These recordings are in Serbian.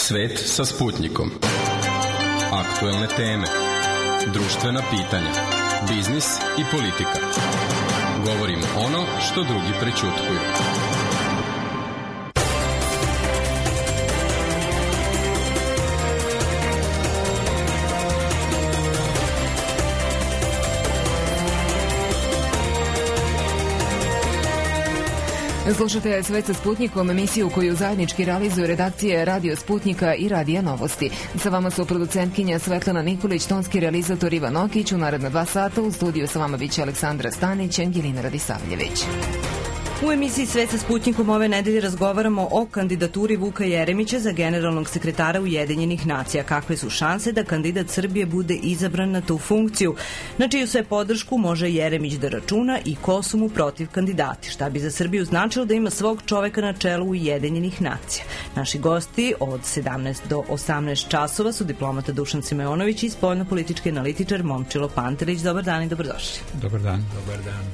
Svet sa Sputnikom. Aktuelne teme, društvena pitanja, biznis i politika. Govorimo ono što drugi prećutkuju. Slušate Svet sa Sputnikom, emisiju koju zajednički realizuju redakcije Radio Sputnika i Radija Novosti. Sa vama su producentkinja Svetlana Nikolić, tonski realizator Ivan Okić. U naredna 2 sata u studiju sa vama biće Aleksandra Stanić, Angelina Radisavljević. U emisiji Svet sa Sputnikom ove nedelje razgovaramo o kandidaturi Vuka Jeremića za generalnog sekretara Ujedinjenih nacija. Kakve su šanse da kandidat Srbije bude izabran na tu funkciju? Na čiju sve podršku može Jeremić da računa i ko su mu protiv kandidati? Šta bi za Srbiju značilo da ima svog čoveka na čelu Ujedinjenih nacija? Naši gosti od 17 do 18 časova su diplomata Dušan Simeonović i spoljno-politički analitičar Momčilo Pantelić. Dobar dan i dobrodošli. Dobar dan. Dobar dan.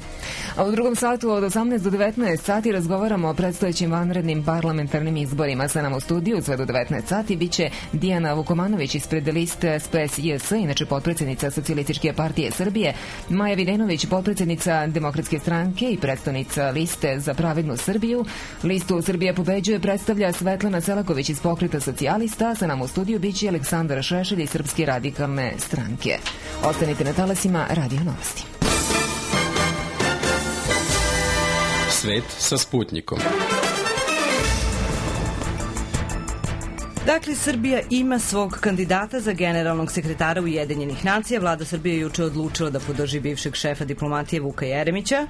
A u drugom satu od 18 do 19 sati razgovaramo o predstojećim vanrednim parlamentarnim izborima. Sa nam u studiju sve do 19 sati biće Dijana Vukomanović ispred liste SPS-JS, inače potpredsjednica Socijalističke partije Srbije, Maja Videnović, potpredsjednica Demokratske stranke i predstavnica liste za pravednu Srbiju. Listu Srbija pobeđuje predstavlja Svetlana Selaković iz Pokreta socijalista. Sa nam u studiju biće Aleksandar Šešelj iz Srpske radikalne stranke. Ostanite na talasima Radio Novosti. Svet sa Sputnikom. Dakle, Srbija ima svog kandidata za generalnog sekretara Ujedinjenih nacija. Vlada Srbije je juče odlučila da podrži bivšeg šefa diplomatije Vuka Jeremića.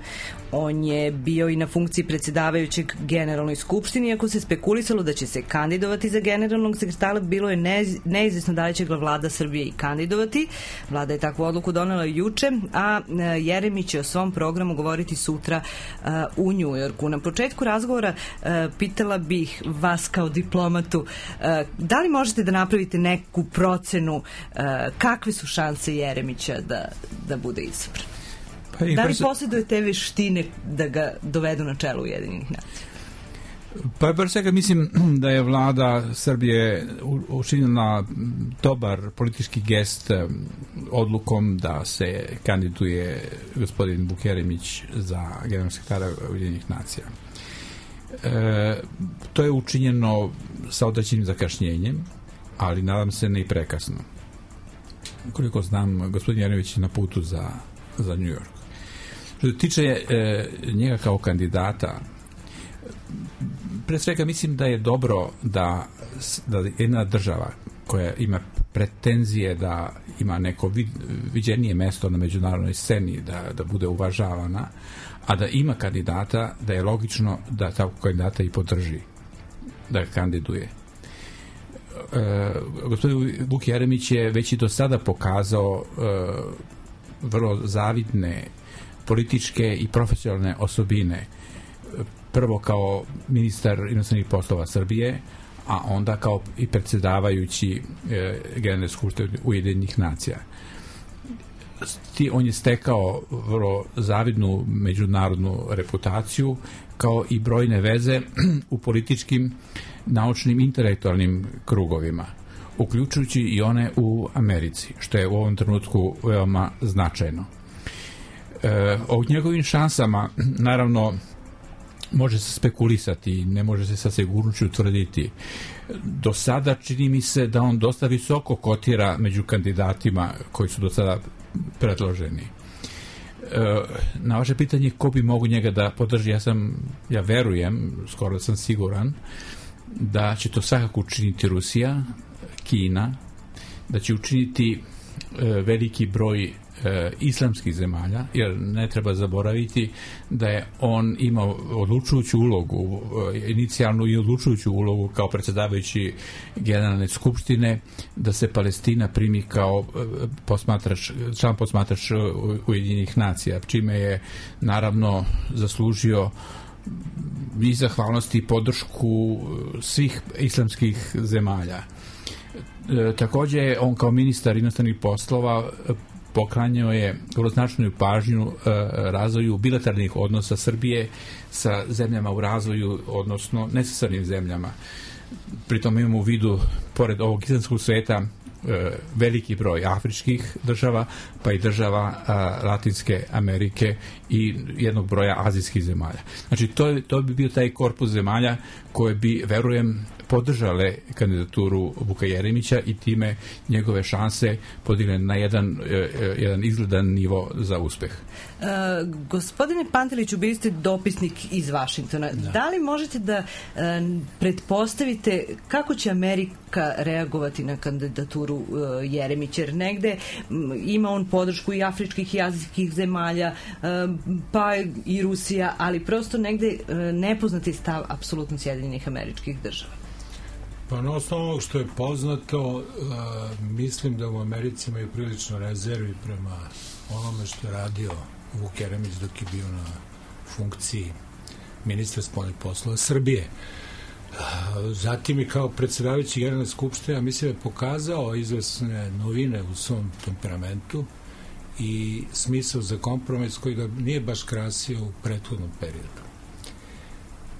On je bio i na funkciji predsjedavajućeg Generalnoj skupštini. Iako se spekulisalo da će se kandidovati za generalnog sekretara, bilo je neizvjesno da li će ga Vlada Srbije i kandidovati. Vlada je takvu odluku donela juče, a Jeremić će o svom programu govoriti sutra u Njujorku. Na početku razgovora pitala bih vas kao diplomatu, da li možete da napravite neku procenu kakve su šanse Jeremića da bude izabran? Da li posjeduje te veštine da ga dovedu na čelo Ujedinjenih nacija? Pa bar svega mislim da je Vlada Srbije učinila dobar politički gest odlukom da se kandiduje gospodin Vuk Jeremić za generalnog sekretara Ujedinjenih nacija. To je učinjeno sa određenim zakašnjenjem, ali nadam se ne i prekasno. Koliko znam, gospodin Jeremić je na putu za New York. Što se tiče njega kao kandidata, pre svega mislim da je dobro da jedna država koja ima pretenzije da ima neko viđenije mesto na međunarodnoj sceni, da bude uvažavana, a da ima kandidata, da je logično da takvog kandidata i podrži, da ga kandiduje. Gospodin Vuk Jeremić je već i do sada pokazao vrlo zavidne političke i profesionalne osobine. Prvo kao ministar inostranih poslova Srbije, a onda kao i predsjedavajući Generalne skupštine Ujedinjenih nacija. On je stekao vrlo zavidnu međunarodnu reputaciju, kao i brojne veze u političkim, naučnim, intelektualnim krugovima, uključujući i one u Americi, što je u ovom trenutku veoma značajno. O njegovim šansama, naravno, može se spekulisati, ne može se sa sigurnošću tvrditi. Do sada čini mi se da on dosta visoko kotira među kandidatima koji su do sada predloženi. Na vaše pitanje ko bi mogu njega da podrži, ja verujem, skoro da sam siguran, da će to svakako učiniti Rusija, Kina, da će učiniti veliki broj islamskih zemalja, jer ne treba zaboraviti da je on imao odlučujuću ulogu, inicijalnu i odlučujuću ulogu kao predsjedavajući Generalne skupštine, da se Palestina primi kao član posmatrač Ujedinjenih nacija, čime je naravno zaslužio i zahvalnosti i podršku svih islamskih zemalja. Također on kao ministar inostranih poslova poklanjao je vrlo značajnu pažnju razvoju bilateralnih odnosa Srbije sa zemljama u razvoju, odnosno ne sa crnim zemljama. Pritom imamo u vidu pored ovog islamskog sveta, veliki broj afričkih država, pa i država Latinske Amerike i jednog broja azijskih zemalja. Znači, to bi bio taj korpus zemalja koje bi, verujem, podržale kandidaturu Vuka Jeremića i time njegove šanse podigle na jedan izgledan nivo za uspeh. Gospodine Panteliću, bili ste dopisnik iz Vašingtona. Da li možete da pretpostavite kako će Amerika reagovati na kandidaturu Jeremića? Jer negde ima on podršku i afričkih i azijskih zemalja, pa i Rusija, ali prosto negde nepoznati stav apsolutno Sjedinjenih Američkih Država. Pa na osnovu onog što je poznato, mislim da u Americi imaju prilično rezervi prema onome što je radio Vuk Jeremić dok je bio na funkciji ministra spoljnih poslova Srbije. Zatim i kao predsjedavajući Generalne skupštine, mislim da je pokazao izvesne novine u svom temperamentu i smisao za kompromis koji ga nije baš krasio u prethodnom periodu.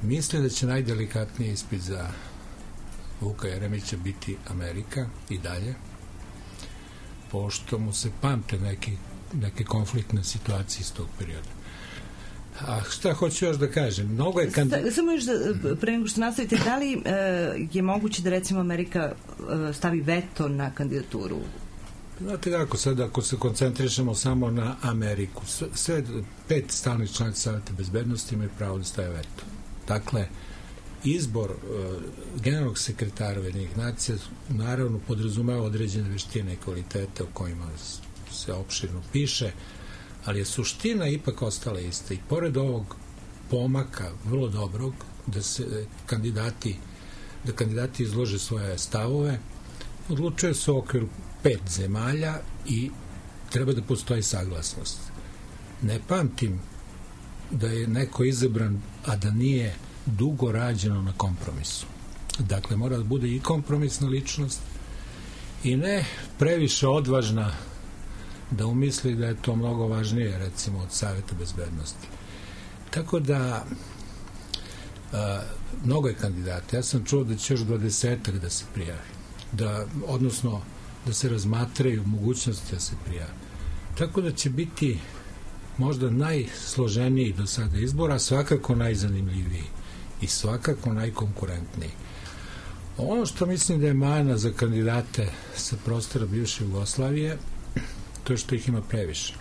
Mislim da će najdelikatniji ispit za Vuka Jeremića biti Amerika i dalje, pošto mu se pamte neke konfliktne situacije iz tog perioda. A šta hoću još da kažem? Mnogo je Samo još pre nego što nastavite, da li je moguće da recimo Amerika stavi veto na kandidaturu? Znate kako, sad ako se koncentrišemo samo na Ameriku, sve 5 stalnih članica Saveta bezbednosti imaju pravo da stave veto. Dakle, izbor generalnog sekretara Ujedinjenih nacija naravno podrazumeva određene veštine i kvalitete o kojima se opširno piše, ali je suština ipak ostala ista i pored ovog pomaka vrlo dobrog da se kandidati izlože svoje stavove, odlučuje se u okviru 5 zemalja i treba da postoji saglasnost. Ne pamtim da je neko izabran, a da nije dugo rađeno na kompromisu. Dakle, mora da bude i kompromisna ličnost i ne previše odvažna da umisli da je to mnogo važnije, recimo, od Saveta bezbednosti. Tako da mnogo je kandidata. Ja sam čuo da će još 20 da se prijavi. Odnosno, da se razmatraju mogućnosti da se prijavi. Tako da će biti možda najsloženiji do sada izbora, svakako najzanimljiviji i svakako najkonkurentniji. Ono što mislim da je mana za kandidate sa prostora bivše Jugoslavije, to je što ih ima previše.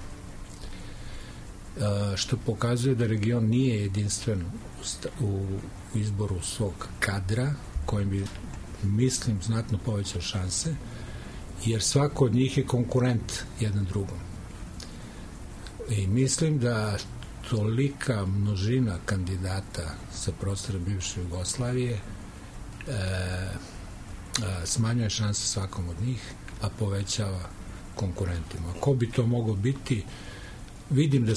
Što pokazuje da region nije jedinstven u izboru svog kadra, kojim bi, mislim, znatno povećao šanse, jer svako od njih je konkurent jedan drugom. I mislim da tolika množina kandidata sa prostora bivše Jugoslavije smanjuje šanse svakom od njih, a povećava konkurentima. Ko bi to mogao biti? Vidim da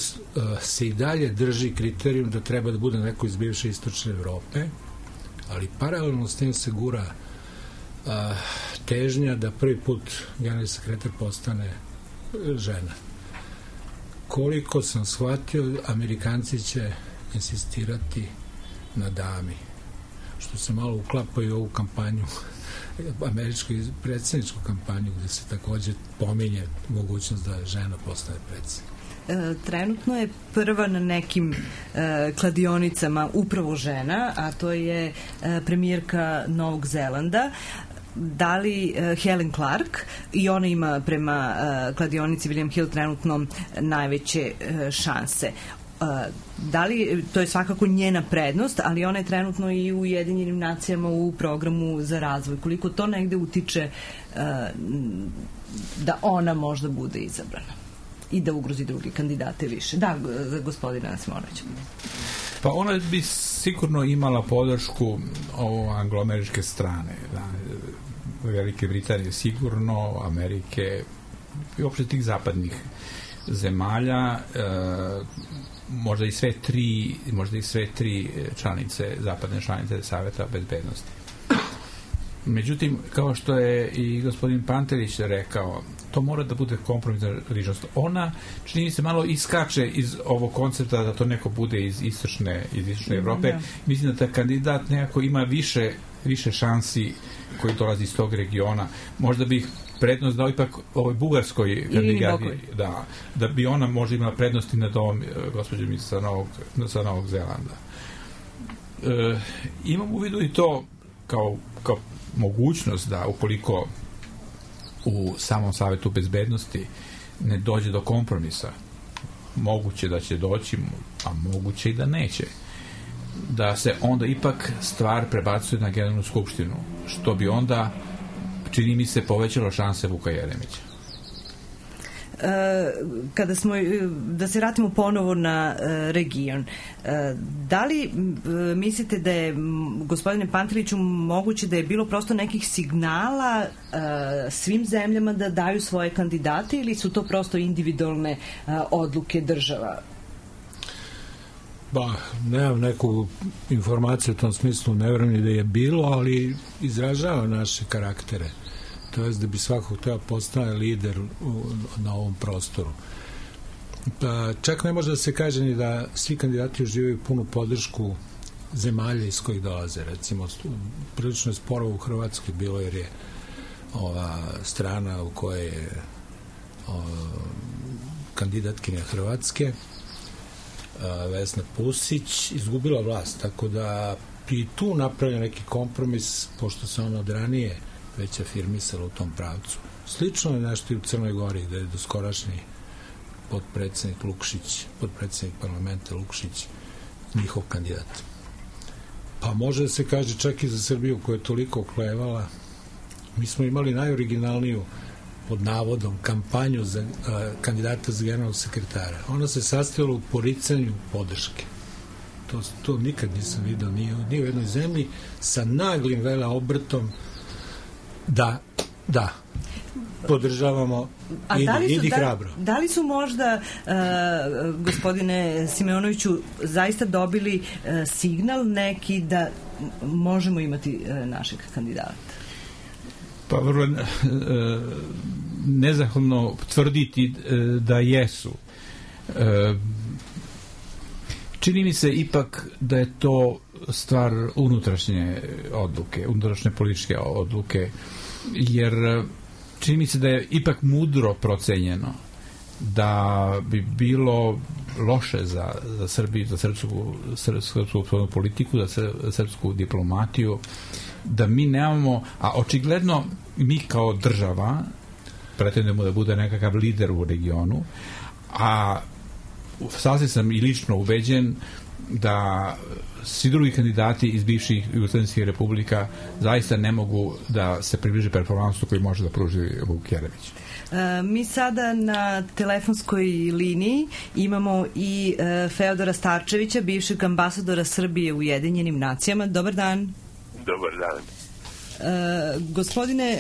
se i dalje drži kriterijum da treba da bude neko iz bivše istočne Evrope, ali paralelno s tim se gura težnja da prvi put generalni sekretar postane žena. Koliko sam shvatio, Amerikanci će insistirati na dami, što se malo uklapaju u ovu kampanju, američku predsjedničku kampanju, gde se takođe pominje mogućnost da žena postane predsjednik. Trenutno je prva na nekim kladionicama upravo žena, a to je premijerka Novog Zelanda. Da li Helen Clark, i ona ima prema kladionici William Hill trenutno najveće šanse. Da li, to je svakako njena prednost, ali ona je trenutno i u Ujedinjenim nacijama u programu za razvoj. Koliko to negde utiče da ona možda bude izabrana i da ugrozi drugi kandidate više? Da, gospodina Simonovića. Pa ona bi sigurno imala podršku angloameričke strane, da, Velike Britanije sigurno, Amerike i uopšte tih zapadnih zemalja, možda i sve tri članice, zapadne članice Saveta bezbednosti. Međutim, kao što je i gospodin Pantelić rekao, to mora da bude kompromisna ličnost. Ona, čini mi se, malo iskače iz ovog koncepta da to neko bude iz istočne Evrope. Mislim da taj kandidat nekako ima više šansi koji dolazi iz tog regiona. Možda bih prednost dao ipak ovoj bugarskoj kandidati, da bi ona možda imala prednosti nad ovom gospođom sa Novog Zelanda. Imam u vidu i to kao mogućnost da ukoliko u samom Savetu bezbednosti ne dođe do kompromisa, moguće da će doći, a moguće i da neće, da se onda ipak stvar prebacuje na Generalnu skupštinu, što bi onda, čini mi se, povećalo šanse Vuka Jeremića. Da se vratimo ponovo na region, da li mislite da je, gospodine Panteliću, moguće da je bilo prosto nekih signala svim zemljama da daju svoje kandidate ili su to prosto individualne odluke država? Nemam neku informaciju u tom smislu, ne vjerujem da je bilo, ali izražava naše karaktere. To je da bi svakog treba postane lider na ovom prostoru. Čak ne može da se kaže ni da svi kandidati uživaju punu podršku zemalja iz kojih dolaze. Recimo, prilično je sporo u Hrvatskoj bilo, jer je ova strana u kojoj je kandidatkinja Hrvatske, Vesna Pusić, izgubila vlast, tako da i tu napravlja neki kompromis, pošto se ona od ranije već afirmisala u tom pravcu. Slično je nešto i u Crnoj Gori, gde je doskorašnji potpredsednik Lukšić, potpredsednik parlamenta Lukšić, njihov kandidat. Pa može da se kaže čak i za Srbiju, koja je toliko oklevala. Mi smo imali najoriginalniju, pod navodom, kampanju za kandidata za generalnog sekretara. Ona se sastojala u poricanju podrške. To nikad nisam vidio ni u jednoj zemlji, sa naglim obrtom da podržavamo, idi hrabro. Da li su možda, gospodine Simeonoviću, zaista dobili signal neki da možemo imati našeg kandidata? Pa vrlo nezahvalno tvrditi da jesu. Čini mi se ipak da je to stvar unutrašnje odluke, unutrašnje političke odluke, jer čini mi se da je ipak mudro procenjeno da bi bilo loše za Srbiju, za srpsku politiku, za srpsku diplomatiju, da mi nemamo, a očigledno mi kao država pretendujemo da bude nekakav lider u regionu, a sasvim sam i lično ubeđen da svi drugi kandidati iz bivših jugoslavijskih republika zaista ne mogu da se približe performansu koji može da pruži Vuk Jeremić. Mi sada na telefonskoj liniji imamo i Feodora Starčevića, bivšeg ambasadora Srbije u Ujedinjenim nacijama. Dobar dan. Dobar dan. Gospodine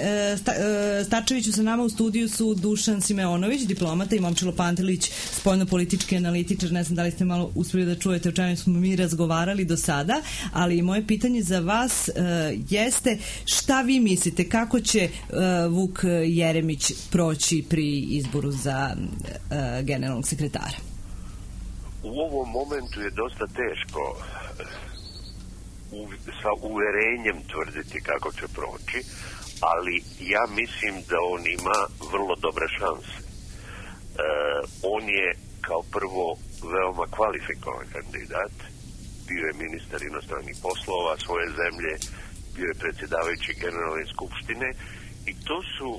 Starčeviću, sa nama u studiju su Dušan Simeonović, diplomata, i Momčilo Pantelić, spoljnopolitički analitičar. Ne znam da li ste malo uspeli da čujete o čemu smo mi razgovarali do sada, ali moje pitanje za vas jeste šta vi mislite, kako će Vuk Jeremić proći pri izboru za generalnog sekretara? U ovom momentu je dosta teško sa uverenjem tvrditi kako će proći, ali ja mislim da on ima vrlo dobre šanse. On je kao prvo veoma kvalifikovan kandidat, bio je ministar inostranih poslova svoje zemlje, bio je predsjedavajući Generalne skupštine i to su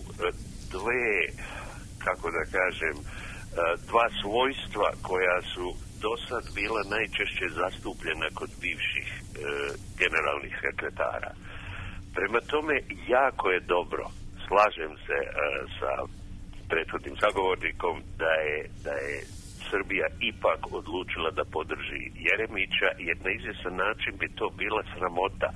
dva svojstva koja su do sad bila najčešće zastupljena kod bivših generalnih sekretara. Prema tome, jako je dobro, slažem se sa prethodnim sagovornikom, da je Srbija ipak odlučila da podrži Jeremića, jer na izvjestan način bi to bila sramota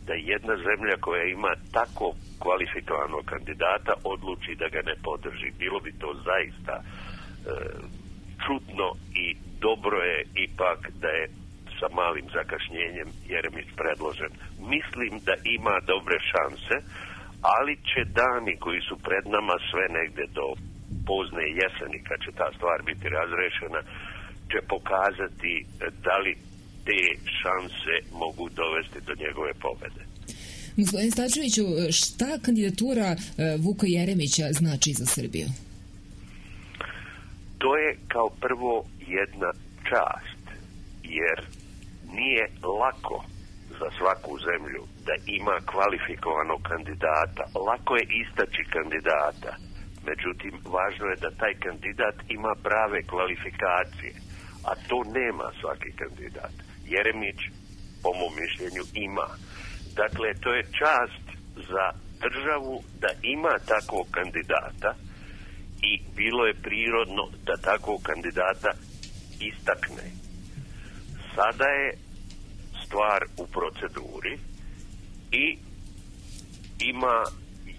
da jedna zemlja koja ima tako kvalifikovanog kandidata odluči da ga ne podrži. Bilo bi to zaista čudno i dobro je ipak da je sa malim zakašnjenjem Jeremić predložen. Mislim da ima dobre šanse, ali će dani koji su pred nama sve negde do pozne jeseni, kad će ta stvar biti razrešena, će pokazati da li te šanse mogu dovesti do njegove pobede. Gospodin Starčeviću, šta kandidatura Vuka Jeremića znači za Srbiju? To je kao prvo jedna čast, jer nije lako za svaku zemlju da ima kvalifikovanog kandidata. Lako je istaći kandidata, međutim, važno je da taj kandidat ima prave kvalifikacije, a to nema svaki kandidat. Jeremić, po mom mišljenju, ima. Dakle, to je čast za državu da ima takvog kandidata i bilo je prirodno da takvog kandidata istakne. Sada je stvar u proceduri i ima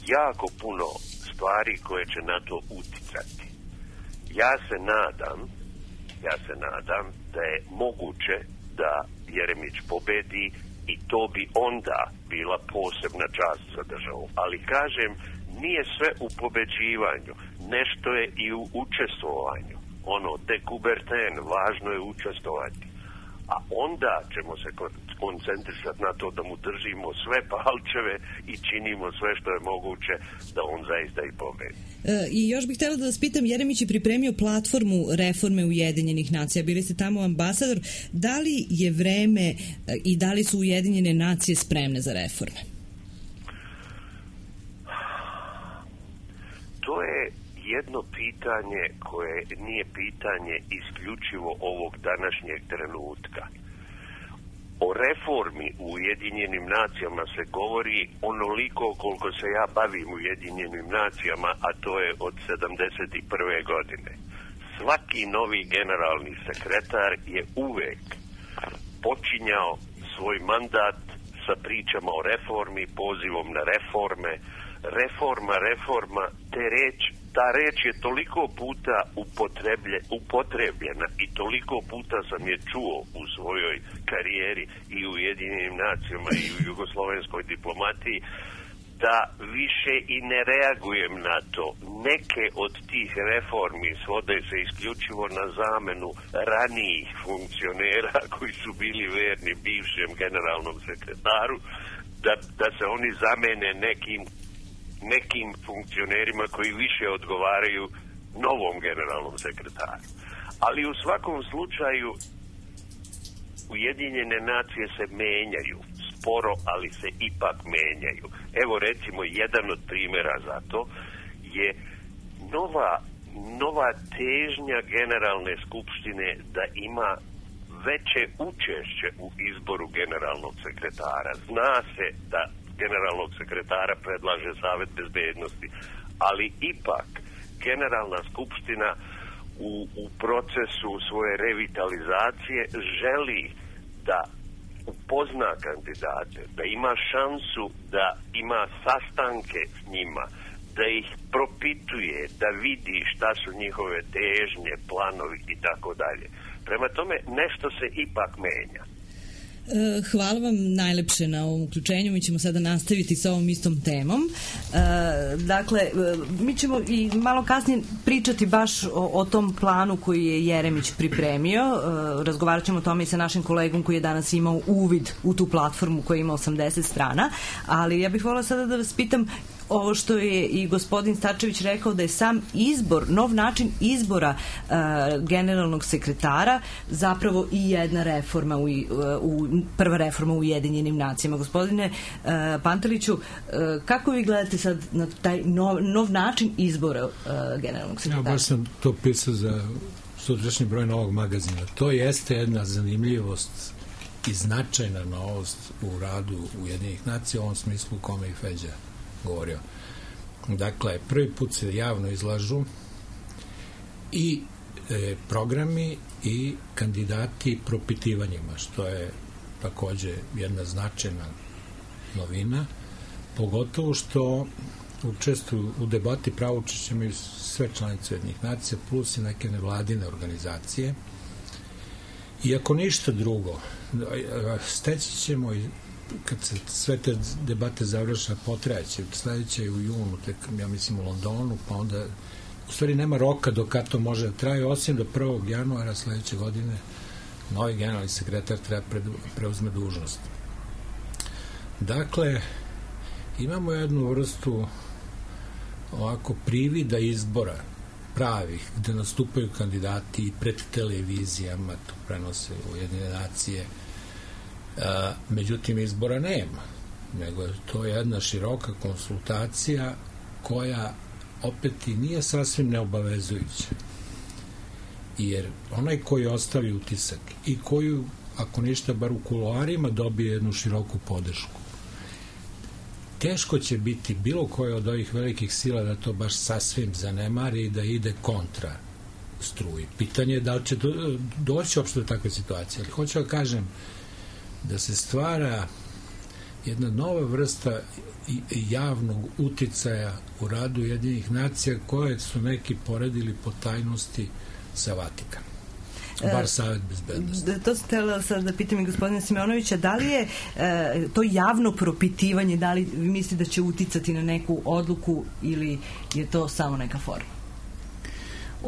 jako puno stvari koje će na to uticati. Ja se nadam da je moguće da Jeremić pobedi i to bi onda bila posebna čast za državu. Ali kažem, nije sve u pobeđivanju, nešto je i u učestvovanju. Dekuberten, važno je učestvovati. A onda ćemo se koncentrisati na to da mu držimo sve palčeve i činimo sve što je moguće da on zaista i pobedi. I još bih htjela da vas pitam, Jeremić je pripremio platformu reforme Ujedinjenih nacija. Bili ste tamo ambasador. Da li je vreme i da li su Ujedinjene nacije spremne za reforme? To je jedno pitanje koje nije pitanje isključivo ovog današnjeg trenutka. O reformi u Ujedinjenim nacijama se govori onoliko koliko se ja bavim Ujedinjenim nacijama, a to je od 71. godine. Svaki novi generalni sekretar je uvek počinjao svoj mandat sa pričama o reformi, pozivom na reforme, reforma, ta reč je toliko puta upotrebljena i toliko puta sam je čuo u svojoj karijeri i u Ujedinjenim nacijama i u jugoslovenskoj diplomatiji, da više i ne reagujem na to. Neke od tih reformi svode se isključivo na zamenu ranijih funkcionera koji su bili verni bivšem generalnom sekretaru, da se oni zamene nekim funkcionerima koji više odgovaraju novom generalnom sekretaru. Ali u svakom slučaju Ujedinjene nacije se menjaju, sporo, ali se ipak menjaju. Evo recimo jedan od primjera za to je nova težnja Generalne skupštine da ima veće učešće u izboru generalnog sekretara. Zna se da generalnog sekretara predlaže Savet bezbednosti, ali ipak Generalna skupština u procesu svoje revitalizacije želi da upozna kandidate, da ima šansu da ima sastanke s njima, da ih propituje, da vidi šta su njihove težnje, planovi i tako dalje. Prema tome, nešto se ipak menja. Hvala vam najlepše na ovom uključenju. Mi ćemo sada nastaviti sa ovom istom temom. Dakle, mi ćemo i malo kasnije pričati baš o tom planu koji je Jeremić pripremio. Razgovarat ćemo o tome i sa našim kolegom koji je danas imao uvid u tu platformu koja ima 80 strana. Ali ja bih voljela sada da vas pitam ovo što je i gospodin Starčević rekao, da je sam izbor, nov način izbora generalnog sekretara zapravo i jedna reforma, prva reforma u Ujedinjenim nacijama. Gospodine Panteliću, kako vi gledate sad na taj nov način izbora generalnog sekretara? Ja baš sam to pisao za sutrašnji broj Novog magazina. To jeste jedna zanimljivost i značajna novost u radu Ujedinjenih nacija, u ovom smislu u kome i Feđa govorio. Dakle, prvi put se javno izlažu i programi i kandidati propitivanjima, što je takođe jedna značajna novina, pogotovo što učestvuju u debati pravo učešće imaju sve članice Ujedinjenih nacija plus i neke nevladine organizacije Iako ništa drugo, steći ćemo i kad se sve te debate završa, potrajaće, sledeće je u junu, tek, ja mislim u Londonu, pa onda u stvari nema roka do kad to može da traje, osim do 1. januara sledeće godine novi generalni sekretar treba preuzme dužnost. Dakle, imamo jednu vrstu ovako privida izbora pravih, gde nastupaju kandidati i pred televizijama, to prenose Ujedinjene nacije. Međutim, izbora nema, nego je to jedna široka konsultacija koja opet i nije sasvim neobavezujuća. Jer onaj koji ostavi utisak i koju, ako ništa, bar u kuloarima dobije jednu široku podršku, teško će biti bilo koje od ovih velikih sila da to baš sasvim zanemari i da ide kontra struji. Pitanje je da li će doći uopšte do takve situacije. Ali hoću da kažem da se stvara jedna nova vrsta javnog uticaja u radu Ujedinjenih nacija koje su neki poredili po tajnosti sa Vatikanom. Bar Savet bezbednosti. To sam htjela sad da pitam i gospodina Simeonovića, da li je to javno propitivanje, da li vi mislite da će uticati na neku odluku ili je to samo neka forma?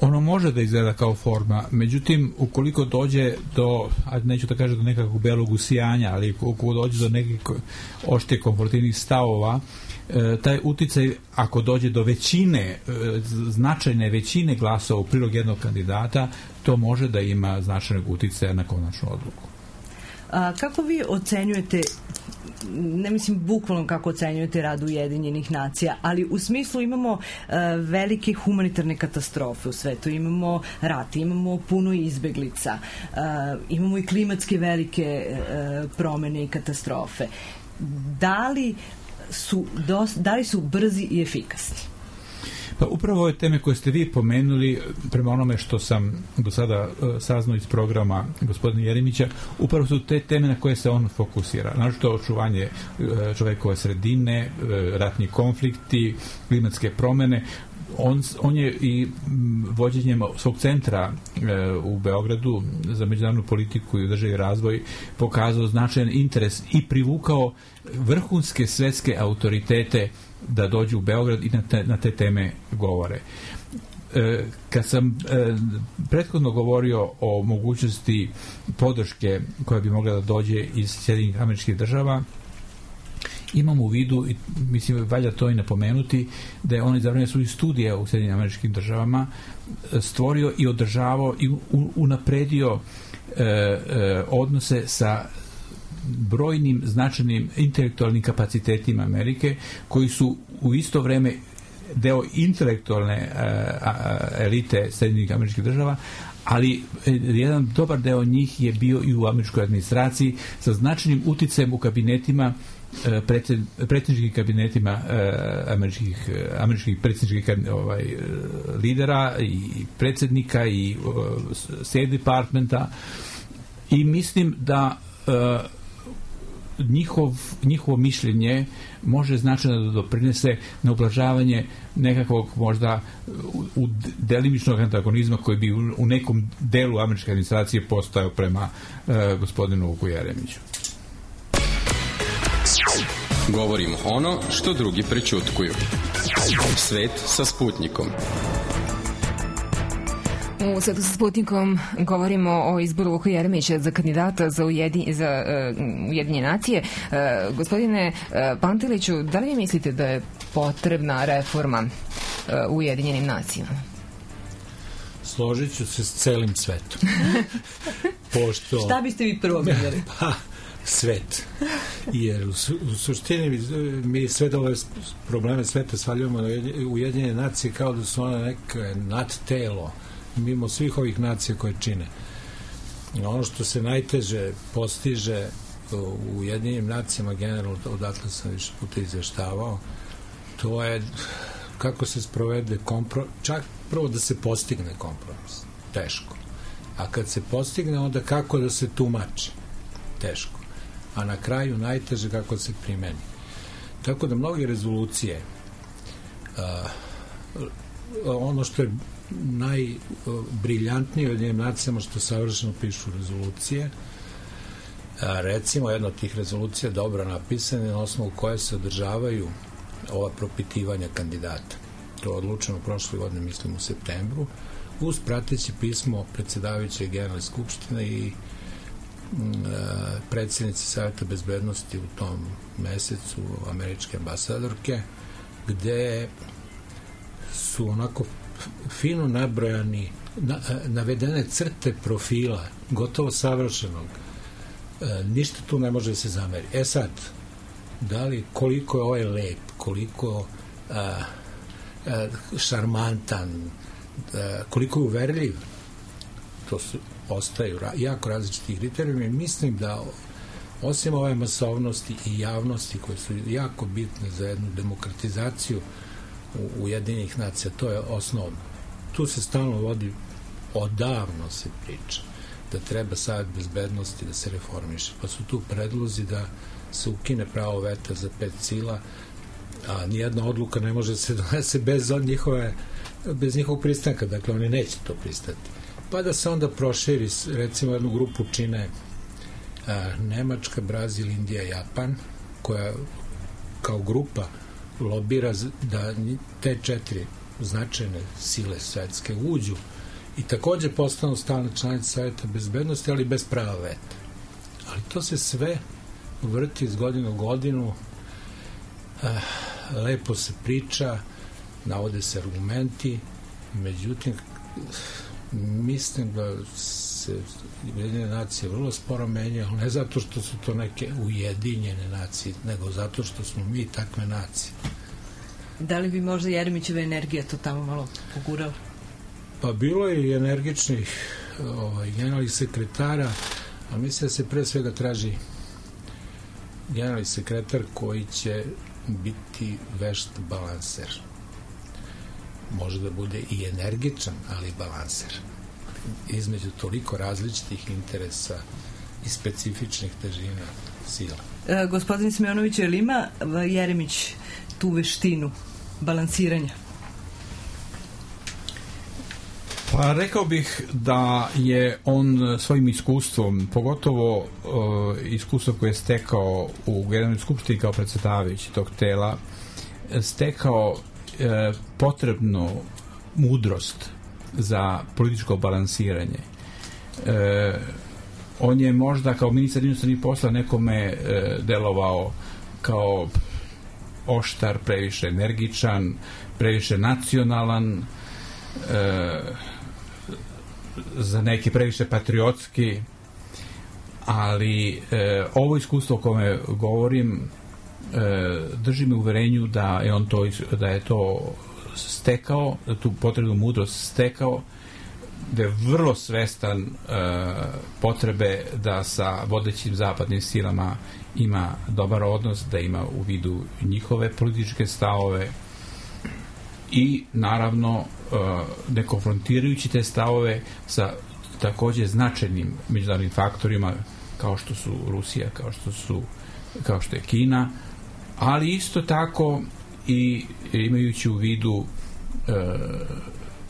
Ono može da izgleda kao forma, međutim, ukoliko dođe do, neću da kažem do nekakvog belog usijanja, ali ukoliko dođe do nekih ošte konfrontativnih stavova, taj uticaj, ako dođe do većine, značajne većine glasova u prilog jednog kandidata, to može da ima značajnog uticaja na konačnu odluku. Kako vi ocenjujete, ne mislim bukvalno kako ocenjujete rad Ujedinjenih nacija, ali u smislu imamo velike humanitarne katastrofe u svetu, imamo rat, imamo puno izbeglica, imamo i klimatske velike promene i katastrofe. Da li su brzi i efikasni? Pa upravo ove teme koje ste vi pomenuli, prema onome što sam do sada saznao iz programa gospodina Jeremića, upravo su te teme na koje se on fokusira. Naročito očuvanje čovekove sredine, ratni konflikti, klimatske promene. On je i vođenjem svog centra u Beogradu za međunarodnu politiku i održivi razvoj pokazao značajan interes i privukao vrhunske svetske autoritete da dođu u Beograd i na te teme govore. Kad sam prethodno govorio o mogućnosti podrške koja bi mogla da dođe iz Sjedinjenih Američkih Država, imam u vidu, i mislim valja to i napomenuti, da je on za vreme svojih studija u Sjedinjenim Američkim Državama stvorio i održavao i unapredio odnose sa brojnim značajnim intelektualnim kapacitetima Amerike, koji su u isto vreme deo intelektualne elite Sjedinjenih Američkih Država, ali jedan dobar deo njih je bio i u američkoj administraciji sa značajnim uticajem u kabinetima, predsjedničkim kabinetima američkih predsjedničkih lidera i predsjednika i State Departmenta, i mislim da njihovo mišljenje može značajno da doprinese na ublažavanje nekakvog možda delimičnog antagonizma koji bi u nekom delu američke administracije postojao prema gospodinu Vuku Jeremiću. Govorimo ono što drugi prećutkuju. Svet sa Sputnikom. U Svetu sa Sputnikom govorimo o izboru Vuka Jeremića za kandidata za Ujedinjene nacije. Gospodine Panteliću, da li vi mislite da je potrebna reforma u Ujedinjenim nacijama? Složit ću se s celim svetom. Pošto... Šta biste vi prvo mislili? Svet. Jer u suštini mi sve ove probleme sveta svaljujemo na Ujedinjene nacije kao da su one neke nadtelo mimo svih ovih nacija koje čine. Ono što se najteže postiže u Ujedinjenim nacijama, generalno, odatle sam više puta izveštavao, to je kako se sprovede kompromis, čak prvo da se postigne kompromis. Teško. A kad se postigne, onda kako da se tumači. Teško. A na kraju najteže kako se primeni. Tako da mnoge rezolucije ono što je najbriljantniji od njenim nacijama što savršeno pišu rezolucije. Recimo, jedna od tih rezolucija dobro napisana na osnovu koje se održavaju ova propitivanja kandidata. To je odlučeno prošle godine, mislim u septembru, uz prateće pismo predsjedavajuće Generalne skupštine i predsjednici Saveta bezbednosti u tom mesecu, američke ambasadorke, gde su onako fino nabrojani, navedene crte profila, gotovo savršenog. Ništa tu ne može da se zameri. Sad, da li, koliko je ovaj lep, koliko šarmantan, koliko je uverljiv, to ostaju jako različiti kriterijumi. Mislim da osim ove masovnosti i javnosti koje su jako bitne za jednu demokratizaciju Ujedinjenih nacija, to je osnovno. Tu se stalno vodi, odavno se priča da treba Savet bezbednosti da se reformiše, pa su tu predlozi da se ukine pravo veta za 5 sila, a nijedna odluka ne može se donese bez njihovog pristanka, dakle oni neće to pristati. Pa da se onda proširi, recimo jednu grupu čine Nemačka, Brazil, Indija, Japan, koja kao grupa lobira da te 4 značajne sile svetske uđu i takođe postanu stalne članice Saveta bezbednosti, ali bez prava veta. Ali to se sve vrti iz godine u godinu, lepo se priča, navode se argumenti, međutim mislim da se Ujedinjene nacije vrlo sporo menjaju, ali ne zato što su to neke ujedinjene nacije, nego zato što smo mi takve nacije. Da li bi možda Jeremićeva energija to tamo malo pogurala? Pa bilo je i energičnih generalnih sekretara, a mislim da se pre svega traži generalni sekretar koji će biti vešt balanser. Može da bude i energičan, ali balanser. Između toliko različitih interesa i specifičnih težina sila. Gospodin Smeonović, je li ima Jeremić tu veštinu balansiranja? Pa rekao bih da je on svojim iskustvom, pogotovo iskustvo koje je stekao u Generalnoj skupštini kao predsjedavajući tog tela, stekao potrebnu mudrost za političko balansiranje. On je možda kao ministar inostranih posla nekome delovao kao oštar, previše energičan, previše nacionalan, za neki previše patriotski, ali ovo iskustvo o kome govorim drži me uverenju da je to stekao, da tu potrebnu mudrost stekao, da je vrlo svestan potrebe da sa vodećim zapadnim silama ima dobar odnos, da ima u vidu njihove političke stavove i naravno ne konfrontirajući te stavove sa takođe značajnim međunarodnim faktorima kao što su Rusija, kao što je Kina, ali isto tako i imajući u vidu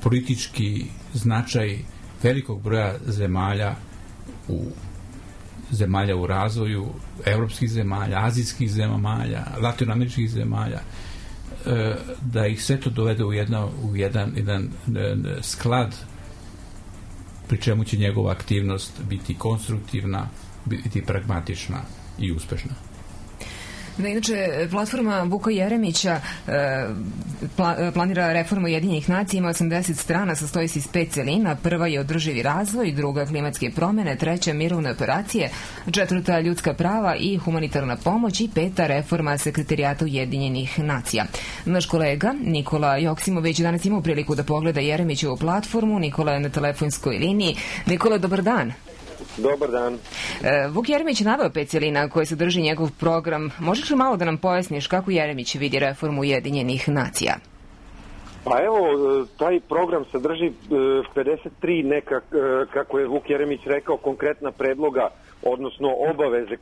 politički značaj velikog broja zemalja u razvoju, evropskih zemalja, azijskih zemalja, latinoameričkih zemalja, da ih sve to dovede u jedan sklad, pri čemu će njegova aktivnost biti konstruktivna, biti pragmatična i uspešna. Da, inače, platforma Vuka Jeremića planira reformu Ujedinjenih nacija, ima 80 strana, sastoji se iz 5 celina. Prva je održivi razvoj, druga klimatske promene, treća mirovne operacije, četvrta ljudska prava i humanitarna pomoć i peta reforma Sekretarijata Ujedinjenih nacija. Naš kolega Nikola Joksimović danas imao priliku da pogleda Jeremićevu platformu. Nikola je na telefonskoj liniji. Nikola, dobar dan. Dobar dan. Vuk Jeremić je naveo 5 celina koje sadrži njegov program. Možeš li malo da nam pojasniš kako Jeremić vidi reformu Ujedinjenih nacija? Pa evo, taj program sadrži 53 kako je Vuk Jeremić rekao, konkretna predloga, odnosno obaveze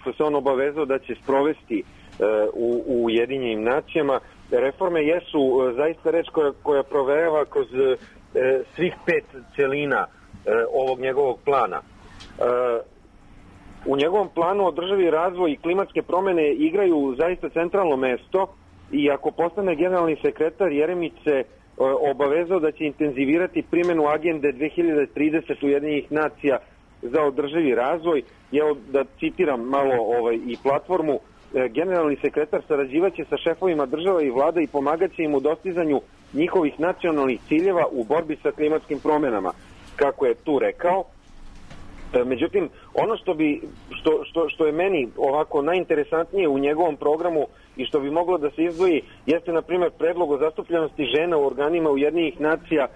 što se on obavezao da će sprovesti u Ujedinjenim nacijama. Reforme jesu zaista reč koja provejava kroz svih 5 celina ovog njegovog plana. U njegovom planu održivi razvoj i klimatske promene igraju zaista centralno mesto i ako postane generalni sekretar, Jeremić se obavezao da će intenzivirati primjenu agende 2030 Ujedinjenih nacija za održivi razvoj. Evo da citiram malo i platformu. Generalni sekretar sarađivaće sa šefovima država i vlada i pomagaće im u dostizanju njihovih nacionalnih ciljeva u borbi sa klimatskim promjenama, kako je tu rekao. Međutim, ono što je meni ovako najinteresantnije u njegovom programu i što bi moglo da se izdvoji jeste, na primjer, predlog o zastupljenosti žena u organima Ujedinjenih nacija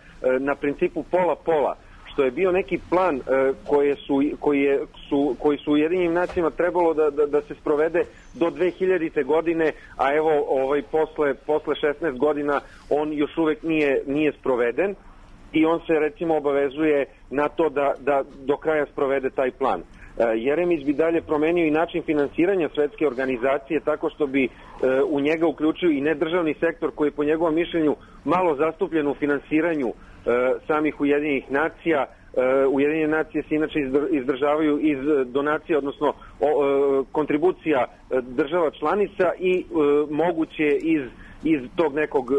na principu pola-pola, što je bio neki plan koji su Ujedinjenim nacijama trebalo da se sprovede do 2000. godine, a evo posle 16 godina on još uvek nije sproveden i on se recimo obavezuje na to da do kraja sprovede taj plan. Jeremić bi dalje promenio i način finansiranja svetske organizacije tako što bi u njega uključio i nedržavni sektor koji je po njegovom mišljenju malo zastupljen u finansiranju samih Ujedinjenih nacija. Ujedinjene nacije se inače izdržavaju iz donacija, odnosno kontribucija država članica i moguće iz tog nekog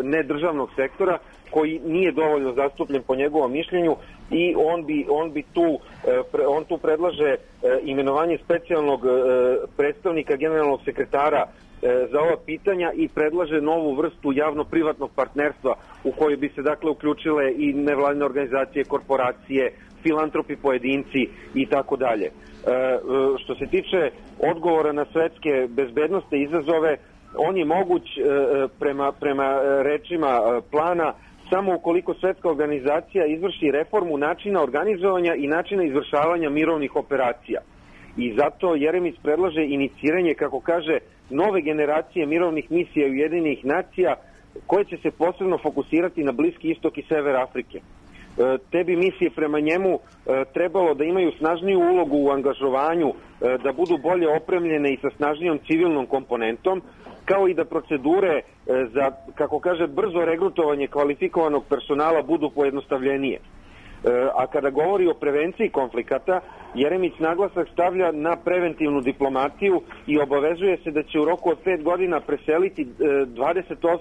nedržavnog sektora koji nije dovoljno zastupljen po njegovom mišljenju i on tu predlaže imenovanje specijalnog predstavnika generalnog sekretara za ova pitanja i predlaže novu vrstu javno-privatnog partnerstva u kojoj bi se dakle uključile i nevladine organizacije, korporacije, filantropi, pojedinci i tako dalje. Što se tiče odgovora na svetske bezbednosne izazove, on je moguć prema rečima plana samo ukoliko svetska organizacija izvrši reformu načina organizovanja i načina izvršavanja mirovnih operacija. I zato Jeremić predlaže iniciranje, kako kaže, nove generacije mirovnih misija Ujedinjenih nacija koje će se posebno fokusirati na Bliski istok i sever Afrike. Te bi misije prema njemu trebalo da imaju snažniju ulogu u angažovanju, da budu bolje opremljene i sa snažnijom civilnom komponentom, kao i da procedure za, kako kaže, brzo regrutovanje kvalifikovanog personala budu pojednostavljenije. A kada govori o prevenciji konflikata, Jeremić naglasak stavlja na preventivnu diplomatiju i obavezuje se da će u roku od 5 godina preseliti 20%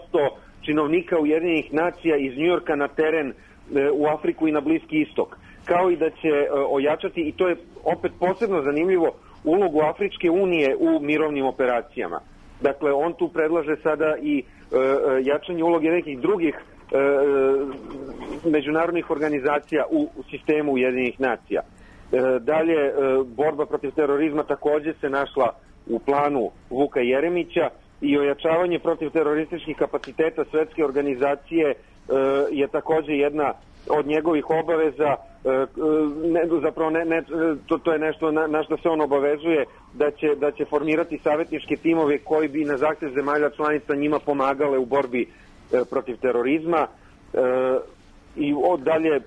činovnika Ujedinjenih nacija iz Njujorka na teren u Afriku i na Bliski istok. Kao i da će ojačati, i to je opet posebno zanimljivo, ulogu Afričke unije u mirovnim operacijama. Dakle, on tu predlaže sada i jačanje uloge nekih drugih međunarodnih organizacija u sistemu Ujedinjenih nacija. Dalje, borba protiv terorizma također se našla u planu Vuka Jeremića i ojačavanje protiv terorističkih kapaciteta svetske organizacije je također jedna od njegovih obaveza. To je nešto na što se on obavezuje, da će formirati savjetničke timove koji bi na zahtev zemalja članica njima pomagale u borbi protiv terorizma. I dalje,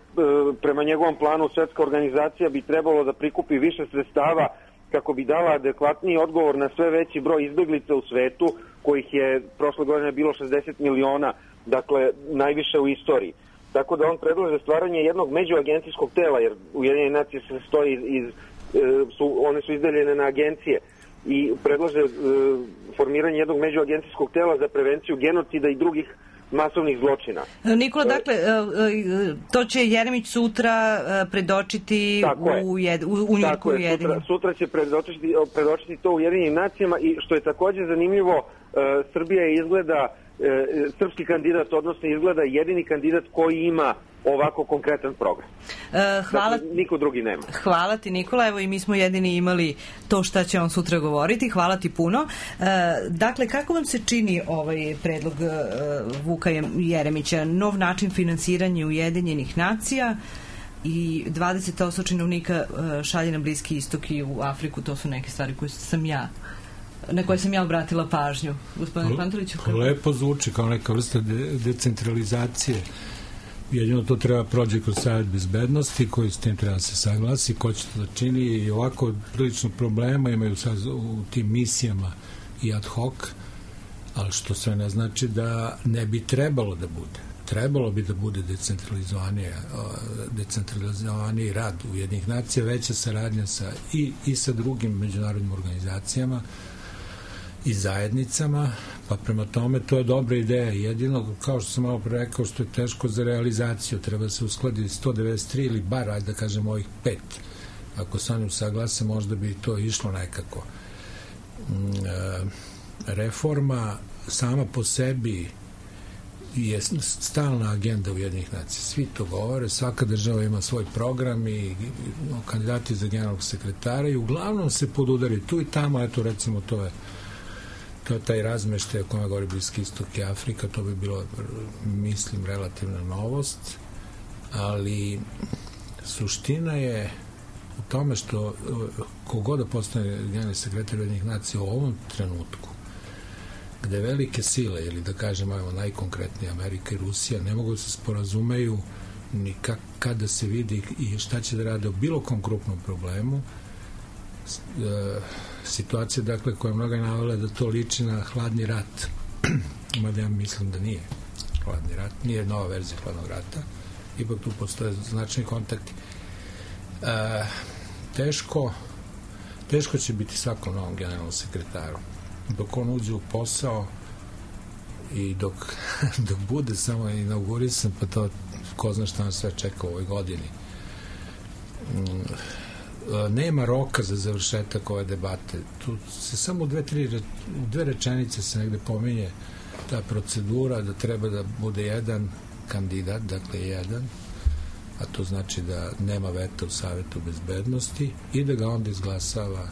prema njegovom planu, svetska organizacija bi trebalo da prikupi više sredstava kako bi dala adekvatniji odgovor na sve veći broj izbeglica u svetu, kojih je prošle godine bilo 60 miliona, dakle najviše u istoriji. Tako da on predlaže stvaranje jednog međuagencijskog tela, jer Ujedinjene nacije se stoji one su izdeljene na agencije, i predlaže formiranje jednog međuagencijskog tela za prevenciju genocida i drugih masovnih zločina. Nikola, dakle, to će Jeremić sutra predočiti u Njujorku Ujedinjenim. Sutra će predočiti to u Ujedinjenim nacijama i što je također zanimljivo, Srbija je izgleda srpski kandidat, odnosno izgleda jedini kandidat koji ima ovako konkretan program. Dakle, niko drugi nema. Hvala ti, Nikola. Evo i mi smo jedini imali to šta će on sutra govoriti. Hvala ti puno. Dakle, kako vam se čini ovaj predlog Vuka Jeremića? Nov način finansiranja Ujedinjenih nacija i 20% činovnika šalje na Bliski istok i u Afriku. To su neke stvari na koje sam ja obratila pažnju. Gospodine Pantoviću? Lepo zvuči kao neka vrsta decentralizacije. Jedino to treba prođe kroz Savet bezbednosti koji s tim treba se saglasi, ko će to da čini, i ovako prilično problema imaju sad u tim misijama i ad hoc, ali što sve ne znači da ne bi trebalo da bude. Trebalo bi da bude decentralizovaniji rad Ujedinjenih nacija, veća saradnja i sa drugim međunarodnim organizacijama i zajednicama, pa prema tome to je dobra ideja. Jedino, kao što sam malo pre rekao, što je teško za realizaciju, treba se uskladiti 193 ili bar, ajde da kažem, ovih 5. Ako se oni usaglase, možda bi to išlo nekako. Reforma sama po sebi je stalna agenda Ujedinjenih nacija. Svi to govore, svaka država ima svoj program i kandidati za generalnog sekretara i uglavnom se podudari tu i tamo, eto recimo to je taj razmeštaj o kome govori Bliski istok i Afrika, to bi bilo, mislim, relativna novost, ali suština je u tome što kogod da postane generalni sekretar Ujedinjenih nacija u ovom trenutku, gde velike sile, ili da kažem, ajmo, najkonkretnije Amerika i Rusija, ne mogu da se sporazumeju ni kada se vidi i šta će da rade o bilo kom krupnom problemu. Situacija, dakle, koja je mnoga navela da to liči na hladni rat. Mada ja mislim da nije hladni rat, nije nova verzija hladnog rata, ipak tu postoje značajni kontakti. Teško će biti svakom novom generalnom sekretaru. Dok on uđe u posao i dok bude samo inaugurisan, pa to ko zna šta nas sve čeka u ovoj godini. Nema roka za završetak ove debate. Tu se samo u dve rečenice se negde pominje ta procedura da treba da bude jedan kandidat, dakle jedan, a to znači da nema veta u Savetu bezbednosti i da ga onda izglasava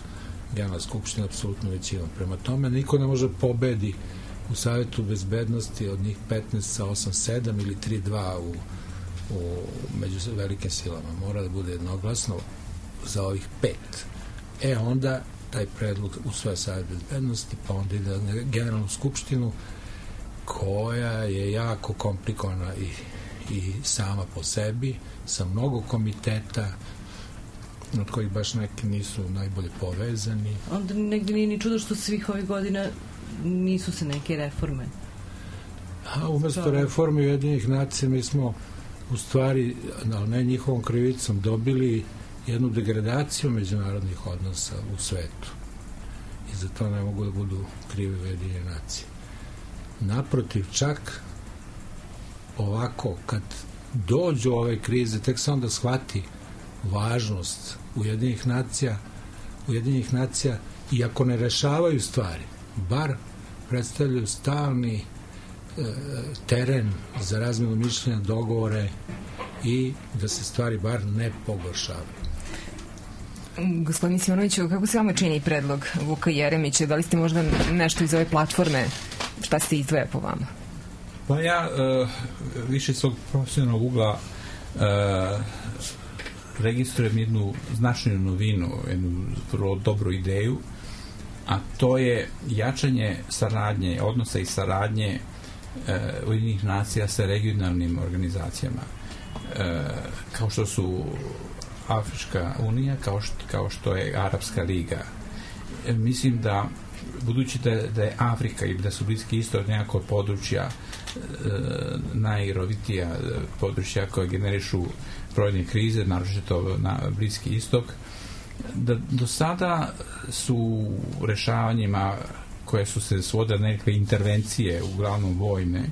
Generalna skupština apsolutno većinom. Prema tome, niko ne može pobedi u Savetu bezbednosti od njih 15 sa 8-7 ili 3-2 među velikim silama. Mora da bude jednoglasno za ovih 5. Onda taj predlog usvaja Savet bezbednosti, pa onda ide na Generalnu skupštinu, koja je jako komplikovana i sama po sebi, sa mnogo komiteta, od kojih baš neki nisu najbolje povezani. Onda negde nije ni čudo što svih ovih godina nisu se neke reforme. Umesto reforme Ujedinjenih nacija mi smo u stvari, ali ne njihovom krivicom, dobili jednu degradaciju međunarodnih odnosa u svetu. I za to ne mogu da budu krive Ujedinjene nacije. Naprotiv, čak ovako, kad dođu ove krize, tek se onda shvati važnost Ujedinjenih nacija, i ako ne rešavaju stvari, bar predstavljaju stalni teren za razmenu mišljenja, dogovore i da se stvari bar ne pogoršavaju. Gospodin Simonoviću, kako se vama čini predlog Vuka Jeremića? Da li ste možda nešto iz ove platforme, šta se izdvaja po vama? Pa ja više svog profesionalnog ugla registrujem jednu značajnu novinu, jednu vrlo dobru ideju, a to je jačanje saradnje, odnosa i saradnje Ujedinjenih nacija sa regionalnim organizacijama, kao što su Afrička unija, kao što je Arapska liga. Mislim da, budući da je Afrika i da su Bliski istok nekako područja najrovitija područja koje generišu brojne krize, naročito na Bliski istok, da do sada su rešavanjima koje su se svodile nekakve intervencije, uglavnom vojne,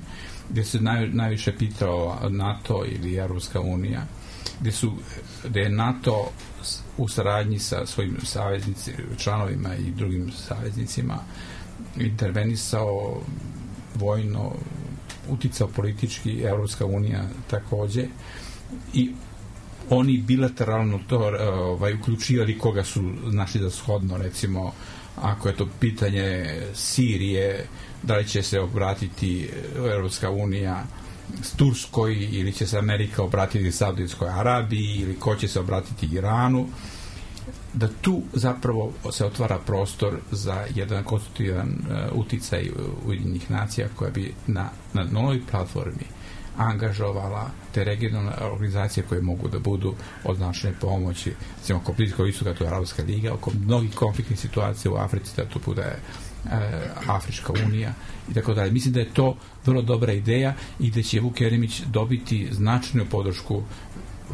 gde se najviše pitao NATO ili Europska unija, gde je NATO u saradnji sa svojim članovima i drugim saveznicima intervenisao vojno, uticao politički, Europska unija takođe, i oni bilateralno to uključivali koga su našli za shodno, recimo ako je to pitanje Sirije, da li će se obratiti Europska unija s Turskoj ili će se Amerika obratiti Saudijskoj Arabiji ili ko će se obratiti Iranu, da tu zapravo se otvara prostor za jedan konstruktivan uticaj Ujedinjenih nacija koja bi na novoj platformi angažovala te regionalne organizacije koje mogu da budu od značajne pomoći, recimo oko Bliskog istoka, to je Arapska liga, oko mnogih konfliktnih situacija u Africi, da to bude Afrička unija i tako dalje. Mislim da je to vrlo dobra ideja i da će Vuk Jeremić dobiti značajnu podršku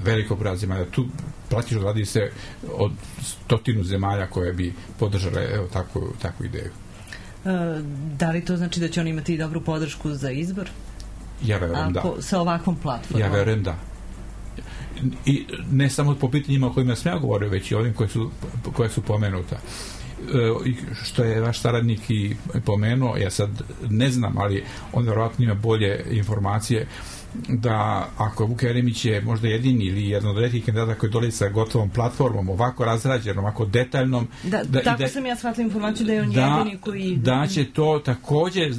velikog broja zemalja. Tu praktično radi se od 100 zemalja koje bi podržale takvu ideju. Da li to znači da će on imati dobru podršku za izbor? Ja verujem da. Sa ovakvom platformom? Ja verujem da. I ne samo po pitanjima o kojima sam ja govorio, već i ovim koje su pomenuta. Što je vaš saradnik i pomenuo, ja sad ne znam, ali on verovatno ima bolje informacije, da ako Vuk Jeremić je možda jedini ili jedan od retkih kandidata koji dolazi sa gotovom platformom, ovako razrađenom, ovako detaljnom, tako sam ja shvatila informaciju da je on jedini koji... Da će to takođe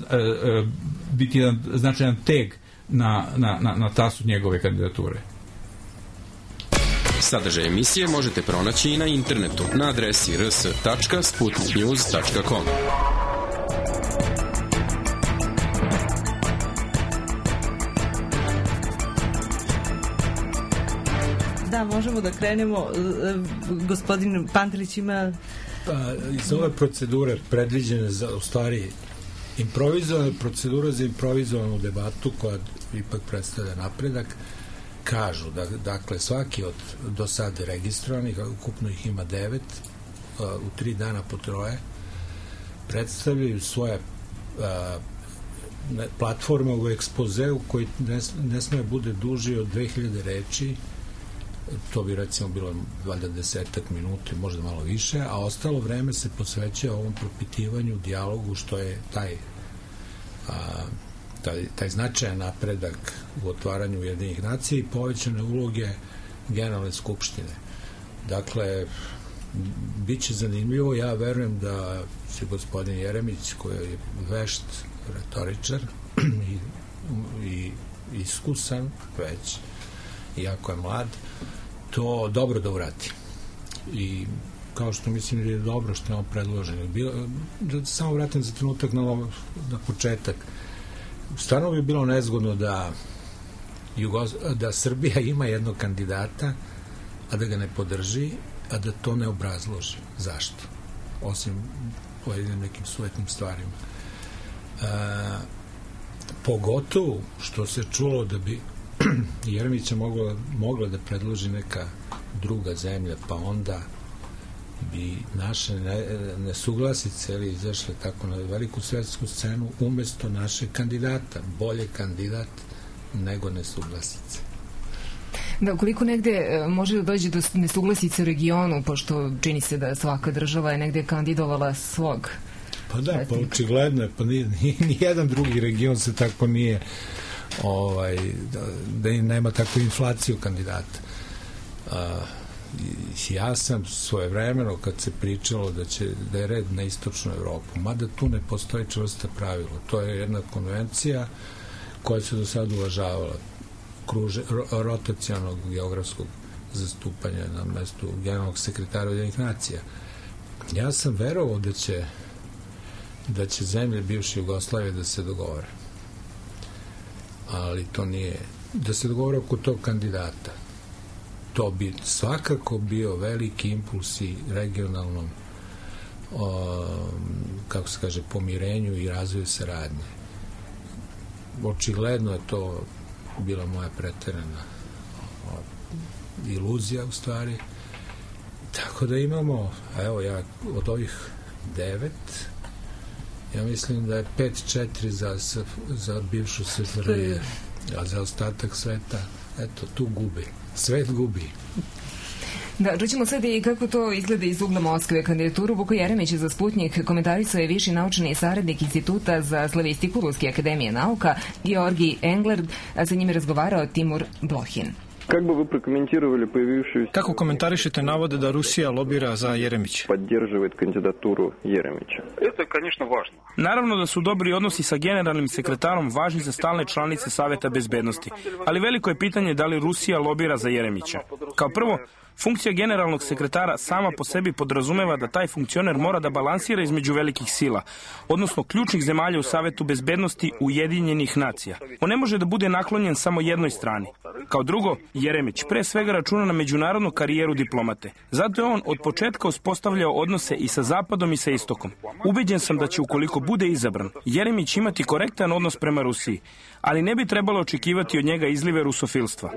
biti jedan značajan teg na tasu njegove kandidature. Sadržaj emisije možete pronaći i na internetu na adresi rs.sputniknews.com. Da, možemo da krenemo. Gospodin Pantelić ima... Iz ove procedure predviđene za, u stvari, improvizovane procedure za improvizovanu debatu koja ipak predstavlja napredak, kažu da, dakle, svaki od do sada registrovanih, ukupno ih ima 9, u 3 dana po 3, predstavljaju svoje platforme u ekspozeu koji ne sme bude duži od 2000 reči. To bi recimo bilo valjda 10 minuta, možda malo više, a ostalo vreme se posveća ovom propitivanju, dijalogu, što je taj značajan napredak u otvaranju Ujedinjenih nacija i povećane uloge Generalne skupštine. Dakle, bit će zanimljivo. Ja verujem da će gospodin Jeremić, koji je vešt retoričar i iskusan već, iako je mlad, to dobro da uradi. I kao što mislim da je dobro što je on predložen. Da samo vratim za trenutak na početak. Stvarno bi bilo nezgodno da Srbija ima jednog kandidata, a da ga ne podrži, a da to ne obrazloži. Zašto? Osim pojedinim nekim sujetnim stvarima. Pogotovo što se čulo da bi Jeremića mogla da predloži neka druga zemlja, pa onda bi naše nesuglasice izašle tako na veliku svetsku scenu umesto našeg kandidata. Bolje kandidat nego nesuglasice. Da, ukoliko negde može da dođe do nesuglasice u regionu, pošto čini se da svaka država je negde kandidovala svog. Pa da, pa očigledno je, pa nijedan drugi region se tako nije da nema takvu inflaciju kandidata. Ja sam svojevremeno, kad se pričalo da je red na istočnu Evropu, mada tu ne postoji čvrsta pravila. To je jedna konvencija koja se do sada uvažavala, rotacionog geografskog zastupanja na mestu generalnog sekretara Ujedinjenih nacija. Ja sam verovao da će zemlje bivše Jugoslavije da se dogovore. Ali to nije, da se dogovore oko tog kandidata. To bi svakako bio veliki impuls i regionalnom kako se kaže, pomirenju i razvoju saradnje. Očigledno je to bila moja preterana iluzija u stvari. Tako da imamo, evo ja od ovih 9, ja mislim da je 5-4 za bivšu SFRJ, a za ostatak sveta, eto, tu gubi. Svet gubi. Da, čućemo sad i kako to izgleda iz ugla Moskve. Kandidaturu Vuka Jeremića za Sputnjik komentarisao je viši naučni saradnik Instituta za slavistiku Ruske akademije nauka Georgij Engler, a sa njim je razgovarao Timur Blohin. Kako komentarišete navode da Rusija lobira za Jeremića? Naravno da su dobri odnosi sa generalnim sekretarom važni za stalne članice Saveta bezbednosti, ali veliko je pitanje da li Rusija lobira za Jeremića. Kao prvo, funkcija generalnog sekretara sama po sebi podrazumeva da taj funkcioner mora da balansira između velikih sila, odnosno ključnih zemalja u Savetu bezbednosti Ujedinjenih nacija. On ne može da bude naklonjen samo jednoj strani. Kao drugo, Jeremić pre svega računa na međunarodnu karijeru diplomate. Zato je on od početka uspostavljao odnose i sa Zapadom i sa Istokom. Ubeđen sam da će, ukoliko bude izabran, Jeremić imati korektan odnos prema Rusiji, ali ne bi trebalo očekivati od njega izlive rusofilstva.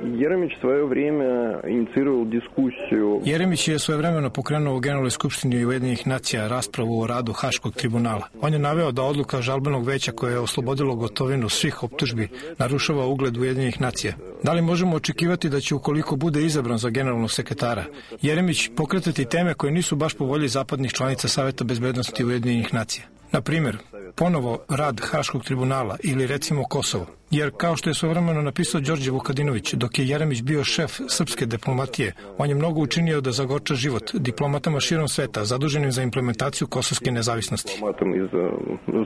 Jeremić je svojevremeno pokrenuo u Generalnoj skupštini Ujedinjenih nacija raspravu o radu Haškog tribunala. On je naveo da odluka žalbenog veća koje je oslobodilo Gotovinu svih optužbi narušava ugled Ujedinjenih nacija. Da li možemo očekivati da će, ukoliko bude izabran za generalnog sekretara, Jeremić pokretati teme koje nisu baš po volji zapadnih članica Saveta bezbednosti Ujedinjenih nacija? Na primjer, ponovo rad Haškog tribunala ili recimo Kosovo. Jer, kao što je svojevremeno napisao Đorđe Vukadinović, dok je Jeremić bio šef srpske diplomatije, on je mnogo učinio da zagorča život diplomatama širom sveta, zaduženim za implementaciju kosovske nezavisnosti. Diplomatama iz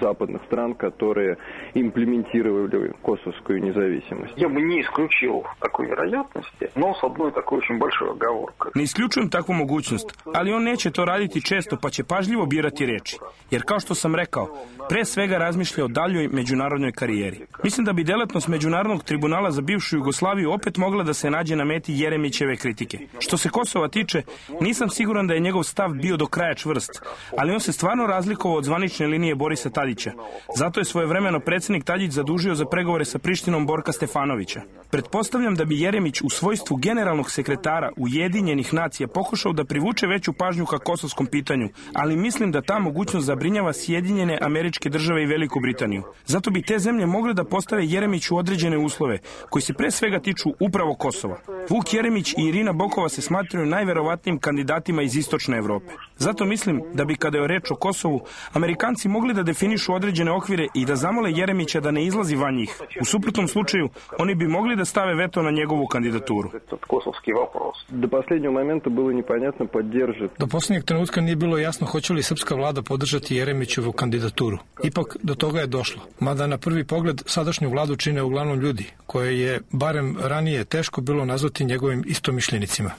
zapadnih stran, koje implementirali kosovsku nezavisnost. Ja bi ne isključio takve vjerojatnosti, no s jednoj takoj очень большой оговоркой. Ne isključujem takvu mogućnost, ali on neće to raditi često, pa će pažljivo birati reči. Jer, kao što sam rekao, pre svega razmišlja o daljoj međunarodnoj karijeri. Mislim da bi delatnost Međunarodnog tribunala za bivšu Jugoslaviju opet mogla da se nađe na meti Jeremićeve kritike. Što se Kosova tiče, nisam siguran da je njegov stav bio do kraja čvrst, ali on se stvarno razlikovao od zvanične linije Borisa Tadića. Zato je svojevremeno predsjednik Tadić zadužio za pregovore sa Prištinom Borka Stefanovića. Pretpostavljam da bi Jeremić u svojstvu generalnog sekretara Ujedinjenih nacija pokušao da privuče veću pažnju ka kosovskom pitanju, ali mislim da ta mogućnost zabrinjava Sjedinjene Američke Države i Veliku Britaniju. Zato bi te zemlje mogle da postave Jeremiću određene uslove, koji se pre svega tiču upravo Kosova. Vuk Jeremić i Irina Bokova se smatraju najverovatnijim kandidatima iz istočne Evrope. Zato mislim da bi, kada je reč o Kosovu, Amerikanci mogli da definišu određene okvire i da zamole Jeremića da ne izlazi van njih. U suprotnom slučaju, oni bi mogli da stave veto na njegovu kandidaturu. Do posljednjeg trenutka nije bilo jasno hoće li srpska vlada podržati Jeremićevu kandidaturu. Ipak do toga je došlo. Mada na prvi pogled sadašnju vladu čine uglavnom ljudi, koje je, barem ranije, teško bilo nazvati njegovim istomišljenicima.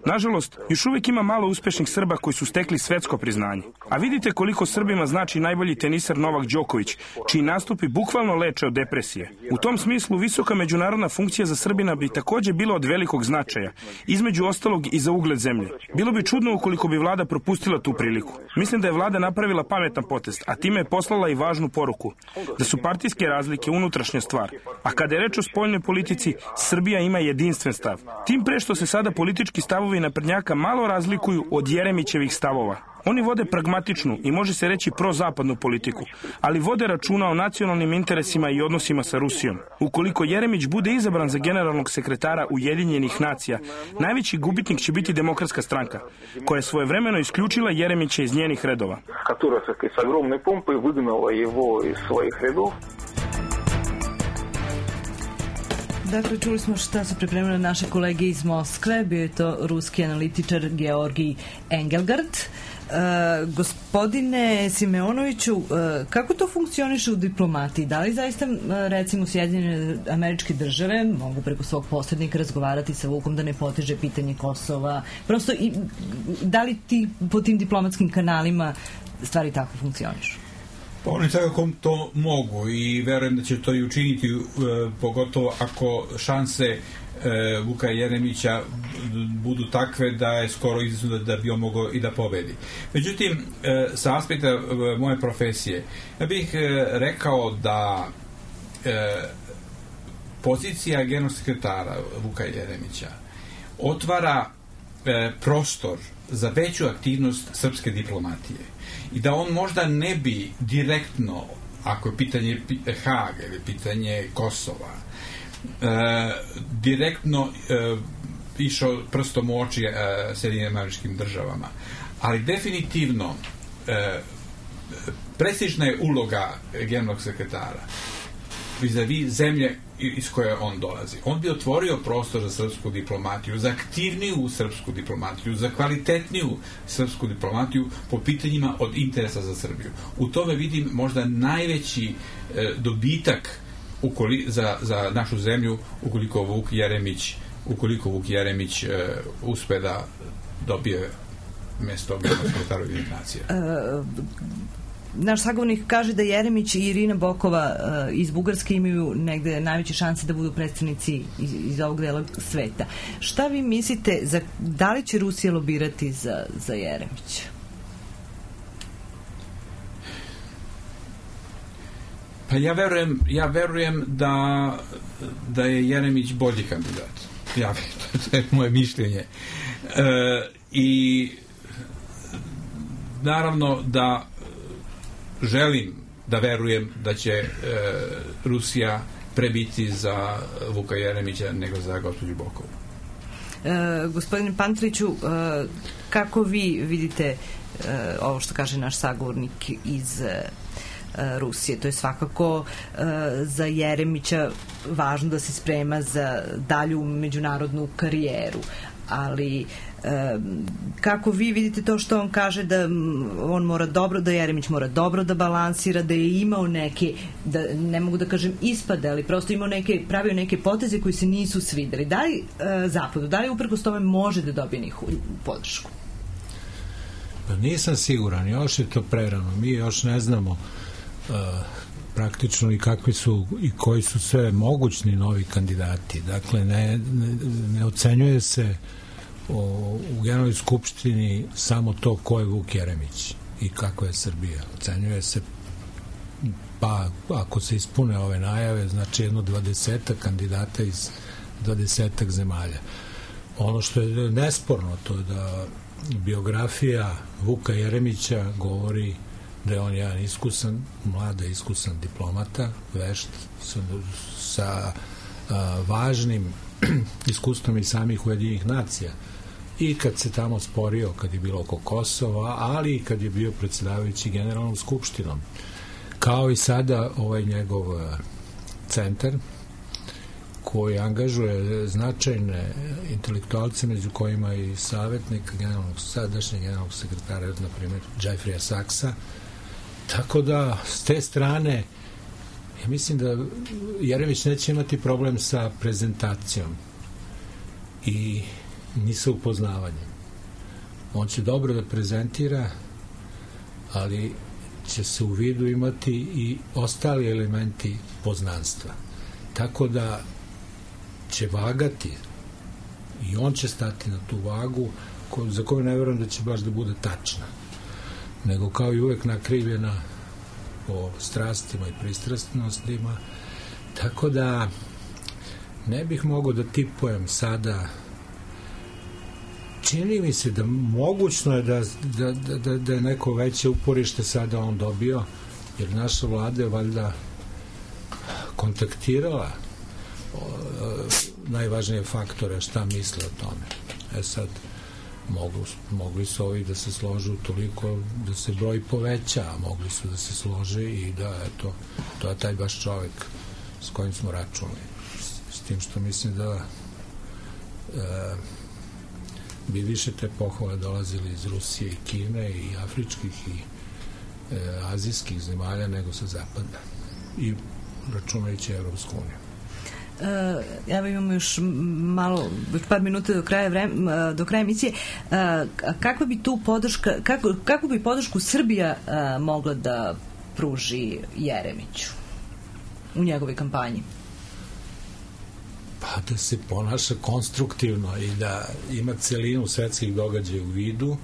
Nažalost, još uvijek ima malo uspešnih Srba koji su stekli svetsko priznanje. A vidite koliko Srbima znači najbolji teniser Novak Đoković, čiji nastupi bukvalno leče od depresije. U tom smislu, visoka međunarodna funkcija za Srbina bi također bila od velikog značaja, između ostalog i za ugled zemlje. Bilo bi čudno ukoliko bi vlada propustila tu priliku. Mislim da je vlada napravila pametan potez, a time je poslala i važnu poruku, da su partijske razlike unutrašnja stvar. A kada je reč o spoljnoj politici, Srbija ima jedinstven stav. Tim pre što se sada politički stavovi naprednjaka malo razlikuju od Jeremićevih stavova. Oni vode pragmatičnu i može se reći prozapadnu politiku, ali vode računa o nacionalnim interesima i odnosima sa Rusijom. Ukoliko Jeremić bude izabran za generalnog sekretara Ujedinjenih nacija, najveći gubitnik će biti Demokratska stranka, koja je svojevremeno isključila Jeremića iz njenih redova. Dakle, čuli smo šta su pripremili naše kolege iz Moskve, bio je to ruski analitičar Georgij Engelgard. Gospodine Simeonoviću, kako to funkcioniše u diplomatiji? Da li zaista, recimo, Sjedinjene Američke Države mogu preko svog posrednika razgovarati sa Vukom da ne poteže pitanje Kosova? Prosto, da li po tim diplomatskim kanalima stvari tako funkcionišu? Pa oni svakako to mogu i verujem da će to i učiniti, pogotovo ako šanse Vuka Jeremića budu takve da je skoro izazvano da bi on mogao i da pobedi. Međutim, sa aspekta moje profesije, ja bih rekao da pozicija generalnog sekretara Vuka Jeremića otvara prostor za veću aktivnost srpske diplomatije i da on možda ne bi direktno, ako je pitanje Haga ili pitanje Kosova, direktno išao prstom u oči Sjedinjenim Američkim Državama, ali definitivno prestižna je uloga generalnog sekretara vis-a-vis zemlje iz koje on dolazi. On bi otvorio prostor za srpsku diplomatiju, za aktivniju srpsku diplomatiju, za kvalitetniju srpsku diplomatiju po pitanjima od interesa za Srbiju. U tome vidim možda najveći dobitak za našu zemlju ukoliko Vuk Jeremić uspe da dobije mjesto generalnog sekretara Ujedinjenih nacija. naš sagovornik kaže da Jeremić i Irina Bokova iz Bugarske imaju negde najveće šanse da budu predstavnici iz ovog dela sveta. Šta vi mislite, da li će Rusija lobirati za Jeremića? Pa ja verujem da je Jeremić bolji kandidat. To je moje mišljenje. I naravno da želim da verujem da će Rusija prebiti za Vuka Jeremića nego za gospođu Bokovu. Gospodine Pantriću, kako vi vidite ovo što kaže naš sagovornik iz Rusije? To je svakako za Jeremića važno da se sprema za dalju međunarodnu karijeru, ali kako vi vidite to što on kaže da on mora dobro, da Jeremić mora dobro da balansira, da je imao neke, da ne mogu da kažem ispade, ali prosto imao pravio neke poteze koji se nisu svideli. Da li Zapadu, da li uprkos tome može da dobije njihovu podršku? Pa nisam siguran, još je to prerano. Mi još ne znamo praktično i kakvi su i koji su sve mogućni novi kandidati. Dakle, ne ocenjuje se u Generalnoj skupštini samo to ko je Vuk Jeremić i kako je Srbija. Ocenjuje se, pa ako se ispune ove najave, znači jedno 20 kandidata iz 20 zemalja. Ono što je nesporno, to je da biografija Vuka Jeremića govori da je on jedan iskusan diplomata, vešt, sa važnim iskustvom i samih Ujedinjenih nacija. I kad se tamo sporio, kad je bilo oko Kosova, ali i kad je bio predsjedavajući Generalnom skupštinom. Kao i sada ovaj njegov centar, koji angažuje značajne intelektualce, među kojima i savjetnik sadašnjeg generalnog sekretara, na primjer Jeffrey Sachsa. Tako da, s te strane, ja mislim da Jeremić neće imati problem sa prezentacijom i ni sa upoznavanjem. On će dobro da prezentira, ali će se u vidu imati i ostali elementi poznanstva. Tako da će vagati i on će stati na tu vagu za koju ne verujem da će baš da bude tačna, nego kao i uvek nakrivljena po strastima i pristrasnostima. Tako da ne bih mogao da tipujem sada. Čini mi se da mogućno je da je neko veće uporište sada on dobio, jer naša vlada je valjda kontaktirala najvažnije faktore šta misle o tome. Sad mogli su ovi da se složu toliko da se broj poveća, a mogli su da se slože i da to je taj baš čovek s kojim smo računali. S tim što mislim da bi više te pohvale dolazili iz Rusije i Kine i afričkih i azijskih zemalja nego sa zapada i računajući Evropsku uniju. Evo imamo još par minuta do kraja emisije. Kakva bi tu podrška, kakvu bi podršku Srbija mogla da pruži Jeremiću u njegovoj kampanji? Pa da se ponaša konstruktivno i da ima celinu svetskih događaja u vidu,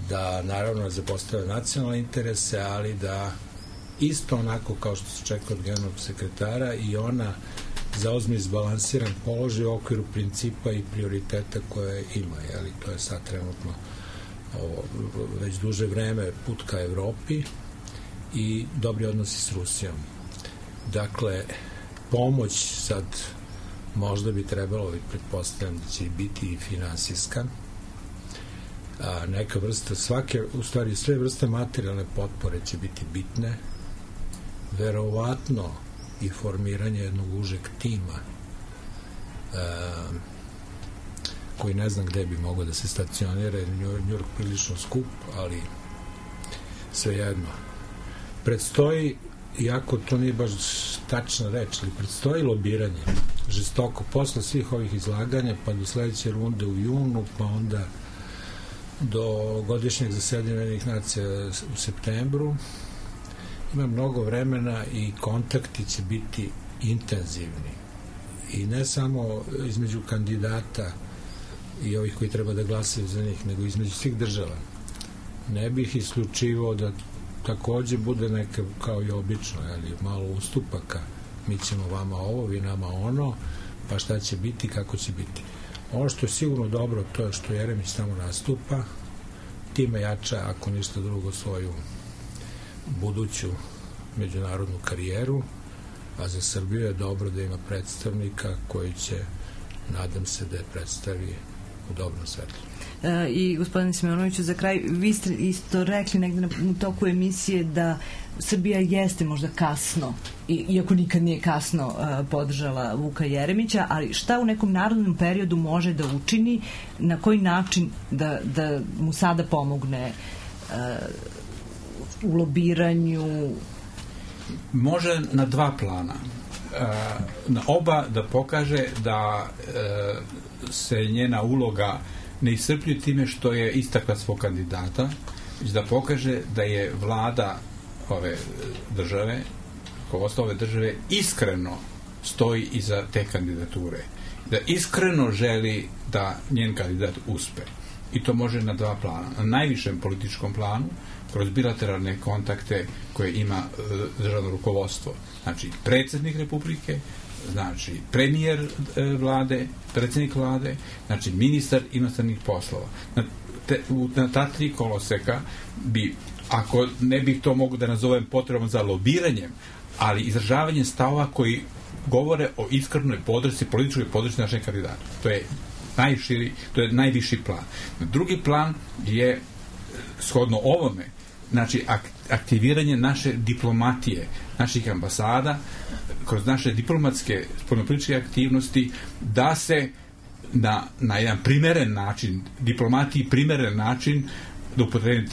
da naravno zapostavlja nacionalne interese, ali da isto onako kao što se čeka od generalnog sekretara i ona zauzme izbalansiran položaj u okviru principa i prioriteta koje ima. Jeli? To je sad trenutno već duže vreme put ka Evropi i dobri odnosi s Rusijom. Dakle, pomoć sad možda bi trebalo, pretpostavljam da će biti i finansijska, neka vrsta, sve vrste materijalne potpore će biti bitne, verovatno i formiranje jednog užeg tima koji ne znam gde bi mogao da se stacionira, jer New York prilično skup, ali svejedno. Predstoji, iako to nije baš tačna reč, ali predstoji lobiranje žestoko posle svih ovih izlaganja, pa do sledeće runde u junu, pa onda do godišnjeg zasedanja Ujedinjenih nacija u septembru. Ima mnogo vremena i kontakti će biti intenzivni. I ne samo između kandidata i ovih koji treba da glasaju za njih, nego između svih država. Ne bih isključivao da takođe bude neka, kao i obično, ali malo ustupaka. Mi ćemo vama ovo, vi nama ono, pa šta će biti, kako će biti. Ono što je sigurno dobro, to je što Jeremić tamo nastupa, time jača, ako ništa drugo, svoju buduću međunarodnu karijeru, a za Srbiju je dobro da ima predstavnika koji će, nadam se, da je predstavi u dobrom svetlu. I gospodine Simonoviću, za kraj, vi ste isto rekli negde u toku emisije da Srbija jeste možda kasno, iako nikad nije kasno, podržala Vuka Jeremića, ali šta u nekom narodnom periodu može da učini, na koji način da mu sada pomogne u lobiranju? Može na dva plana. Na oba da pokaže da se njena uloga ne iscrpljuje time što je istakla svog kandidata, već da pokaže da je vlada ove države, rukovodstvo ove države, iskreno stoji iza te kandidature. Da iskreno želi da njen kandidat uspe. I to može na dva plana. Na najvišem političkom planu, kroz bilateralne kontakte koje ima državno rukovodstvo. Znači, predsjednik Republike, znači, premijer vlade, predsjednik vlade, znači, ministar inostranih poslova. Na ta tri koloseka bi, ako ne bih to mogu da nazovem potrebom za lobiranjem, ali izražavanjem stavova koji govore o iskrenoj podršci, političkoj podršci našem kandidatu. To je najširi, to je najviši plan. Drugi plan je, shodno ovome, znači aktiviranje naše diplomatije, naših ambasada, kroz naše diplomatske spoljnopolitičke aktivnosti, da se na jedan primeren način, diplomatiji primeren način, da upotrebim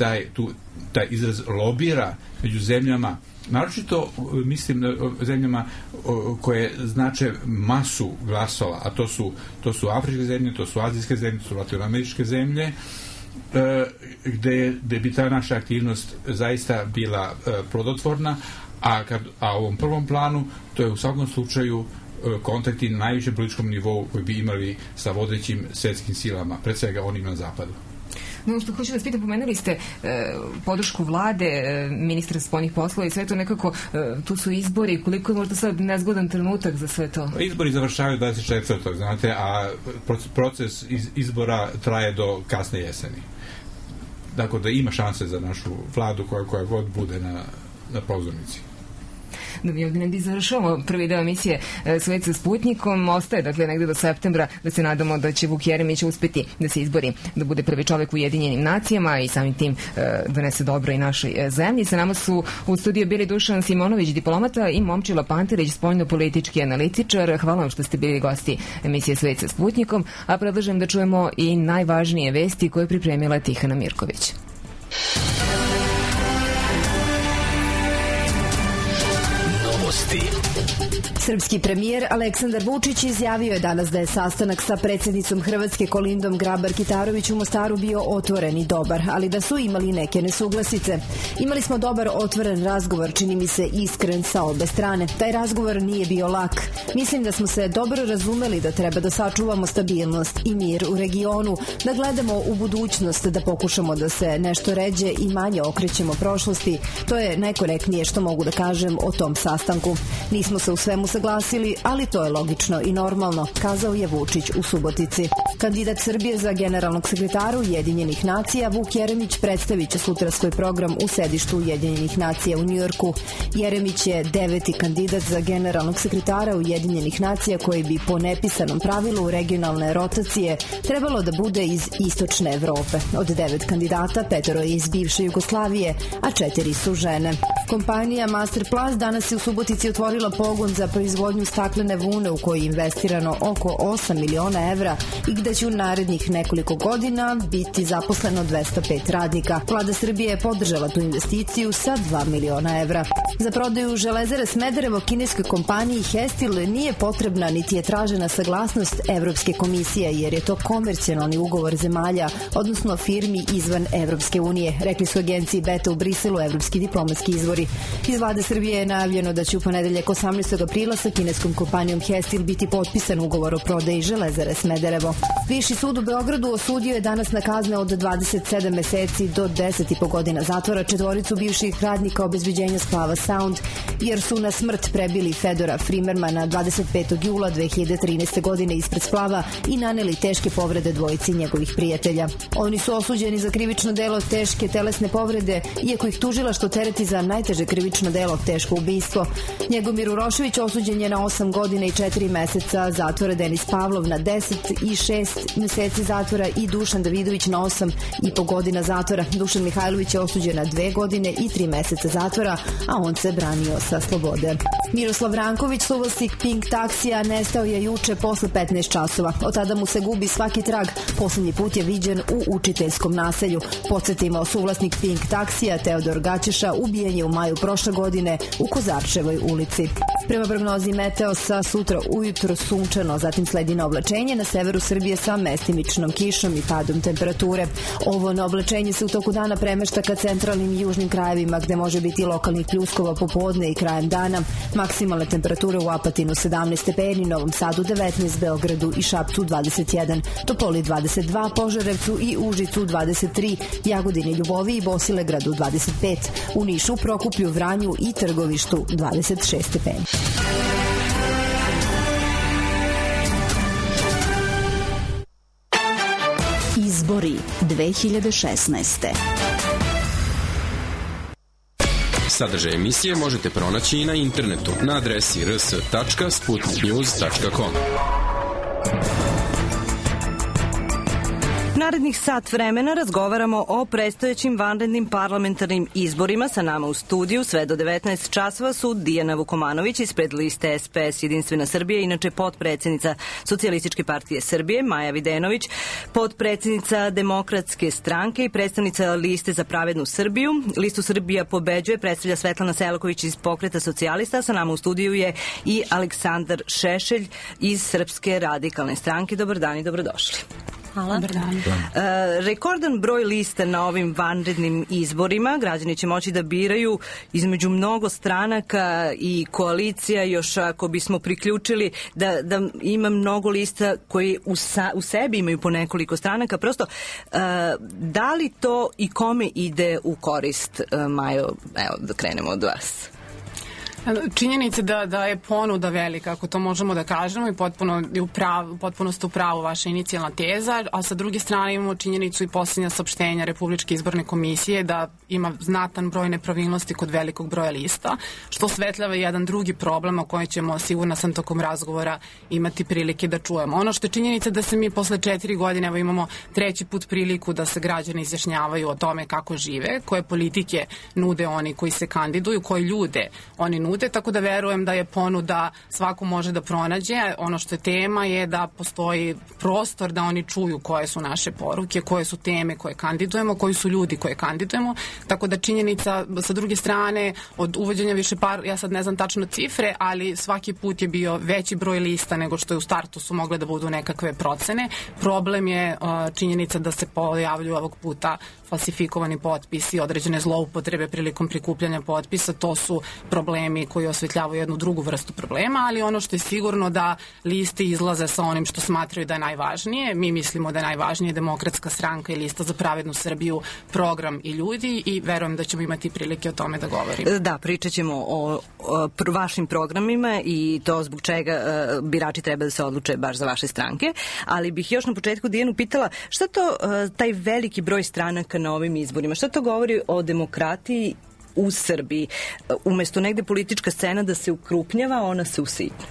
taj izraz, lobira među zemljama, naročito mislim na zemljama koje znače masu glasova, a to su afričke zemlje, to su azijske zemlje, to su latinoameričke zemlje, gde bi ta naša aktivnost zaista bila plodotvorna, a u ovom prvom planu to je u svakom slučaju kontakti na najvišem političkom nivou koji bi imali sa vodećim svetskim silama, pred svega onim na zapadu. No, što hoću da vas pitam, pomenuli ste podršku vlade, ministra spoljnih poslova i sve to nekako, tu su izbori, koliko je možda sad nezgodan trenutak za sve to? Izbori završavaju 24. znate, a proces izbora traje do kasne jeseni. Dakle, da ima šanse za našu vladu koja god bude na pozornici. Da mi ovdje negdje završavamo prvi deo emisije Svet sa Sputnikom. Ostaje, dakle, negdje do septembra da se nadamo da će Vuk Jeremić uspeti da se izbori, da bude prvi čovjek u Ujedinjenim nacijama i samim tim donese dobro i našoj zemlji. Sa nama su u studiju bili Dušan Simonović, diplomata, i Momčilo Pantelić, spoljnopolitički analitičar. Hvala vam što ste bili gosti emisije Svet sa Sputnikom, a predlažem da čujemo i najvažnije vesti koje je pripremila Tihana Mirković. Srpski premijer Aleksandar Vučić izjavio je danas da je sastanak sa predsjednicom Hrvatske Kolindom Grabar-Kitarović u Mostaru bio otvoren i dobar, ali da su imali neke nesuglasice. Imali smo dobar otvoren razgovor, čini mi se iskren sa obe strane. Taj razgovor nije bio lak. Mislim da smo se dobro razumeli da treba da sačuvamo stabilnost i mir u regionu, da gledamo u budućnost, da pokušamo da se nešto ređe i manje okrećemo prošlosti. To je najkorektnije što mogu da kažem o tom sastanku. Nismo se u svemu saglasili, ali to je logično i normalno, kazao je Vučić u Subotici. Kandidat Srbije za generalnog sekretara Ujedinjenih nacija Vuk Jeremić predstavit će sutra svoj program u sedištu Ujedinjenih nacija u Njujorku. Jeremić je 9. kandidat za generalnog sekretara Ujedinjenih nacija koji bi po nepisanom pravilu regionalne rotacije trebalo da bude iz istočne Evrope. Od 9 kandidata 5 je iz bivše Jugoslavije, a 4 su žene. Kompanija Masterplast danas je u Subotici otvorila otvorila pogon za proizvodnju staklene vune u koji je investirano oko 8 miliona evra i gde će u narednih nekoliko godina biti zaposleno 205 radnika. Vlada Srbije je podržala tu investiciju sa 2 miliona evra. Za prodaju Železare Smederevo kineskoj kompaniji Hestil nije potrebna niti je tražena saglasnost Evropske komisije, jer je to komercijalni ugovor zemalja, odnosno firmi izvan Evropske unije, rekli su agenciji Beta u Briselu evropski diplomatski izvori. Iz Vlade Srbije je najavljeno da će u ponedeljak 18. aprila sa kineskom kompanijom Hestil biti potpisan ugovor o prodaji Železare Smederevo. Viši sud u Beogradu osudio je danas na kazne od 27 meseci do 10,5 godina zatvora četvoricu bivših radnika obezbeđenja splava Sound, jer su na smrt prebili Fedora Frimermana 25. jula 2013. godine ispred splava i naneli teške povrede dvojici njegovih prijatelja. Oni su osuđeni za krivično delo teške telesne povrede, iako ih tužilaštvo tereti za najteže krivično delo teško ubistvo. Njegomir Urošević osuđen je na 8 godina i 4 meseca zatvora, Denis Pavlov na 10 i 6 meseci zatvora i Dušan Davidović na 8,5 godina zatvora. Dušan Mihajlović je osuđen na 2 godine i 3 meseca zatvora, a on se branio sa slobode. Miroslav Ranković, suvlasnik Pink taksija, nestao je juče posle 15 časova. Od tada mu se gubi svaki trag. Poslednji put je viđen u učiteljskom naselju. Podsjetimo, suvlasnik Pink taksija Teodor Gaćeša ubijen je u maju prošle godine u Kozarčevoj ulici. Prema prognozi Meteosa, sutra ujutro sunčano, zatim sledi oblačenje na severu Srbije sa mestimičnom kišom i padom temperature. Ovo oblačenje se u toku dana premešta ka centralnim i južnim krajevima, gde može biti lokalnih pljuskova popodne i krajem dana. Maksimalne temperature u Apatinu 17 stepeni, Novom Sadu 19, Beogradu i Šapcu 21, Topoli 22, Požarevcu i Užicu 23, Jagodini, Ljuboviji i Bosilegradu 25, u Nišu, Prokuplju, Vranju i Trgovištu 26 stepeni. Izbori 2016. Sadržaj emisije možete pronaći i na internetu na adresi rs.sputniknews.com. Narednih sat vremena razgovaramo o predstojećim vanrednim parlamentarnim izborima. Sa nama u studiju sve do 19 časova su Dijana Vukomanović ispred liste SPS Jedinstvena Srbija, inače potpredsednica Socijalističke partije Srbije, Maja Videnović, potpredsednica Demokratske stranke i predstavnica liste za pravednu Srbiju. Listu Srbija pobeđuje predstavlja Svetlana Selaković iz Pokreta socijalista. Sa nama u studiju je i Aleksandar Šešelj iz Srpske radikalne stranke. Dobar dan i dobrodošli. Hvala. Rekordan broj lista na ovim vanrednim izborima. Građani će moći da biraju između mnogo stranaka i koalicija, još ako bismo priključili da ima mnogo lista koji u sebi imaju po nekoliko stranaka. Prosto, da li to i kome ide u korist, Majo? Evo, da krenemo od vas. Činjenica da je ponuda velika, ako to možemo da kažemo, i potpuno ste u pravu vaša inicijalna teza, a sa druge strane imamo činjenicu i posljednja saopštenja Republičke izborne komisije da ima znatan broj nepravilnosti kod velikog broja lista, što osvetljava jedan drugi problem o kojem ćemo, sigurna sam, tokom razgovora imati prilike da čujemo. Ono što je činjenica da se mi posle 4 godine, evo imamo 3. put priliku da se građani izjašnjavaju o tome kako žive, koje politike nude oni koji se kandiduju, koje ljude oni nude, tako da verujem da je ponuda svako može da pronađe. Ono što je tema je da postoji prostor da oni čuju koje su naše poruke, koje su teme koje kandidujemo, koji su ljudi koje kandidujemo, tako da činjenica sa druge strane od uvođenja ja sad ne znam tačno cifre, ali svaki put je bio veći broj lista nego što je u startu su mogle da budu nekakve procene. Problem je činjenica da se pojavljuju ovog puta falsifikovani potpisi, određene zloupotrebe prilikom prikupljanja potpisa. To su problemi koji osvetljavaju jednu drugu vrstu problema, ali ono što je sigurno da liste izlaze sa onim što smatraju da je najvažnije. Mi mislimo da je najvažnije Demokratska stranka i Lista za pravednu Srbiju, program i ljudi, i verujem da ćemo imati prilike o tome da govorimo. Da, pričat ćemo o vašim programima i to zbog čega birači treba da se odluče baš za vaše stranke, ali bih još na početku Dijanu pitala šta to taj veliki broj stranaka na ovim izborima, šta to govori o demokratiji u Srbiji? Umesto negde politička scena da se ukrupnjava, ona se usitnja.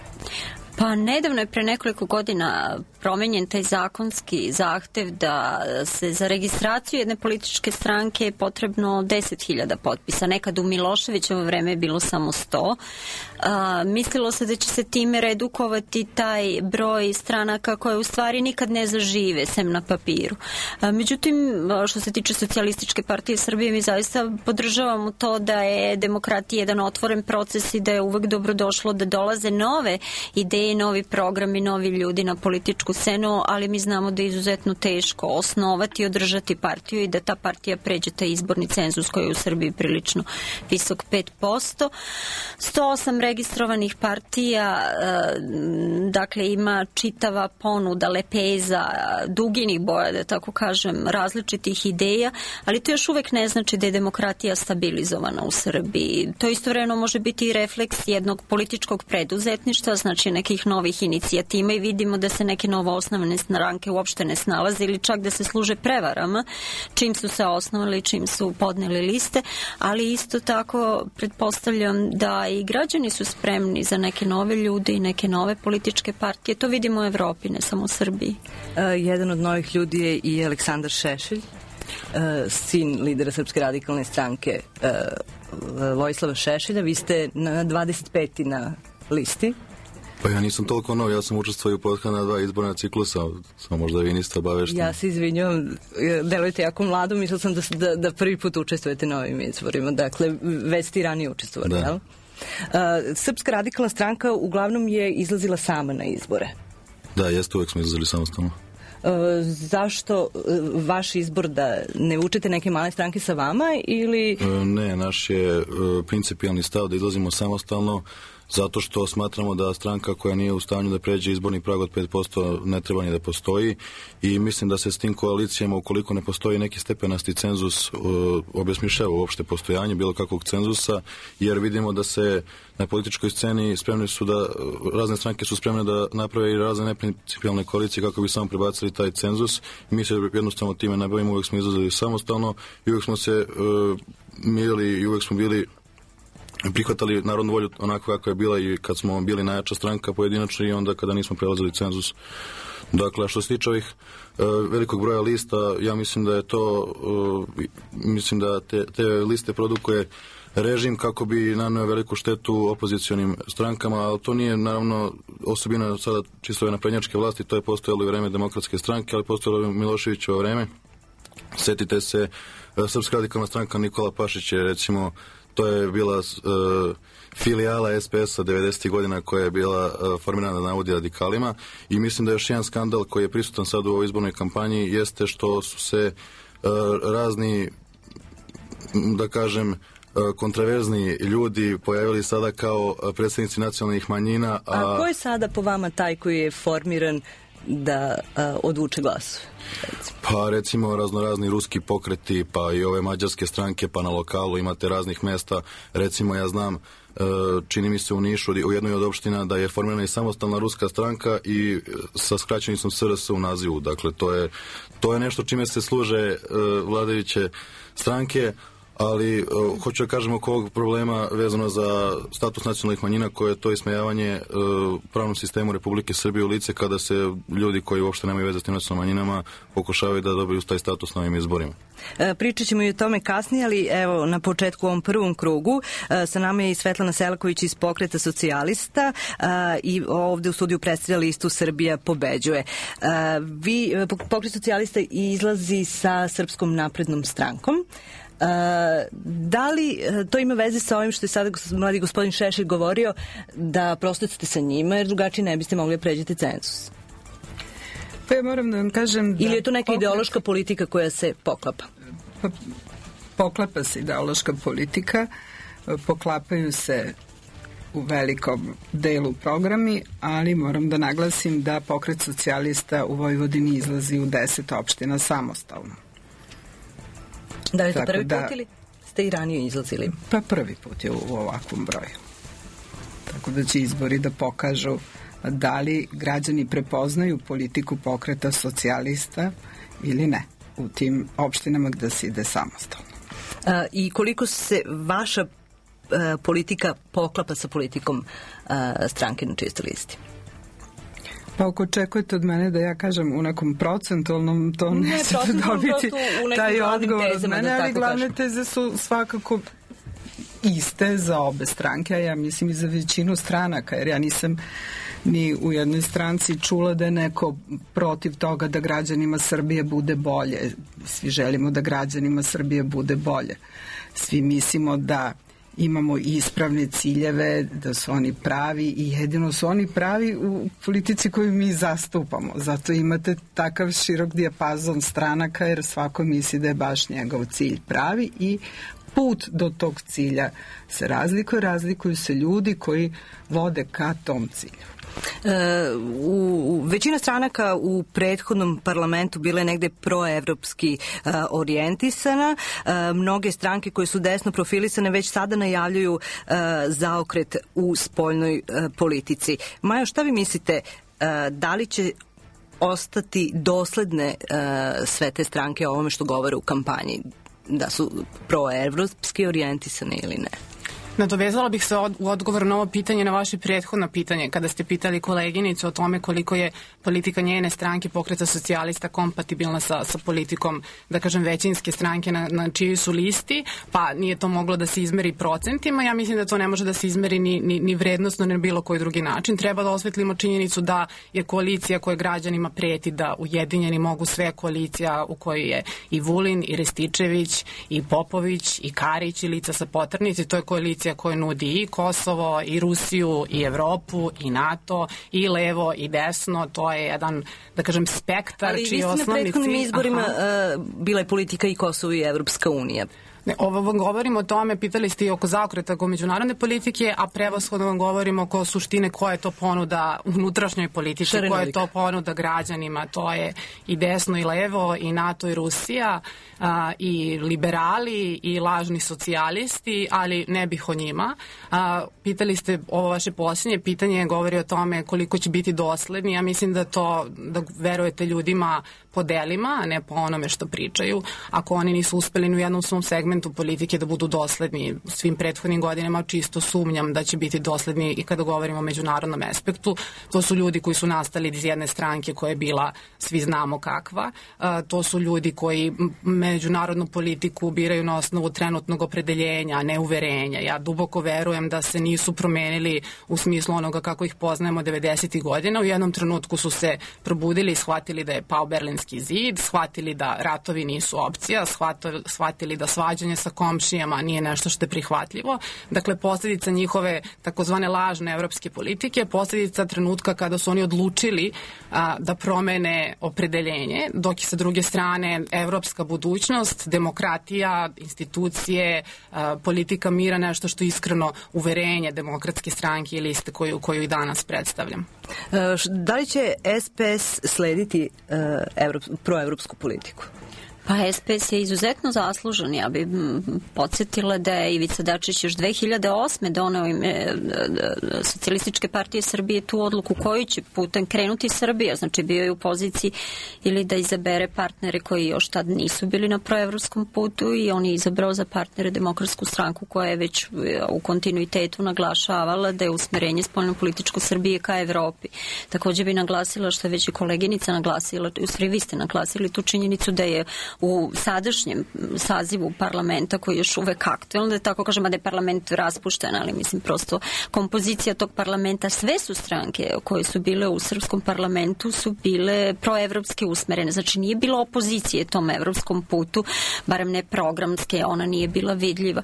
Pa nedavno je pre nekoliko godina promenjen taj zakonski zahtev da se za registraciju jedne političke stranke je potrebno 10.000 potpisa. Nekad u Miloševićevo vreme je bilo samo 100. Mislilo se da će se time redukovati taj broj stranaka koje u stvari nikad ne zažive, sem na papiru. Međutim, što se tiče Socijalističke partije Srbije, mi zaista podržavamo to da je demokratija jedan otvoren proces i da je uvek dobrodošlo da dolaze nove ideje, novi programi, novi ljudi na političku scenu, ali mi znamo da je izuzetno teško osnovati i održati partiju i da ta partija pređe taj izborni cenzus koji je u Srbiji prilično visok 5%. 108 registrovanih partija, dakle ima čitava ponuda, lepeza, duginih boja, da tako kažem, različitih ideja, ali to još uvek ne znači da je demokratija stabilizovana u Srbiji. To istovremeno može biti i refleks jednog političkog preduzetništva, znači nekih novih inicijativa i vidimo da se neke novo osnovne stranke uopšte ne snalaze ili čak da se služe prevarama čim su se osnovali, čim su podneli liste, ali isto tako pretpostavljam da i građani su spremni za neke nove ljude i neke nove političke partije. To vidimo u Evropi, ne samo u Srbiji. Jedan od novih ljudi je i Aleksandar Šešelj, sin lidera Srpske radikalne stranke Vojislava Šešelja. Vi ste na 25. na listi. Pa ja nisam toliko nov, ja sam učestvovao u prethodna 2 izborna ciklusa, samo možda vi niste obavešteni. Ja se izvinjam, delujete jako mlado, mislila sam da prvi put učestvujete na ovim izborima, dakle već ste i ranije učestvovali, jel? Srpska radikalna stranka uglavnom je izlazila sama na izbore. Da, jeste, uvek smo izlazili samostalno. Zašto vaš izbor da ne učete neke male stranke sa vama ili... Ne, naš je principijalni stav da izlazimo samostalno zato što smatramo da stranka koja nije u stanju da pređe izborni prag od 5% ne treba ni da postoji i mislim da se s tim koalicijama, ukoliko ne postoji neki stepenasti cenzus, obesmišljava uopšte postojanje bilo kakvog cenzusa, jer vidimo da se na političkoj sceni spremni su da, razne stranke su spremne da naprave i razne neprincipijalne koalicije kako bi samo prebacili taj cenzus i mi se jednostavno time ne bavimo, uvek smo izlazili samostalno i uvek smo se mirili i uvek smo bili prihvatali narodnu volju onako kako je bila i kad smo bili najjača stranka pojedinačno i onda kada nismo prelazili cenzus. Dakle, što se tiče ovih velikog broja lista, ja mislim da je to, mislim da te liste produkuje režim kako bi naneo veliku štetu opozicionim strankama, ali to nije naravno osobina sada čisto ove naprednjačke vlasti, to je postojalo i vreme Demokratske stranke, ali postojalo i Miloševićevo vreme. Setite se, Srpska radikalna stranka Nikola Pašić je recimo, to je bila filijala SPS-a 90. godina koja je bila formirana na navodi radikalima i mislim da još jedan skandal koji je prisutan sad u ovoj izbornoj kampanji jeste što su se razni, da kažem, kontraverzni ljudi pojavili sada kao predstavnici nacionalnih manjina. A ko je sada po vama taj koji je formiran da odvuče glasove? Pa recimo raznorazni ruski pokreti, pa i ove mađarske stranke, pa na lokalu imate raznih mesta. Recimo ja znam, čini mi se u Nišu, u jednoj od opština da je formirana i samostalna ruska stranka i sa skraćenicom SRS u nazivu. Dakle, to je nešto čime se služe vladajuće stranke, ali hoću da kažem oko ovog problema vezano za status nacionalnih manjina koje je to ismejavanje pravnom sistemu Republike Srbije u lice kada se ljudi koji uopšte nemaju veze s tim nacionalnim manjinama pokušavaju da dobiju taj status na ovim izborima. Pričat ćemo i o tome kasnije, ali evo na početku u ovom prvom krugu sa nama je i Svetlana Selaković iz Pokreta socijalista i ovde u studiju predstavlja listu Srbija pobeđuje. Pokret socijalista izlazi sa Srpskom naprednom strankom. Da li to ima veze sa ovim što je sada mladi gospodin Šešelj govorio, da prosto ste sa njima jer drugačije ne biste mogli da pređete cenzus? Pa ja moram da vam kažem da... Ili je to neka ideološka politika koja se poklapa? Poklapa se ideološka politika, poklapaju se u velikom delu programi, ali moram da naglasim da Pokret socijalista u Vojvodini izlazi u 10 opština samostalno. Da li je to prvi put ili ste i ranije izlazili? Pa prvi put je u ovakvom broju. Tako da će izbori da pokažu da li građani prepoznaju politiku Pokreta socijalista ili ne u tim opštinama gde se ide samostalno. I koliko se vaša politika poklapa sa politikom stranke na čistoj listi? Pa ako očekujete od mene da ja kažem u nekom procentualnom, to nećete dobiti taj odgovor od mene, ali glavne teze su svakako iste za obe stranke, a ja mislim i za većinu stranaka, jer ja nisam ni u jednoj stranci čula da je neko protiv toga da građanima Srbije bude bolje. Svi želimo da građanima Srbije bude bolje. Svi mislimo da imamo ispravne ciljeve, da su oni pravi i jedino su oni pravi u politici koju mi zastupamo. Zato imate takav širok dijapazon stranaka, jer svako misli da je baš njegov cilj pravi i put do tog cilja se razlikuju se ljudi koji vode ka tom cilju. Većina stranaka u prethodnom parlamentu bile negde proevropski orijentisana. Mnoge stranke koje su desno profilisane već sada najavljuju zaokret u spoljnoj politici. Majo, šta vi mislite, da li će ostati dosledne sve te stranke o ovome što govore u kampanji, da su proevropski orijentisane ili ne? Nadovezala bih se u odgovor na ovo pitanje, na vaše prethodno pitanje, kada ste pitali koleginicu o tome koliko je politika njene stranke Pokreta socijalista kompatibilna sa politikom, da kažem, većinske stranke na čijoj su listi, pa nije to moglo da se izmeri procentima. Ja mislim da to ne može da se izmeri ni vrednostno, ni na bilo koji drugi način. Treba da osvetlimo činjenicu da je koalicija koja građanima preti da ujedinjeni mogu sve, koalicija u kojoj je i Vulin, i Rističević, i Popović, i Karić, i lica sa poternice. To je koalicija koja nudi i Kosovo, i Rusiju, i Evropu, i NATO, i levo, i desno. To je jedan, da kažem, spektar čiji osnovni cilj... Ali vi ste na prethodnim izborima bila je politika i Kosovo i Evropska unija. Ne, ovo vam govorimo o tome, pitali ste i oko zaokreta oko međunarodne politike, a prevashodno vam govorimo oko suštine koja je to ponuda unutrašnjoj politici, koja je to ponuda građanima. To je i desno i levo, i NATO i Rusija, i liberali, i lažni socijalisti, ali ne bih o njima. Pitali ste, ovo vaše posljednje pitanje govori o tome koliko će biti dosledni. Ja mislim da verujete ljudima po delima, a ne po onome što pričaju. Ako oni nisu uspeli u jednom svom segmentu politike da budu dosledni svim prethodnim godinama, čisto sumnjam da će biti dosledni i kada govorimo o međunarodnom aspektu. To su ljudi koji su nastali iz jedne stranke koja je bila, svi znamo kakva. To su ljudi koji međunarodnu politiku biraju na osnovu trenutnog opredeljenja, a ne uverenja. Ja duboko verujem da se nisu promenili u smislu onoga kako ih poznajemo 90. godina. U jednom trenutku su se probudili i shvatili da je pao Berlinski zid, shvatili da ratovi nisu opcija, shvatili da svađanje sa komšijama nije nešto što je prihvatljivo. Dakle, posljedica njihove takozvane lažne evropske politike, posljedica trenutka kada su oni odlučili da promene opredeljenje, dok je sa druge strane evropska budućnost, demokratija, institucije, politika mira nešto što je iskreno uverenje Demokratske stranke i liste koju i danas predstavljam. Da li će SPS slediti proevropsku politiku? Pa SPS je izuzetno zaslužen. Ja bih podsjetila da je Ivica Dačić još 2008. doneo ime Socijalističke partije Srbije tu odluku koju će putem krenuti Srbija. Znači bio je u poziciji ili da izabere partnere koji još tad nisu bili na proevropskom putu i on je izabrao za partnere Demokratsku stranku koja je već u kontinuitetu naglašavala da je usmerenje spoljnopolitičko Srbije ka Evropi. Također bi naglasila što je već i koleginica naglasila, u stvari vi ste naglasili tu činjenicu da je u sadašnjem sazivu parlamenta koji je još uvek aktualan, da tako kažem, da je parlament raspušten, ali mislim prosto kompozicija tog parlamenta, sve su stranke koje su bile u srpskom parlamentu su bile proevropske usmerene, znači nije bilo opozicije tom evropskom putu, barem ne programske, ona nije bila vidljiva.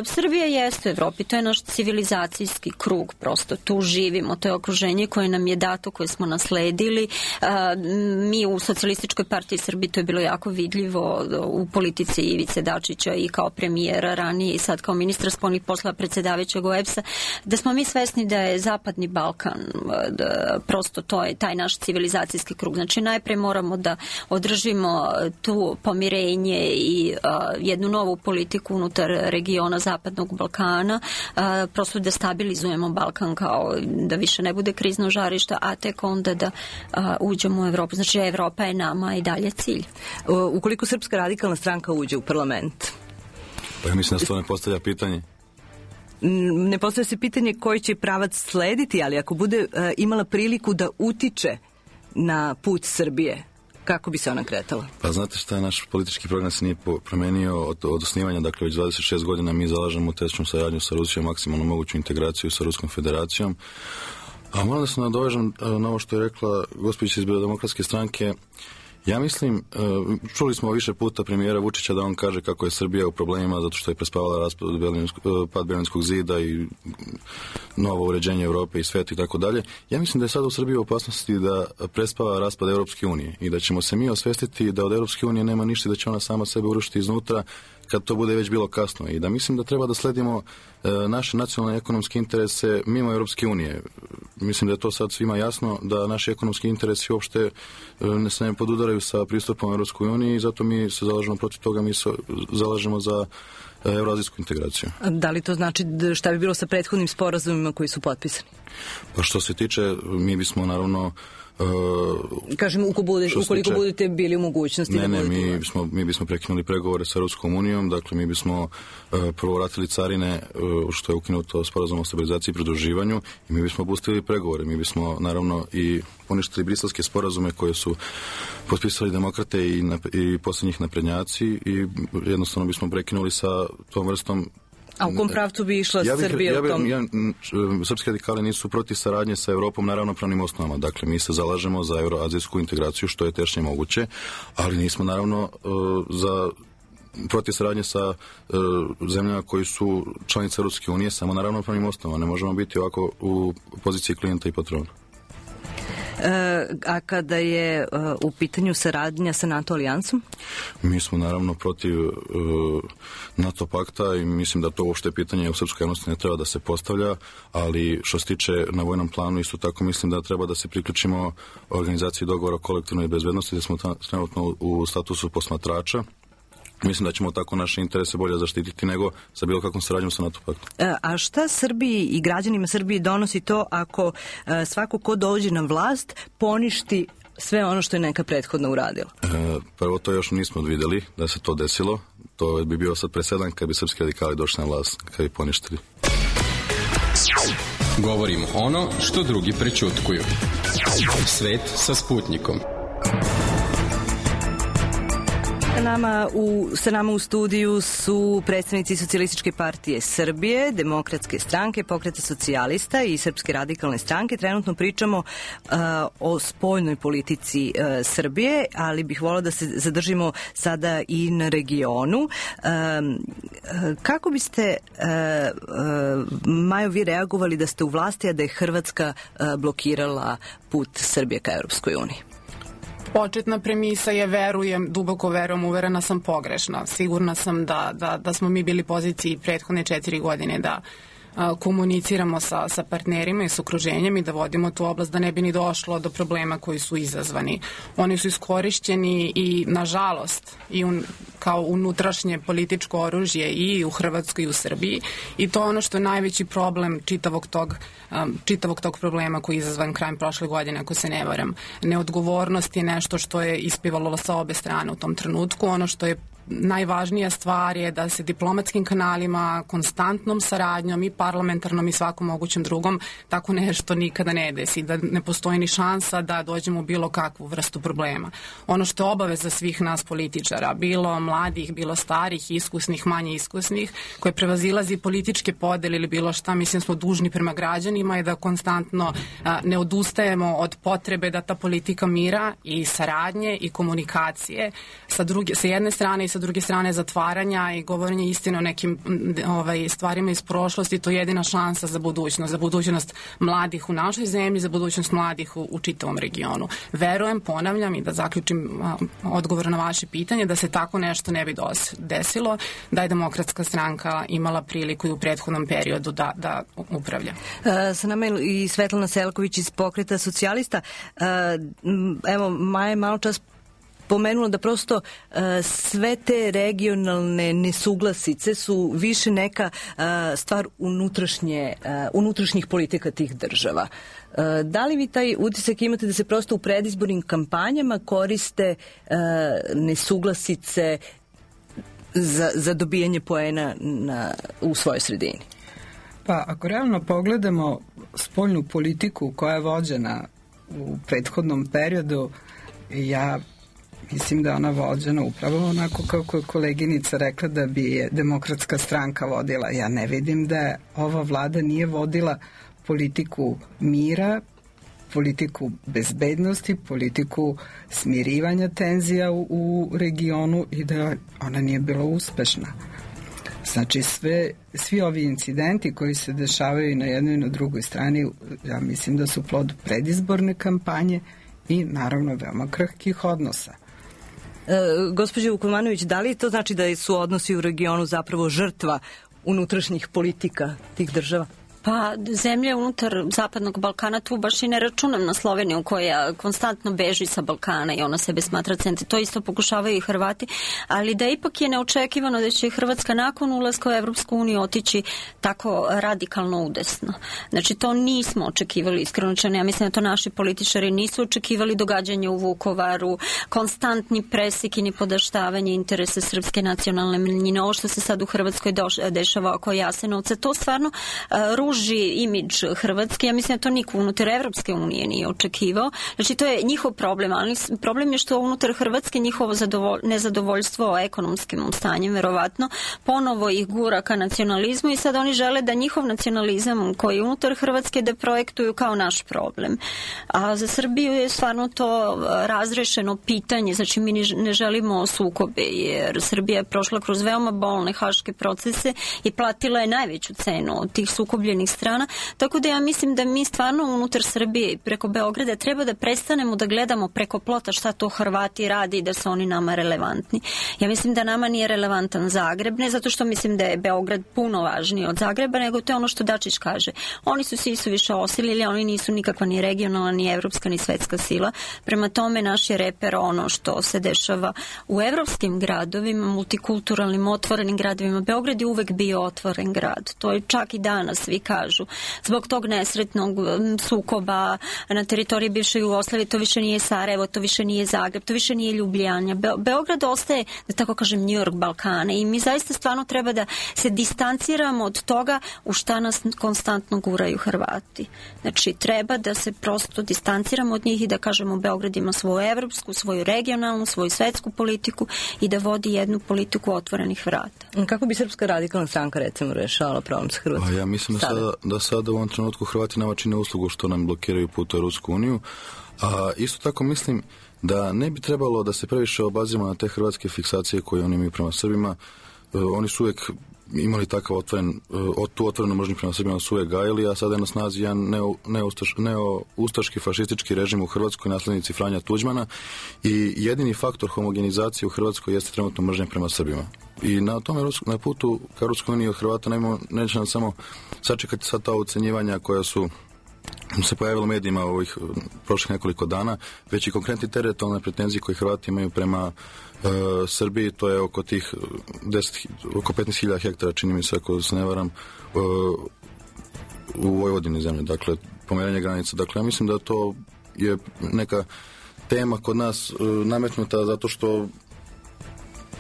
Srbija jeste u Evropi, to je naš civilizacijski krug, prosto tu živimo, to je okruženje koje nam je dato, koje smo nasledili. Mi u Socijalističkoj partiji Srbije to je bilo jako vidljivo u politici Ivice Dačića i kao premijera ranije i sad kao ministra spoljnih poslova predsjedavajućeg OEBS-a, da smo mi svesni da je Zapadni Balkan, prosto to je taj naš civilizacijski krug. Znači najprej moramo da održimo tu pomirenje i jednu novu politiku unutar regiona Zapadnog Balkana, prosto da stabilizujemo Balkan kao da više ne bude krizno žarište, a tek onda da uđemo u Evropu. Znači Evropa je nama i dalje cilj. Ukoliko Srpska radikalna stranka uđe u parlament? Pa ja mislim da se to ne postavlja pitanje. Ne postavlja se pitanje koji će pravac slediti, ali ako bude imala priliku da utiče na put Srbije? Kako bi se ona kretala? Pa znate šta, naš politički program se nije promenio od osnivanja, dakle već 26 godina mi zalažemo u tesnu saradnju sa Rusijom, maksimalno moguću integraciju sa Ruskom federacijom. A moram da se nadovežem na ovo što je rekla gospođica iz Demokratske stranke. Ja mislim, čuli smo više puta premijera Vučića da on kaže kako je Srbija u problemima zato što je prespavala pad Berlinskog zida i novo uređenje Evrope i sveta i tako dalje. Ja mislim da je sad u Srbiji u opasnosti da prespava raspad Europske unije i da ćemo se mi osvestiti da od Europske unije nema ništa i da će ona sama sebe urušiti iznutra kad to bude već bilo kasno i da mislim da treba da sledimo naše nacionalne ekonomske interese mimo Europske unije. Mislim da je to sad svima jasno da naši ekonomski interesi uopšte se ne podudaraju sa pristupom Europskoj uniji i zato mi se zalažemo protiv toga, mi se zalažemo za evroazijsku integraciju. Da li to znači šta bi bilo sa prethodnim sporazumima koji su potpisani? Pa što se tiče, mi bismo naravno kažem, ukoliko budete bili u mogućnosti mi bismo prekinuli pregovore sa Europskom unijom, dakle mi bismo prvo vratili carine što je ukinuto sporazum o stabilizaciji i pridruživanju i mi bismo obustavili pregovore, mi bismo naravno i poništili briselske sporazume koje su potpisali demokrate i posljednjih naprednjaci i jednostavno bismo prekinuli sa tom vrstom. A u kom pravcu bi išla Srbija u tom? Srpski radikali nisu protiv saradnje sa Evropom na ravnopravnim osnovama. Dakle, mi se zalažemo za euroazijsku integraciju što je tešnje moguće, ali nismo naravno protiv saradnje sa zemljama koji su članice Europske unije samo na ravnopravnim osnovama. Ne možemo biti ovako u poziciji klijenta i patrona. A kada je u pitanju saradnja sa NATO alijansom? Mi smo naravno protiv NATO pakta i mislim da to uopšte pitanje u srpskoj javnosti ne treba da se postavlja, ali što se tiče na vojnom planu isto tako mislim da treba da se priključimo organizaciji dogovora o kolektivnoj bezbednosti, da smo trenutno u statusu posmatrača. Mislim da ćemo tako naše interese bolje zaštititi nego sa bilo kakvom saradnjom sa NATO paktom. A šta Srbiji i građanima Srbije donosi to ako svako ko dođe na vlast poništi sve ono što je neka prethodno uradila? Prvo to još nismo vidjeli da se to desilo. To bi bio sad presedan kad bi srpski radikali došli na vlast, kad bi poništili. Govorimo ono što drugi prećutkuju. Svet sa Sputnikom. Sa nama u studiju su predstavnici Socijalističke partije Srbije, Demokratske stranke, Pokreta socijalista i Srpske radikalne stranke. Trenutno pričamo o spoljnoj politici Srbije, ali bih volila da se zadržimo sada i na regionu. Kako biste, Majo, vi reagovali da ste u vlasti, a da je Hrvatska blokirala put Srbije ka Europskoj uniji? Početna premisa je, duboko verujem, uverena sam, pogrešna. Sigurna sam da smo mi bili poziciji prethodne 4 godine da komuniciramo sa partnerima i s okruženjem i da vodimo tu oblast da ne bi ni došlo do problema koji su izazvani. Oni su iskorišćeni i, nažalost, kao unutrašnje političko oružje i u Hrvatskoj i u Srbiji i to je ono što je najveći problem čitavog tog problema koji je izazvan krajem prošle godine, ako se ne varam. Neodgovornost je nešto što je ispivalo sa obe strane u tom trenutku. Ono što je najvažnija stvar je da se diplomatskim kanalima, konstantnom saradnjom i parlamentarnom i svakom mogućem drugom tako nešto nikada ne desi, da ne postoji ni šansa da dođemo u bilo kakvu vrstu problema. Ono što je obaveza svih nas političara, bilo mladih, bilo starih, iskusnih, manje iskusnih, koje prevazilazi političke podele ili bilo šta, mislim smo dužni prema građanima je da konstantno ne odustajemo od potrebe da ta politika mira i saradnje i komunikacije sa jedne strane i sa druge strane zatvaranja i govorenje istine o nekim stvarima iz prošlosti, to je jedina šansa za budućnost mladih u našoj zemlji, za budućnost mladih u čitavom regionu. Verujem, ponavljam i da zaključim odgovor na vaše pitanje, da se tako nešto ne bi desilo, da je Demokratska stranka imala priliku i u prethodnom periodu da upravlja. Sa nama je i Svetlana Selaković iz Pokreta socijalista. Evo, Maja je malo čas pomenula da prosto sve te regionalne nesuglasice su više neka stvar unutrašnjih politika tih država. Da li vi taj utisak imate da se prosto u predizbornim kampanjama koriste nesuglasice za dobijanje poena u svojoj sredini? Pa ako realno pogledamo spoljnu politiku koja je vođena u prethodnom periodu, ja mislim da je ona vođena upravo onako kako je koleginica rekla da bi je Demokratska stranka vodila. Ja ne vidim da ova vlada nije vodila politiku mira, politiku bezbednosti, politiku smirivanja tenzija u regionu i da ona nije bila uspešna. Znači, svi ovi incidenti koji se dešavaju i na jednoj i na drugoj strani, ja mislim da su plod predizborne kampanje i naravno veoma krhkih odnosa. Gospođo Vukomanović, da li to znači da su odnosi u regionu zapravo žrtva unutrašnjih politika tih država? Pa zemlje unutar Zapadnog Balkana, tu baš i ne računam na Sloveniju koja konstantno beži sa Balkana i ona sebe smatra centri. To isto pokušavaju i Hrvati, ali da ipak je neočekivano da će Hrvatska nakon ulaska u Evropsku uniju otići tako radikalno udesno. Znači to nismo očekivali iskreno. Ja mislim da to naši političari nisu očekivali, događanje u Vukovaru, konstantni presik i nipodaštavanje interesa srpske nacionalne manjine. Ovo što se sad u Hrvatskoj dešava oko Jasenovca, to stvarno ruži imidž Hrvatske. Ja mislim da to niko unutar Evropske unije nije očekivao. Znači to je njihov problem, ali problem je što unutar Hrvatske njihovo nezadovoljstvo ekonomskim stanjem verovatno ponovo ih gura ka nacionalizmu i sad oni žele da njihov nacionalizam koji je unutar Hrvatske da projektuju kao naš problem. A za Srbiju je stvarno to razrešeno pitanje, znači mi ne želimo sukobe jer Srbija je prošla kroz veoma bolne haške procese i platila je najveću cenu od tih sukobljenih strana, tako da ja mislim da mi stvarno unutar Srbije i preko Beograda treba da prestanemo da gledamo preko plota šta to Hrvati radi i da su oni nama relevantni. Ja mislim da nama nije relevantan Zagreb, ne zato što mislim da je Beograd puno važniji od Zagreba, nego to je ono što Dačić kaže. Oni su svi više osilili, oni nisu nikakva ni regionalna, ni evropska, ni svetska sila. Prema tome naš je reper ono što se dešava u evropskim gradovima, multikulturalnim, otvorenim gradovima. Beograd je uvek bio otvoren grad. To je čak i danas, svi kažu. Zbog tog nesretnog sukoba na teritoriji bivše Jugoslavije, to više nije Sarajevo, to više nije Zagreb, to više nije Ljubljana. Beograd ostaje, da tako kažem, New York Balkana i mi zaista stvarno treba da se distanciramo od toga u šta nas konstantno guraju Hrvati. Znači, treba da se prosto distanciramo od njih i da kažemo Beograd ima svoju evropsku, svoju regionalnu, svoju svetsku politiku i da vodi jednu politiku otvorenih vrata. Kako bi Srpska radikalna stranka recimo rešavala problem sa Hrvatskom? Ja mislim da sada u ovom trenutku Hrvati nama čine uslugu što nam blokiraju put u Rusku uniju, a isto tako mislim da ne bi trebalo da se previše obazimo na te hrvatske fiksacije koje oni imaju prema Srbima. Oni su uvijek imali takav tu otvorenu mržnju prema Srbima, su uvijek gajili, a sada je na snazi jedan neoustaški fašistički režim u Hrvatskoj, naslednici Franja Tuđmana, i jedini faktor homogenizacije u Hrvatskoj jeste trenutno mržnja prema Srbima. I na tome, na putu ka Ruskoj uniji od Hrvata neće nam samo sačekati sad ta ocenjivanja koja su se pojavilo u medijima ovih prošlih nekoliko dana, već i konkretni teritorijalne pretenzije koje Hrvati imaju prema Srbiji, to je oko tih oko 15.000 hektara, čini mi se, ako se ne varam, u Vojvodini zemlje, dakle, pomeranje granica. Dakle, ja mislim da to je neka tema kod nas nametnuta zato što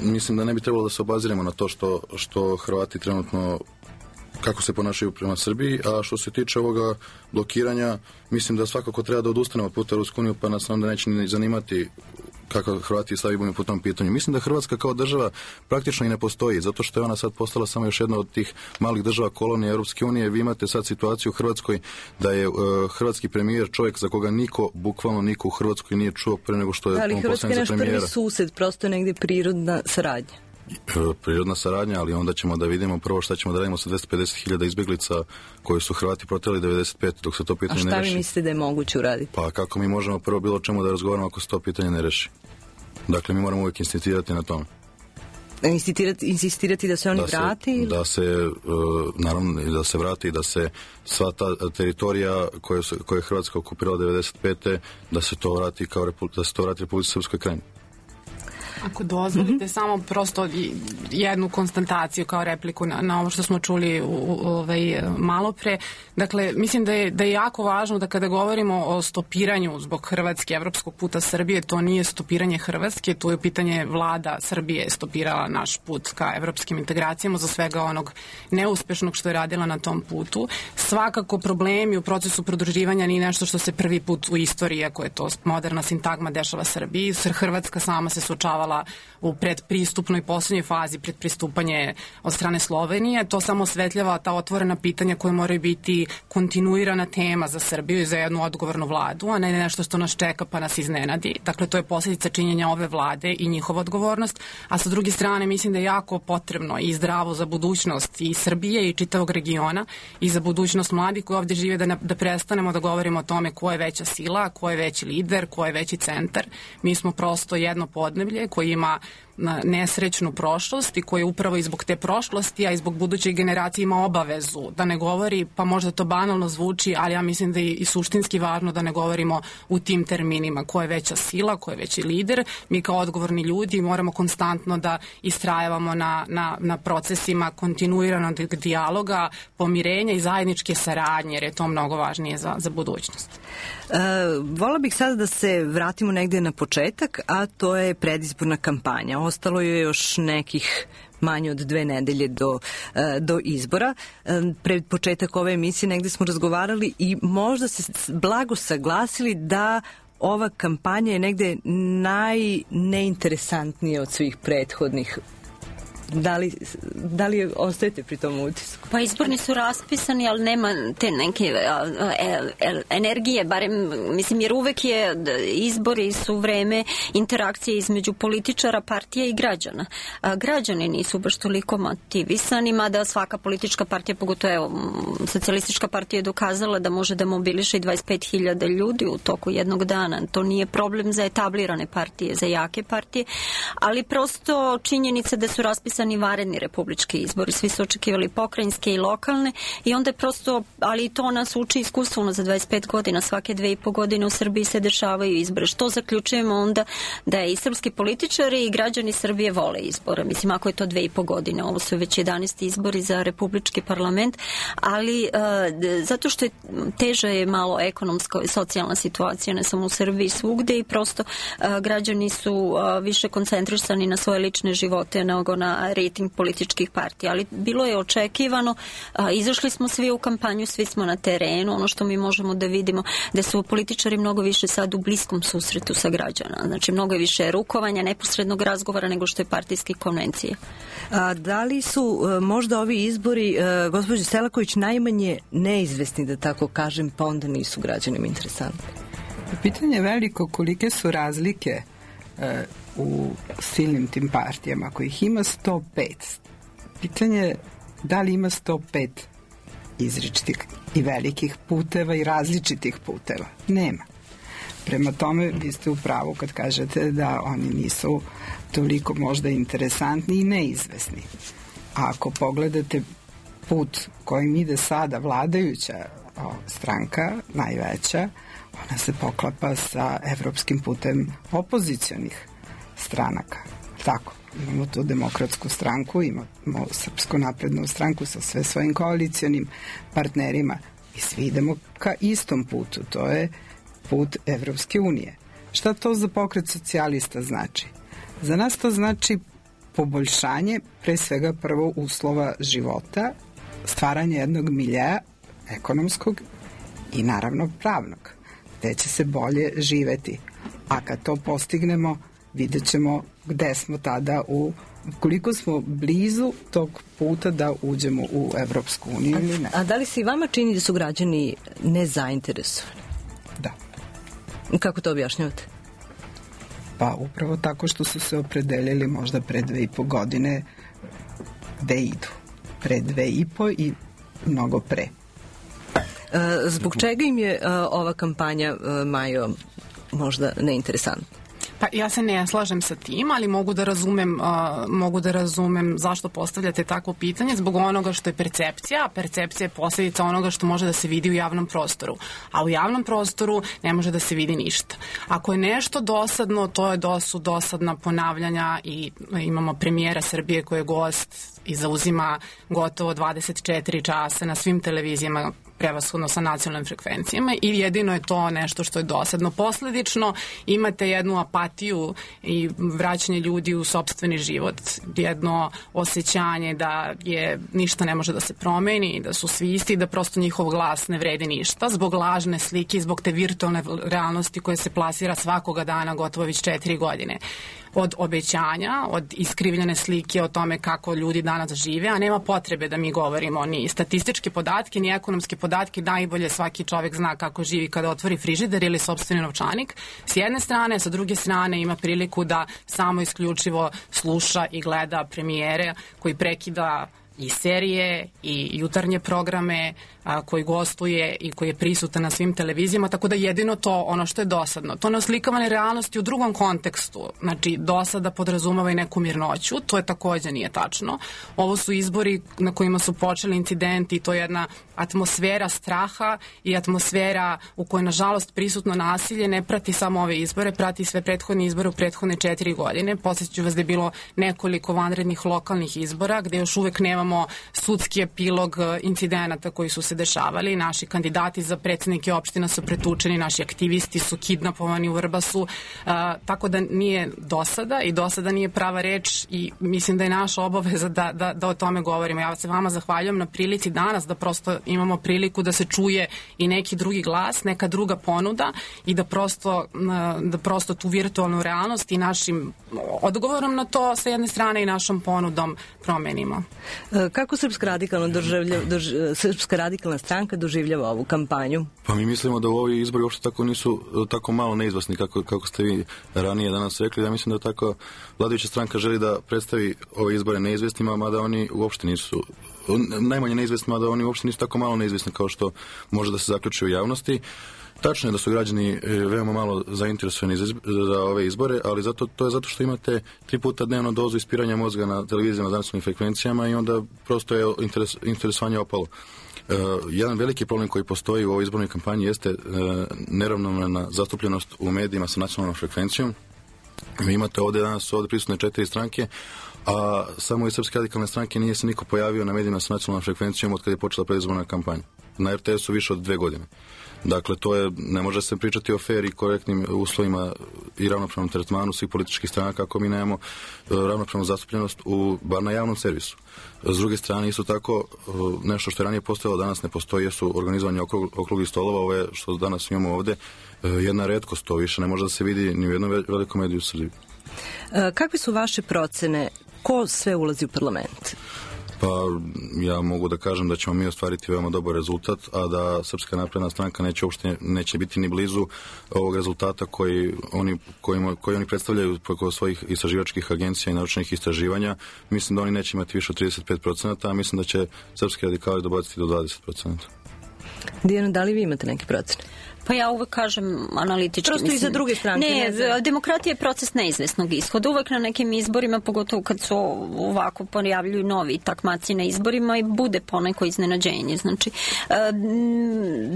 mislim da ne bi trebalo da se obaziremo na to što Hrvati trenutno kako se ponašaju prema Srbiji, a što se tiče ovoga blokiranja, mislim da svakako treba da odustanemo od puta Rusku uniju, pa nas onda neće ni zanimati kako Hrvati stavimo po tom pitanju. Mislim da Hrvatska kao država praktično i ne postoji, zato što je ona sad postala samo još jedna od tih malih država kolonije Europske unije. Vi imate sad situaciju u Hrvatskoj da je hrvatski premijer čovjek za koga bukvalno niko u Hrvatskoj nije čuo pre nego što je on postavljen za premijera. Ali Hrvatska je naš prvi sused, prosto je negdje prirodna saradnja. Prirodna saradnja, ali onda ćemo da vidimo prvo šta ćemo da radimo sa 250.000 izbjeglica koje su Hrvati proteli 95, dok se to pitanje ne reši. A šta vi mislite da je moguće uraditi? Pa kako mi možemo prvo bilo čemu da razgovaramo ako se to pitanje ne reši? Dakle, mi moramo uvijek insistirati na tome. Insistirati da se oni vrati? Da se, naravno, da se vrati i da se sva ta teritorija koju je Hrvatska okupirala 95. da se to vrati Republici Srpskoj Krajini. Ako dozvolite, samo prosto jednu konstataciju kao repliku na ovo što smo čuli malo pre. Dakle, mislim da je jako važno da kada govorimo o stopiranju zbog Hrvatske, evropskog puta Srbije, to nije stopiranje Hrvatske, to je pitanje vlada Srbije stopirala naš put ka evropskim integracijama za svega onog neuspešnog što je radila na tom putu. Svakako problemi u procesu pridruživanja nije nešto što se prvi put u istoriji, ako je to moderna sintagma, dešava Srbiji. Hrvatska sama se suočavala u predpristupnoj poslednjoj fazi pred pristupanje od strane Slovenije. To samo osvetljava ta otvorena pitanja koje moraju biti kontinuirana tema za Srbiju i za jednu odgovornu vladu, a ne nešto što nas čeka pa nas iznenadi. Dakle, to je posljedica činjenja ove vlade i njihova odgovornost, a sa druge strane mislim da je jako potrebno i zdravo za budućnost i Srbije i čitavog regiona i za budućnost mladih koji ovdje žive da prestanemo da govorimo o tome ko je veća sila, ko je veći lider, ko je veći centar. Mi smo prosto jedno podneblje koji ima nesrećnu prošlost i koji upravo i zbog te prošlosti, a i zbog budućih generacija ima obavezu da ne govori, pa možda to banalno zvuči, ali ja mislim da je i suštinski važno da ne govorimo u tim terminima ko je veća sila, ko je veći lider. Mi kao odgovorni ljudi moramo konstantno da istrajavamo na procesima kontinuiranog dijaloga, pomirenja i zajedničke saradnje, jer je to mnogo važnije za budućnost. Vola bih sada da se vratimo negde na početak, a to je predizborna kampanja. Ostalo je još nekih manje od 2 nedelje do izbora. Pred početak ove emisije negde smo razgovarali i možda se blago saglasili da ova kampanja je negde najneinteresantnija od svih prethodnih. Da li ostajete pri tom utisku? Pa izborni su raspisani, ali nema te neke energije, barem, mislim, jer uvek je izbori su vreme interakcije između političara, partija i građana. Građani nisu baš toliko motivisani, mada svaka politička partija, pogotovo socijalistička partija je dokazala da može da mobiliše i 25.000 ljudi u toku jednog dana. To nije problem za etablirane partije, za jake partije, ali prosto činjenica da su raspisani vanredni republički izbori. Svi su očekivali pokrajinske i lokalne i onda je prosto, ali i to nas uči iskustveno za 25 godina. Svake 2,5 godine u Srbiji se dešavaju izbore. Što zaključujemo onda? Da i srpski političari i građani Srbije vole izbore. Mislim, ako je to 2,5 godine, ovo su već 11 izbori za republički parlament, ali zato što je teža je malo ekonomska i socijalna situacija, ne samo u Srbiji, svugde, i prosto građani su više koncentrisani na svoje lične živote nego na rating političkih partija, ali bilo je očekivano, izašli smo svi u kampanju, svi smo na terenu, ono što mi možemo da vidimo da su političari mnogo više sad u bliskom susretu sa građana, znači mnogo je više rukovanja, neposrednog razgovora nego što je partijske konvencije. Da li su možda ovi izbori, gospođo Selaković, najmanje neizvesni, da tako kažem, pa onda nisu građanima interesantni? Pitanje je veliko kolike su razlike u silnim tim partijama, kojih ima 105. Pitanje je da li ima 105 izričitih i velikih puteva i različitih puteva. Nema. Prema tome, vi ste u pravu kad kažete da oni nisu toliko možda interesantni i neizvesni. A ako pogledate put kojim ide sada vladajuća stranka, najveća, ona se poklapa sa evropskim putem opozicionih stranaka. Tako, imamo tu demokratsku stranku, imamo Srpsku naprednu stranku sa sve svojim koalicijonim partnerima i svi idemo ka istom putu, to je put Evropske unije. Šta to za pokret socijalista znači? Za nas to znači poboljšanje, pre svega prvo uslova života, stvaranje jednog miljeja ekonomskog i naravno pravnog, gde će se bolje živeti. A kad to postignemo, vidjet ćemo gde smo tada koliko smo blizu tog puta da uđemo u Evropsku uniju ili ne. A da li se i vama čini da su građani nezainteresovani? Da. Kako to objašnjavate? Pa upravo tako što su se opredelili možda pre 2,5 godine gde idu. Pre 2,5 i mnogo pre. Zbog čega im je ova kampanja, Majo, možda neinteresantna? Pa ja se ne slažem sa tim, ali mogu da razumem zašto postavljate takvo pitanje, zbog onoga što je percepcija, a percepcija je posljedica onoga što može da se vidi u javnom prostoru. A u javnom prostoru ne može da se vidi ništa. Ako je nešto dosadno, to su dosadna ponavljanja i imamo premijera Srbije koji je gost i zauzima gotovo 24 časa na svim televizijama, prevashodno sa nacionalnim frekvencijama, i jedino je to nešto što je dosadno. Posledično imate jednu apatiju i vraćanje ljudi u sopstveni život, jedno osjećanje da ništa ne može da se promeni, da su svi isti, da prosto njihov glas ne vredi ništa, zbog lažne slike, zbog te virtualne realnosti koja se plasira svakoga dana gotovo već 4 godine. Od obećanja, od iskrivljene slike o tome kako ljudi danas žive, a nema potrebe da mi govorimo ni statističke podatke, ni ekonomske podatke, najbolje svaki čovjek zna kako živi kada otvori frižider ili sopstveni novčanik. S jedne strane, sa druge strane ima priliku da samo isključivo sluša i gleda premijere koji prekida i serije i jutarnje programe, koji gostuje i koji je prisutan na svim televizijama, tako da jedino to ono što je dosadno. To ne oslikavane realnosti u drugom kontekstu. Znači, dosada podrazumava i neku mirnoću, to je također nije tačno. Ovo su izbori na kojima su počeli incidenti, to je jedna atmosfera straha i atmosfera u kojoj, nažalost, prisutno nasilje ne prati samo ove izbore, prati sve prethodne izbore u prethodne 4 godine. Podsjeću vas da je bilo nekoliko vanrednih lokalnih izbora gde još uvek nemamo sudski epilog incidenata koji su se dešavali. Naši kandidati za predsjednike opština su pretučeni, naši aktivisti su kidnapovani u Vrbasu, tako da nije dosada i dosada nije prava reč i mislim da je naša obaveza da o tome govorimo. Ja se vama zahvaljujem na prilici danas da prosto imamo priliku da se čuje i neki drugi glas, neka druga ponuda i da prosto tu virtualnu realnost i našim odgovorom na to sa jedne strane i našom ponudom promenimo. Kako Srpska radikalna stranka doživljava ovu kampanju? Pa mi mislimo da u ovi izbori uopšte tako nisu tako malo neizvesni kako ste vi ranije danas rekli. Ja mislim da tako vladajuća stranka želi da predstavi ove izbore neizvesnima, mada oni uopšte nisu najmanje neizvesni, mada oni uopšte nisu tako malo neizvesni kao što može da se zaključi u javnosti. Tačno je da su građani veoma malo zainteresovani za ove izbore, ali to je zato što imate 3 puta dnevno dozu ispiranja mozga na televizijama za nacionalnim frekvencijama i onda prosto je interesovanje opalo. Jedan veliki problem koji postoji u ovoj izbornoj kampanji jeste neravnomerna zastupljenost u medijima sa nacionalnom frekvencijom. Vi imate ovdje prisutne 4 stranke, a samo iz Srpske radikalne stranke nije se niko pojavio na medijima sa nacionalnom frekvencijom od kada je počela predizborna kampanja. Na RTS-u više od 2 godine. Dakle, ne može se pričati o fair i korektnim uslovima i ravnopravnom tretmanu svih političkih stranaka ako mi nemamo ravnopravnu zastupljenost bar na javnom servisu. S druge strane, isto tako, nešto što je ranije postojalo, danas ne postoji, jesu organizovanje okruglih stolova, ove što danas imamo ovde, jedna retkost, to više ne može da se vidi ni u jednom velikom mediju u Srbiji. Kakve su vaše procene? Ko sve ulazi u parlament? Pa ja mogu da kažem da ćemo mi ostvariti veoma dobar rezultat, a da Srpska napredna stranka neće biti ni blizu ovog rezultata koji oni predstavljaju preko svojih istraživačkih agencija i naučnih istraživanja. Mislim da oni neće imati više od 35%, a mislim da će srpski radikali dobaciti do 20%. Dijana, da li vi imate neke procene? Pa ja uvek kažem analitički. Prosto i za druge stranke. Ne, demokratija je proces neizvesnog ishoda. Uvek na nekim izborima, pogotovo kad se ovako pojavljuju novi takmaci na izborima, i bude poneko iznenađenje. Znači,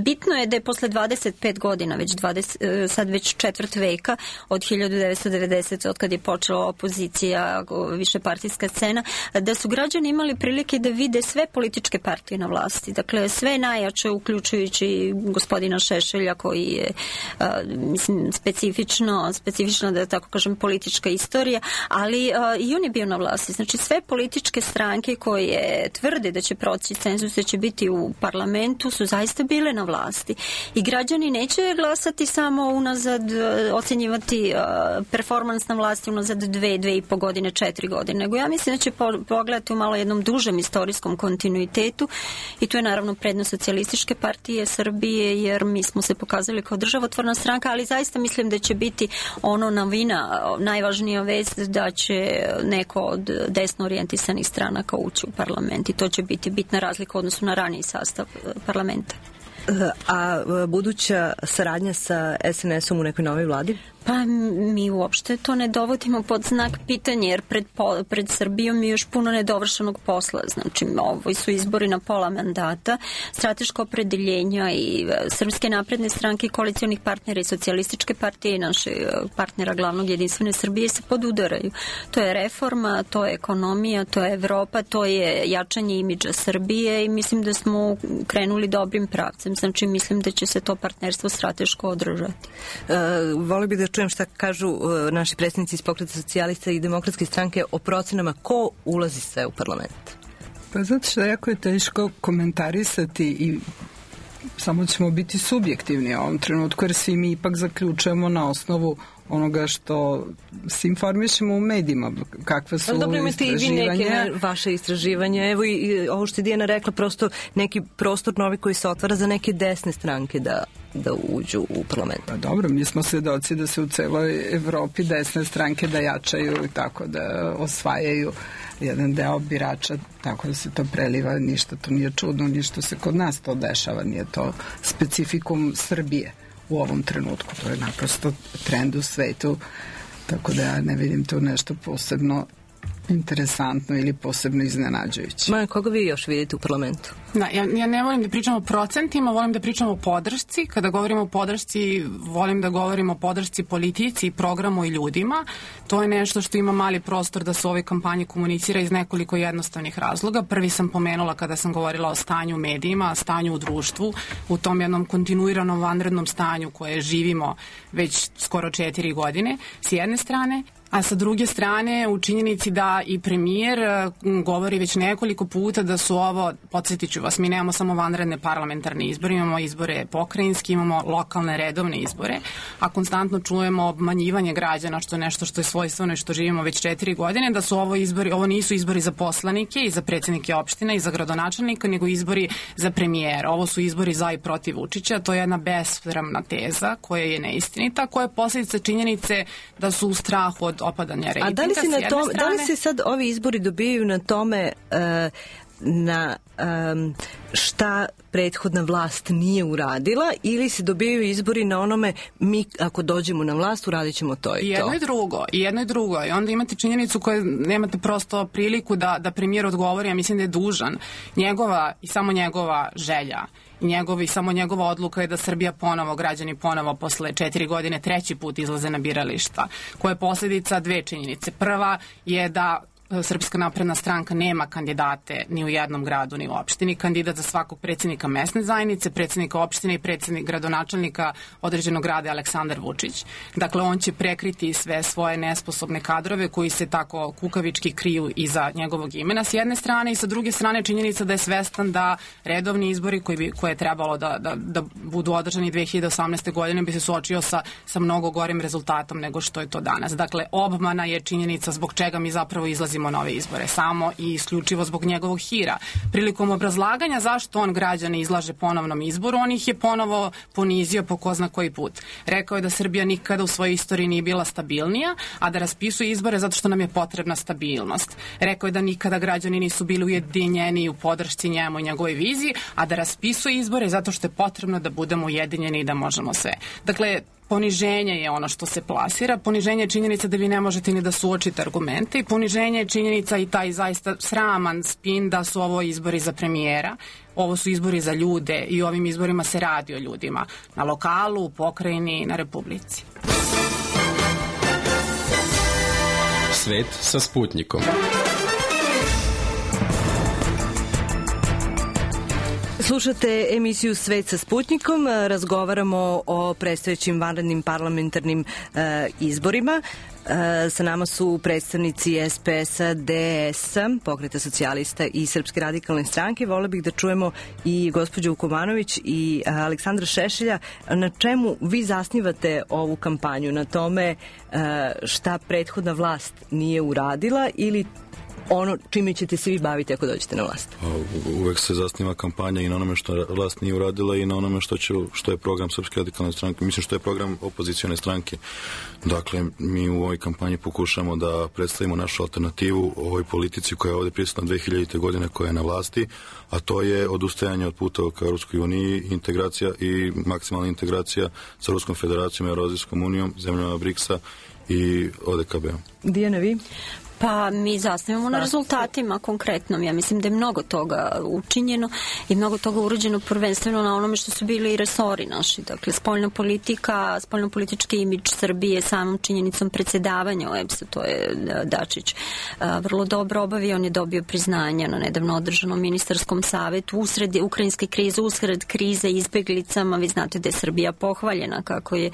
bitno je da je posle 25 godina, sad već 4. veka, od 1990. od kad je počela opozicija, višepartijska scena, da su građani imali prilike da vide sve političke partije na vlasti. Dakle, sve najjače, uključujući gospodina Šešelja, koji je, mislim, specifično, da tako kažem, politička istorija, ali i on je bio na vlasti. Znači, sve političke stranke koje tvrde da će proći cenzus, da će biti u parlamentu, su zaista bile na vlasti. I građani neće glasati samo unazad, ocenjivati performans na vlasti unazad 2,5 godine, 4 godine, nego ja mislim da će pogledati u malo jednom dužem istorijskom kontinuitetu i tu je naravno prednost Socijalističke partije Srbije, jer mi smo se pokazali kao državotvorna stranka, ali zaista mislim da će biti novina, najvažnija vest da će neko od desno orijentisanih stranaka ući u parlament i to će biti bitna razlika u odnosu na raniji sastav parlamenta. A buduća saradnja sa SNS-om u nekoj novoj vladi? Pa mi uopšte to ne dovodimo pod znak pitanja, jer pred Srbijom je još puno nedovršenog posla. Znači, ovo su izbori na pola mandata, strateško opredeljenja i Srpske napredne stranke, koalicionih partnera i socijalističke partije i naše partnera glavnog Jedinstvene Srbije se podudaraju. To je reforma, to je ekonomija, to je Evropa, to je jačanje imidža Srbije i mislim da smo krenuli dobrim pravcem. Znači, mislim da će se to partnerstvo strateško održati. Voli bih da čujem šta kažu naši predstavnici iz Pokreta socijalista i Demokratske stranke o procenama ko ulazi sve u parlament. Pa zato što jako je teško komentarisati i samo ćemo biti subjektivni u ovom trenutku, jer svi mi ipak zaključujemo na osnovu onoga što se informišemo u medijima, kakve su dobro, imate istraživanja. I vi neke vaše istraživanja. Evo i ovo što je Dijana rekla, prosto neki prostor novi koji se otvara za neke desne stranke da uđu u parlament. Pa dobro, mi smo svedoci da se u celoj Evropi desne stranke da jačaju i tako da osvajaju jedan deo birača, tako da se to preliva, ništa to nije čudno, ništa se kod nas to dešava, nije to specifikum Srbije u ovom trenutku, to je naprosto trend u svetu, tako da ja ne vidim tu nešto posebno interesantno ili posebno iznenađujuće. Maja, koga vi još vidite u parlamentu? Da, ja ne volim da pričam o procentima, volim da pričam o podršci. Kada govorimo o podršci, volim da govorimo o podršci politici, programu i ljudima. To je nešto što ima mali prostor da se u ovoj kampanji komunicira iz nekoliko jednostavnih razloga. Prvi sam pomenula kada sam govorila o stanju u medijima, stanju u društvu, u tom jednom kontinuiranom vanrednom stanju koje živimo već skoro 4 godine, s jedne strane. A sa druge strane, u činjenici da i premijer govori već nekoliko puta da su ovo, podsjetit ću vas, mi nemamo samo vanredne parlamentarne izbore, imamo izbore pokrajinski, imamo lokalne redovne izbore, a konstantno čujemo obmanjivanje građana, što je nešto što je svojstveno i što živimo već 4 godine, da su ovo izbori, ovo nisu izbori za poslanike i za predsjednike opština i za gradonačelnika, nego izbori za premijera. Ovo su izbori za i protiv Vučića, to je jedna besramna teza koja je neistinita, koja je posljedica činjenice da su u strahu od opadanja rejtinga. A da li se sad ovi izbori dobijaju na tome na šta prethodna vlast nije uradila, ili se dobijaju izbori na onome mi ako dođemo na vlast uradit ćemo to i to? I jedno i drugo. I onda imate činjenicu koju nemate prosto priliku da premijer odgovori, ja mislim da je dužan. Njegova i samo njegova želja i samo njegova odluka je da Srbija ponovo, građani ponovo posle 4 godine 3. put izlaze na birališta, koja je posljedica dve činjenice. Prva je da Srpska napredna stranka nema kandidate ni u jednom gradu ni u opštini. Kandidat za svakog predsjednika mesne zajednice, predsjednika opštine i predsjednik gradonačelnika određenog grada je Aleksandar Vučić. Dakle, on će prekriti sve svoje nesposobne kadrove koji se tako kukavički kriju iza njegovog imena s jedne strane, i sa druge strane činjenica da je svestan da redovni izbori koje je trebalo da budu održani 2018. godine bi se suočio sa mnogo gorim rezultatom nego što je to danas. Dakle, obmana je činjenica zbog čega mi zapravo izlazimo nove izbore, samo i isključivo zbog njegovog hira. Prilikom obrazlaganja zašto on građane izlaže ponovnom izboru, on ih je ponovo ponizio po ko zna koji put. Rekao je da Srbija nikada u svojoj istoriji nije bila stabilnija, a da raspisuje izbore zato što nam je potrebna stabilnost. Rekao je da nikada građani nisu bili ujedinjeni u podršci njemu i njegovoj viziji, a da raspisuje izbore zato što je potrebno da budemo ujedinjeni i da možemo sve. Dakle, poniženje je ono što se plasira, poniženje je činjenica da vi ne možete ni da suočite argumente i poniženje je činjenica i taj zaista sraman spin da su ovo izbori za premijera, ovo su izbori za ljude i u ovim izborima se radi o ljudima, na lokalu, u pokrajini, na republici. Svet sa Sputnikom. Slušate emisiju Svet sa Sputnikom, razgovaramo o predstojećim vanrednim parlamentarnim izborima. Sa nama su predstavnici SPS-a, DS-a, Pokreta socijalista i Srpske radikalne stranke. Vole bih da čujemo i gospođu Vukomanović i Aleksandra Šešelja. Na čemu vi zasnivate ovu kampanju? Na tome šta prethodna vlast nije uradila ili ono čime ćete se vi baviti ako dođete na vlast? Uvek se zasniva kampanja i na onome što vlast nije uradila i na onome što je program Srpske radikalne stranke. Mislim što je program opozicione stranke. Dakle, mi u ovoj kampanji pokušamo da predstavimo našu alternativu ovoj politici koja je ovde prisutna 2000. godine, koja je na vlasti, a to je odustajanje od puta ka Europskoj uniji, integracija i maksimalna integracija sa Ruskom federacijom, Evroazijskom unijom, zemljama BRICS-a i ODKB-om. Dijana, vi? Pa mi zasnivamo na rezultatima konkretnom. Ja mislim da je mnogo toga učinjeno i mnogo toga urađeno prvenstveno na onome što su bili i resori naši. Dakle, spoljnopolitički imidž Srbije samom činjenicom predsjedavanja OEBS-a, to je Dačić vrlo dobro obavio. On je dobio priznanja na nedavno održanom ministarskom savetu usred ukrajinske krize, usred krize izbeglicama. Vi znate da je Srbija pohvaljena kako je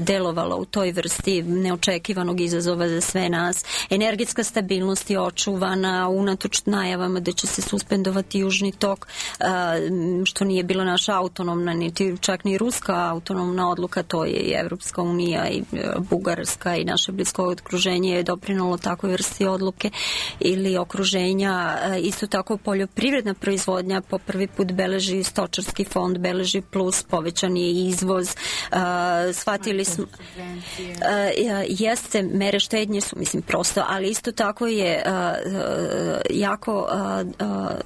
delovala u toj vrsti neočekivanog izazova za sve nas. Energetska stabilnost je očuvana unatoč najavama da će se suspendovati Južni tok, što nije bila naša autonomna, niti čak ni ruska autonomna odluka, to je i Evropska unija i Bugarska i naše blisko okruženje je doprinalo takvoj vrsti odluke ili okruženja. Isto tako poljoprivredna proizvodnja po prvi put beleži, stočarski fond beleži plus, povećan je izvoz. Shvatili smo jeste, mere štednje su mislim prosto, ali isto tako je jako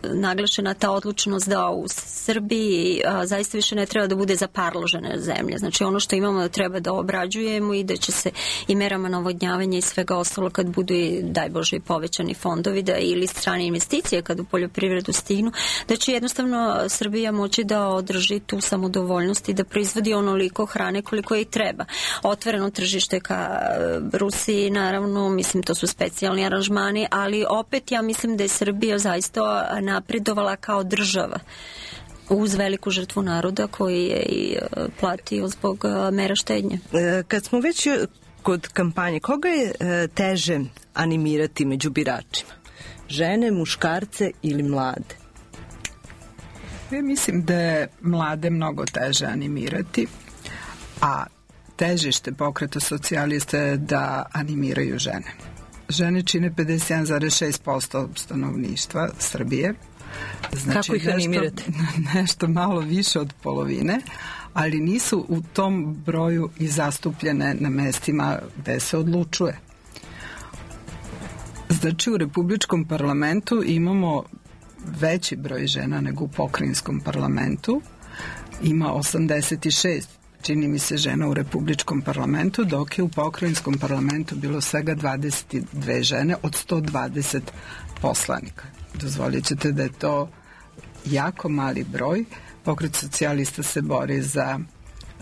naglašena ta odlučnost da u Srbiji zaista više ne treba da bude zaparložena zemlja. Znači ono što imamo da treba da obrađujemo i da će se i merama navodnjavanja i svega ostalo kad budu i daj Bože i povećani fondovi da ili strane investicije kad u poljoprivredu stignu, da će jednostavno Srbija moći da održi tu samodovoljnost i da proizvodi onoliko hrane koliko i treba. Otvoreno tržište ka Rusiji, naravno, mislim to su specijalni aranžmani, ali opet ja mislim da je Srbija zaista napredovala kao država uz veliku žrtvu naroda koji je i platio zbog mera štednje. Kad smo već kod kampanje, koga je teže animirati među biračima? Žene, muškarce ili mlade? Ja mislim da je mlade mnogo teže animirati, a težište Pokreta socijalista je da animiraju žene. Žene čine 51,6% stanovništva Srbije. Znači, kako ih animirate? Nešto malo više od polovine, ali nisu u tom broju i zastupljene na mestima gde se odlučuje. Znači, u Republičkom parlamentu imamo veći broj žena nego u pokrajinskom parlamentu. Ima 86, čini mi se, žena u Republičkom parlamentu, dok je u pokrajinskom parlamentu bilo svega 22 žene od 120 poslanika. Dozvolit ćete da je to jako mali broj. Pokret socijalista se bori za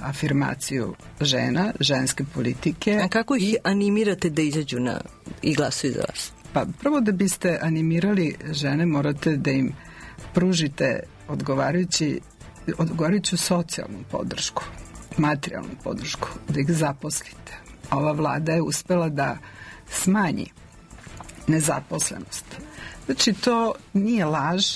afirmaciju žena, ženske politike. A kako ih animirate da izađu i glasuju za vas? Pa prvo da biste animirali žene morate da im pružite odgovarajuću socijalnu podršku, materijalnu podršku, da ih zaposlite. Ova vlada je uspela da smanji nezaposlenost. Znači to nije laž,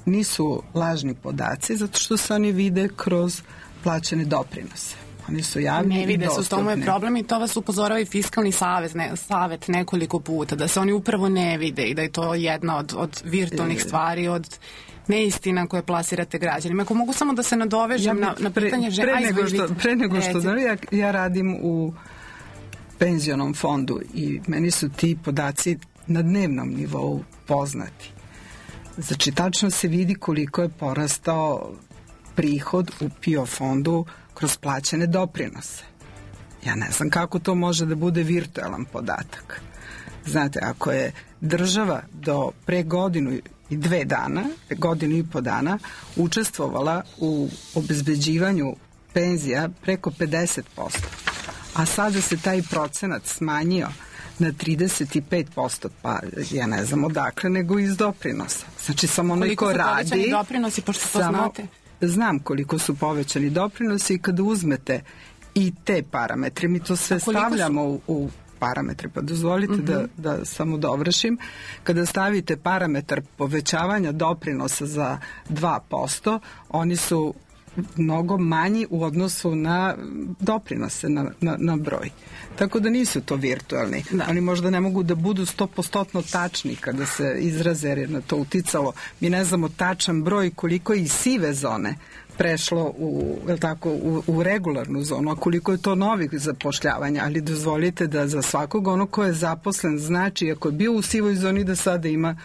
nisu lažni podaci, zato što se oni vide kroz plaćene doprinose. Oni su javni ne vide i dostupni. Se, u tomu je problem i to vas upozorava i Fiskalni savet nekoliko puta, da se oni upravo ne vide i da je to jedna od virtualnih stvari, od neistina koje plasirate građanima. Ako mogu samo da se nadovežem na pitanje žena. Pre nego što ja radim u penzionom fondu i meni su ti podaci na dnevnom nivou poznati. Znači, tačno se vidi koliko je porastao prihod u PIO fondu kroz plaćene doprinose. Ja ne znam kako to može da bude virtualan podatak. Znate, ako je država do pre godinu i po dana učestvovala u obezbeđivanju penzija preko 50%, a sada se taj procenat smanjio na 35%, pa ja ne znam odakle, nego iz doprinosa. Znači, samo onaj ko radi... Koliko su povećani doprinosi, pošto to znate? Znam koliko su povećani doprinosi i kada uzmete i te parametre, mi to sve stavljamo u parametre, pa dozvolite da samo dovršim. Kada stavite parametar povećavanja doprinosa za 2%, oni su mnogo manji u odnosu na doprinose, na broj. Tako da nisu to virtualni. Oni možda ne mogu da budu 100% tačni kada se izraze, jer je na to uticalo. Mi ne znamo tačan broj koliko je i sive zone prešlo u regularnu zonu, a koliko je to novih zapošljavanja, ali dozvolite da za svakog ono ko je zaposlen, znači ako je bio u sivoj zoni da sada ima,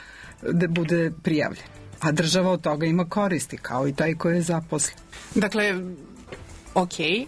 da bude prijavljen. A država od toga ima koristi, kao i taj koji je zaposlen. Dakle, okej.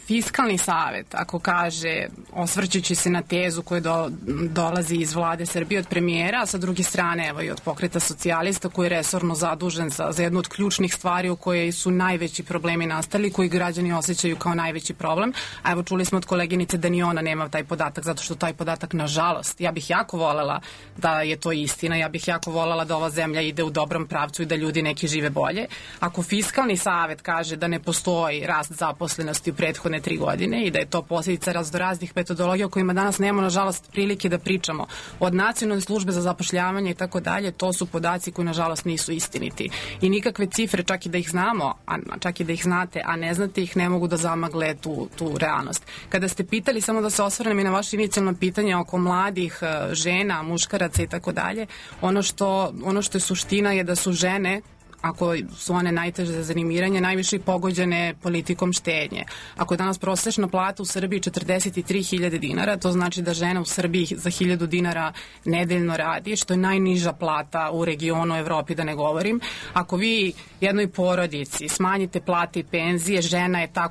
Fiskalni savet, ako kaže, osvrćući se na tezu koja dolazi iz vlade Srbije od premijera, a sa druge strane evo i od Pokreta socijalista koji je resorno zadužen za jednu od ključnih stvari u kojoj su najveći problemi nastali, koji građani osjećaju kao najveći problem. A evo čuli smo od koleginice da ni ona nema taj podatak, zato što taj podatak, nažalost, ja bih jako volela da je to istina, ja bih jako volela da ova zemlja ide u dobrom pravcu i da ljudi neki žive bolje. Ako Fiskalni savet kaže da ne postoji rast zaposlenosti u prethodne 3 godine i da je to posljedica raznoraznih metodologija o kojima danas nemamo, nažalost, prilike da pričamo, od Nacionalne službe za zapošljavanje i tako dalje, to su podaci koji, nažalost, nisu istiniti. I nikakve cifre, čak i da ih znamo, čak i da ih znate, a ne znate ih, ne mogu da zamagle tu realnost. Kada ste pitali, samo da se osvrnem i na vaše inicijalno pitanje oko mladih žena, muškaraca i tako dalje, ono što je suština je da su žene, ako su one najteže za zanimiranje, najviše pogođene politikom štednje. Ako je danas prosečna plata u Srbiji 43.000 dinara, to znači da žena u Srbiji za 1.000 dinara nedeljno radi, što je najniža plata u regionu, Evropi, da ne govorim. Ako vi jednoj porodici smanjite plate i penzije, žena je ta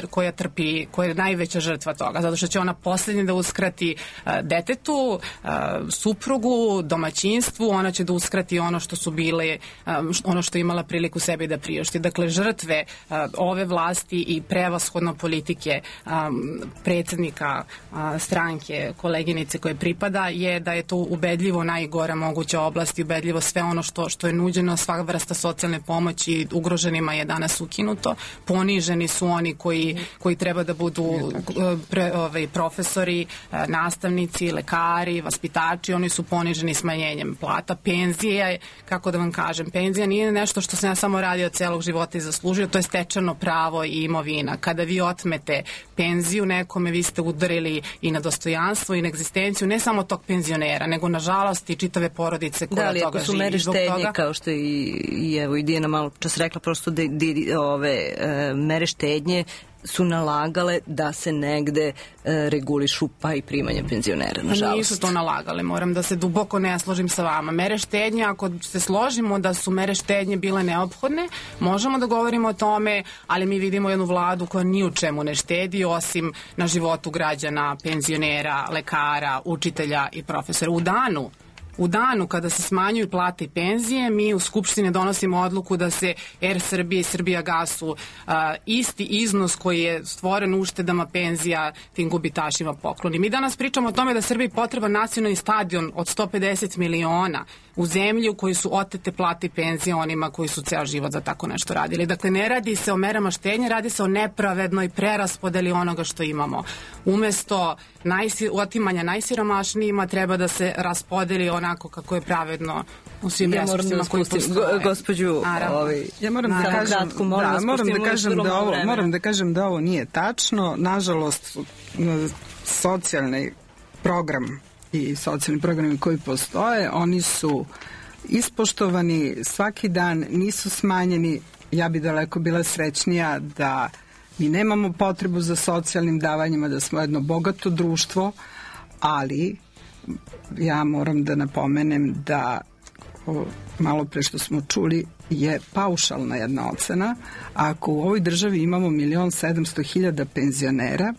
koja trpi, koja je najveća žrtva toga, zato što će ona posljednje da uskrati detetu, suprugu, domaćinstvu, ona će da uskrati ono što su bile, ono što je imala priliku sebi da priušti. Dakle, žrtve ove vlasti i prevashodno politike predsjednika stranke, koleginice koje pripada, je da je to ubedljivo najgora moguća oblast i ubedljivo sve ono što je nuđeno, sva vrsta socijalne pomoći ugroženima je danas ukinuto. Poniženi su oni koji treba da budu profesori, nastavnici, lekari, vaspitači, oni su poniženi smanjenjem plata. Penzija, kako da vam kažem, penzija nije nešto što sam ja samo radio celog života i zaslužio, to je stečeno pravo i imovina. Kada vi otmete penziju nekome, vi ste udarili i na dostojanstvo i na egzistenciju ne samo tog penzionera, nego nažalost i čitave porodice koja toga živi. Da, ali ako su mere štednje, kao što i Dijana malo čas rekla, prosto ove mere štednje su nalagale da se negde regulišu pa i primanje penzionera, nažalost. Nisu to nalagale, moram da se duboko ne složim sa vama. Mere štednje, ako se složimo da su mere štednje bile neophodne, možemo da govorimo o tome, ali mi vidimo jednu vladu koja ni u čemu ne štedi, osim na životu građana, penzionera, lekara, učitelja i profesora. U danu kada se smanjuju plate i penzije, mi u Skupštini donosimo odluku da se Er Srbije i Srbijagasu isti iznos koji je stvoren uštedama penzija tim gubitašima pokloni. Mi danas pričamo o tome da Srbiji potreban nacionalni stadion od 150 miliona u zemlji u kojoj su otete plate i penzije onima koji su ceo život za tako nešto radili. Dakle, ne radi se o merama štednje, radi se o nepravednoj preraspodeli onoga što imamo. Umesto otimanja najsiromašnijima treba da se raspodeli onako kako je pravedno u svim resursima koji postoje. Gospođu, ja moram da kažem da ovo nije tačno. Nažalost, socijalni program i socijalni programi koji postoje, oni su ispoštovani svaki dan, nisu smanjeni. Ja bi daleko bila srećnija da mi nemamo potrebu za socijalnim davanjima, da smo jedno bogato društvo, ali ja moram da napomenem da malo pre što smo čuli je paušalna jedna ocena. Ako u ovoj državi imamo 1.700.000 penzionera,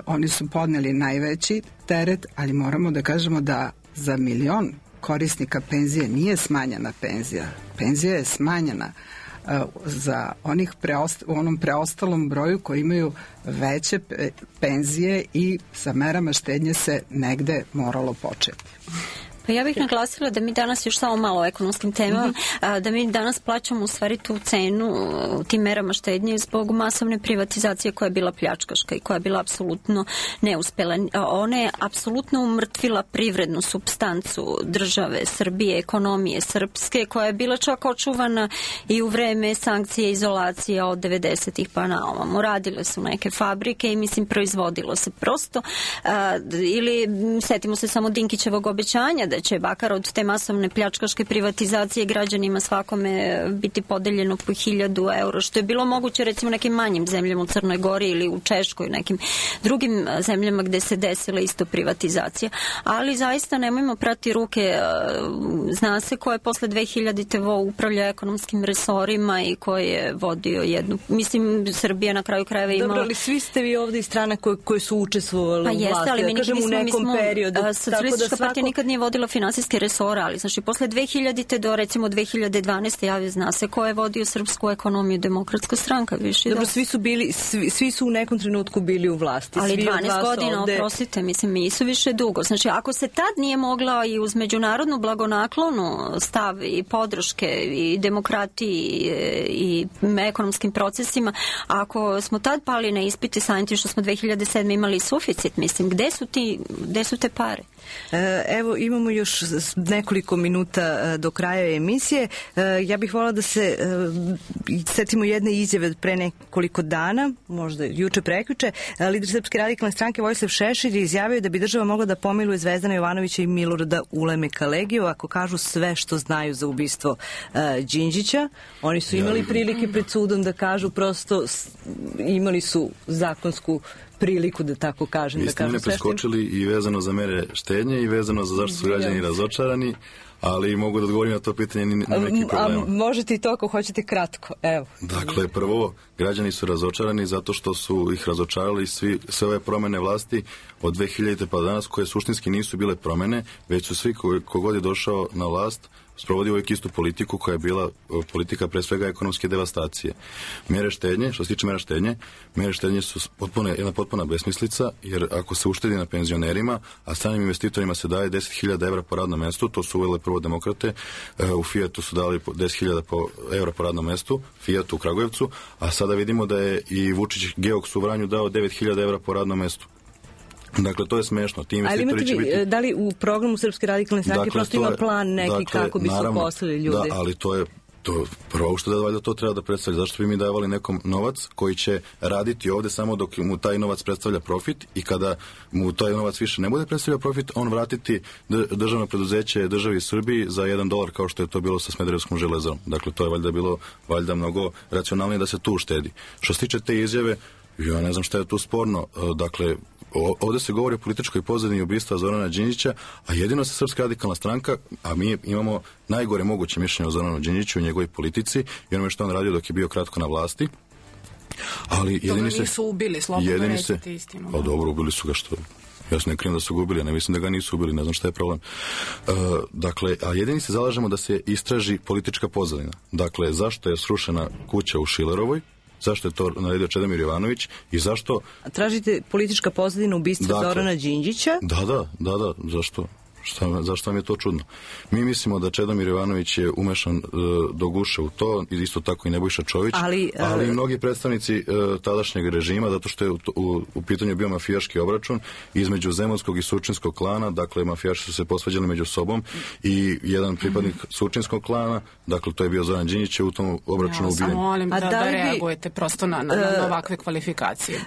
oni su podneli najveći teret, ali moramo da kažemo da za 1.000.000 korisnika penzije nije smanjena penzija. Penzija je smanjena za u onom preostalom broju koji imaju veće penzije i sa merama štednje se negde moralo početi. Pa ja bih naglasila da mi danas još samo malo o ekonomskim temama, da mi danas plaćamo u stvari tu cenu tim merama štednje zbog masovne privatizacije koja je bila pljačkaška i koja je bila apsolutno neuspela. Ona je apsolutno umrtvila privrednu supstancu države Srbije, ekonomije srpske, koja je bila čak očuvana i u vreme sankcije i izolacije od 90-ih pa na ovamo. Radile su neke fabrike i mislim proizvodilo se prosto ili setimo se samo Dinkićevog obećanja da će bakar od te masovne pljačkaške privatizacije građanima svakome biti podeljeno po 1000 eura, što je bilo moguće recimo nekim manjim zemljama u Crnoj Gori ili u Češkoj, nekim drugim zemljama gde se desila isto privatizacija. Ali zaista nemojmo prati ruke. Zna se ko je posle 2000-te upravlja ekonomskim resorima i ko je vodio jednu, mislim Srbija na kraju krajeva imala... Dobro, ali svi ste vi ovde iz strana koje su učestvovali u vlasti, ali da kažem u nekom periodu. Socijalistička partija nikad nije vodila finansijske resore, ali znači posle 2000-te do recimo 2012. Zna se ko je vodio srpsku ekonomiju, Demokratska stranka. Dobro, svi su u nekom trenutku bili u vlasti. Ali 12 godina, oprostite, mislim, nisu više dugo. Znači, ako se tad nije mogla i uz međunarodnu blagonaklonu stav i podrške i demokratiji i ekonomskim procesima, ako smo tad pali na ispite samim tim što smo 2007. imali suficit, mislim, gde su te pare? Evo, imamo još nekoliko minuta do kraja emisije. Ja bih volila da se setimo jedne izjave pre nekoliko dana, možda juče prekjuče. Lider Srpske radikalne stranke Vojislav Šešelj je izjavio da bi država mogla da pomiluje Zvezdana Jovanovića i Milorada Ulemeka Legiju ako kažu sve što znaju za ubistvo Đinđića. Oni su imali prilike pred sudom da kažu, prosto imali su zakonsku priliku, da tako kažem. Vi ste mene preskočili i vezano za mere štednje i vezano za zašto su građani razočarani, ali mogu da odgovorim na to pitanje, nema nekih problema. A možete i to ako hoćete kratko, evo. Dakle, prvo, građani su razočarani zato što su ih razočarali sve ove promene vlasti od 2000. pa danas, koje suštinski nisu bile promene, već su svi kogod je došao na vlast sprovodi uvijek istu politiku koja je bila politika pre svega ekonomske devastacije. Mere štednje, što se tiče mere štednje su jedna potpuna besmislica, jer ako se uštedi na penzionerima, a stranim investitorima se daje 10.000 evra po radnom mestu, to su uvele prvo demokrate, u Fijatu su dali 10.000 evra po radnom mestu, Fijatu u Kragujevcu, a sada vidimo da je i Vučić Geoks u Vranju dao 9.000 evra po radnom mestu. Dakle, to je smešno. Ali imate vi, da li u programu Srpske radikalne stranke prosto ima plan neki kako bi se uposlili ljudi? Da, ali to je prvo što da valjda to treba da predstavlja. Zašto bi mi davali nekom novac koji će raditi ovde samo dok mu taj novac predstavlja profit i kada mu taj novac više ne bude predstavlja profit, on vratiti državno preduzeće državi Srbiji za $1 kao što je to bilo sa Smederevskom železarom. Dakle, to je valjda bilo mnogo racionalnije da se tu uštedi. Što se tiče te izjave, ja ne znam šta je tu sporno. Dakle, ovde se govori o političkoj pozadini ubistva Zorana Đinđića, a jedino se Srpska radikalna stranka, a mi imamo najgore moguće mišljenje o Zoranu Đinđiću i njegovoj politici i onome što on radio dok je bio kratko na vlasti. Ali jedini se... nisu ubili, slobodno recite istinu. Pa dobro, ubili su ga što... Ja se ne krijem da su ga ubili, ne mislim da ga nisu ubili, ne znam šta je problem. Dakle, a jedini se zalažemo da se istraži politička pozadina. Dakle, zašto je srušena kuća u Šilerovoj, zašto je to naredio Čedomir Jovanović i zašto... Tražite politička pozadina ubistva Zorana Đinđića? Da, zašto? Zašto vam je to čudno? Mi mislimo da Čedomir Jovanović je umešan do guše u to, isto tako i Nebojša Čović, ali i mnogi predstavnici tadašnjeg režima, zato što je u pitanju bio mafijaški obračun između zemunskog i surčinskog klana, dakle mafijaši su se posvađali među sobom i jedan pripadnik surčinskog klana, dakle to je bio Zoran Đinđić, je u tom obračunu ubijen. Samo molim da reagujete prosto na ovakve kvalifikacije.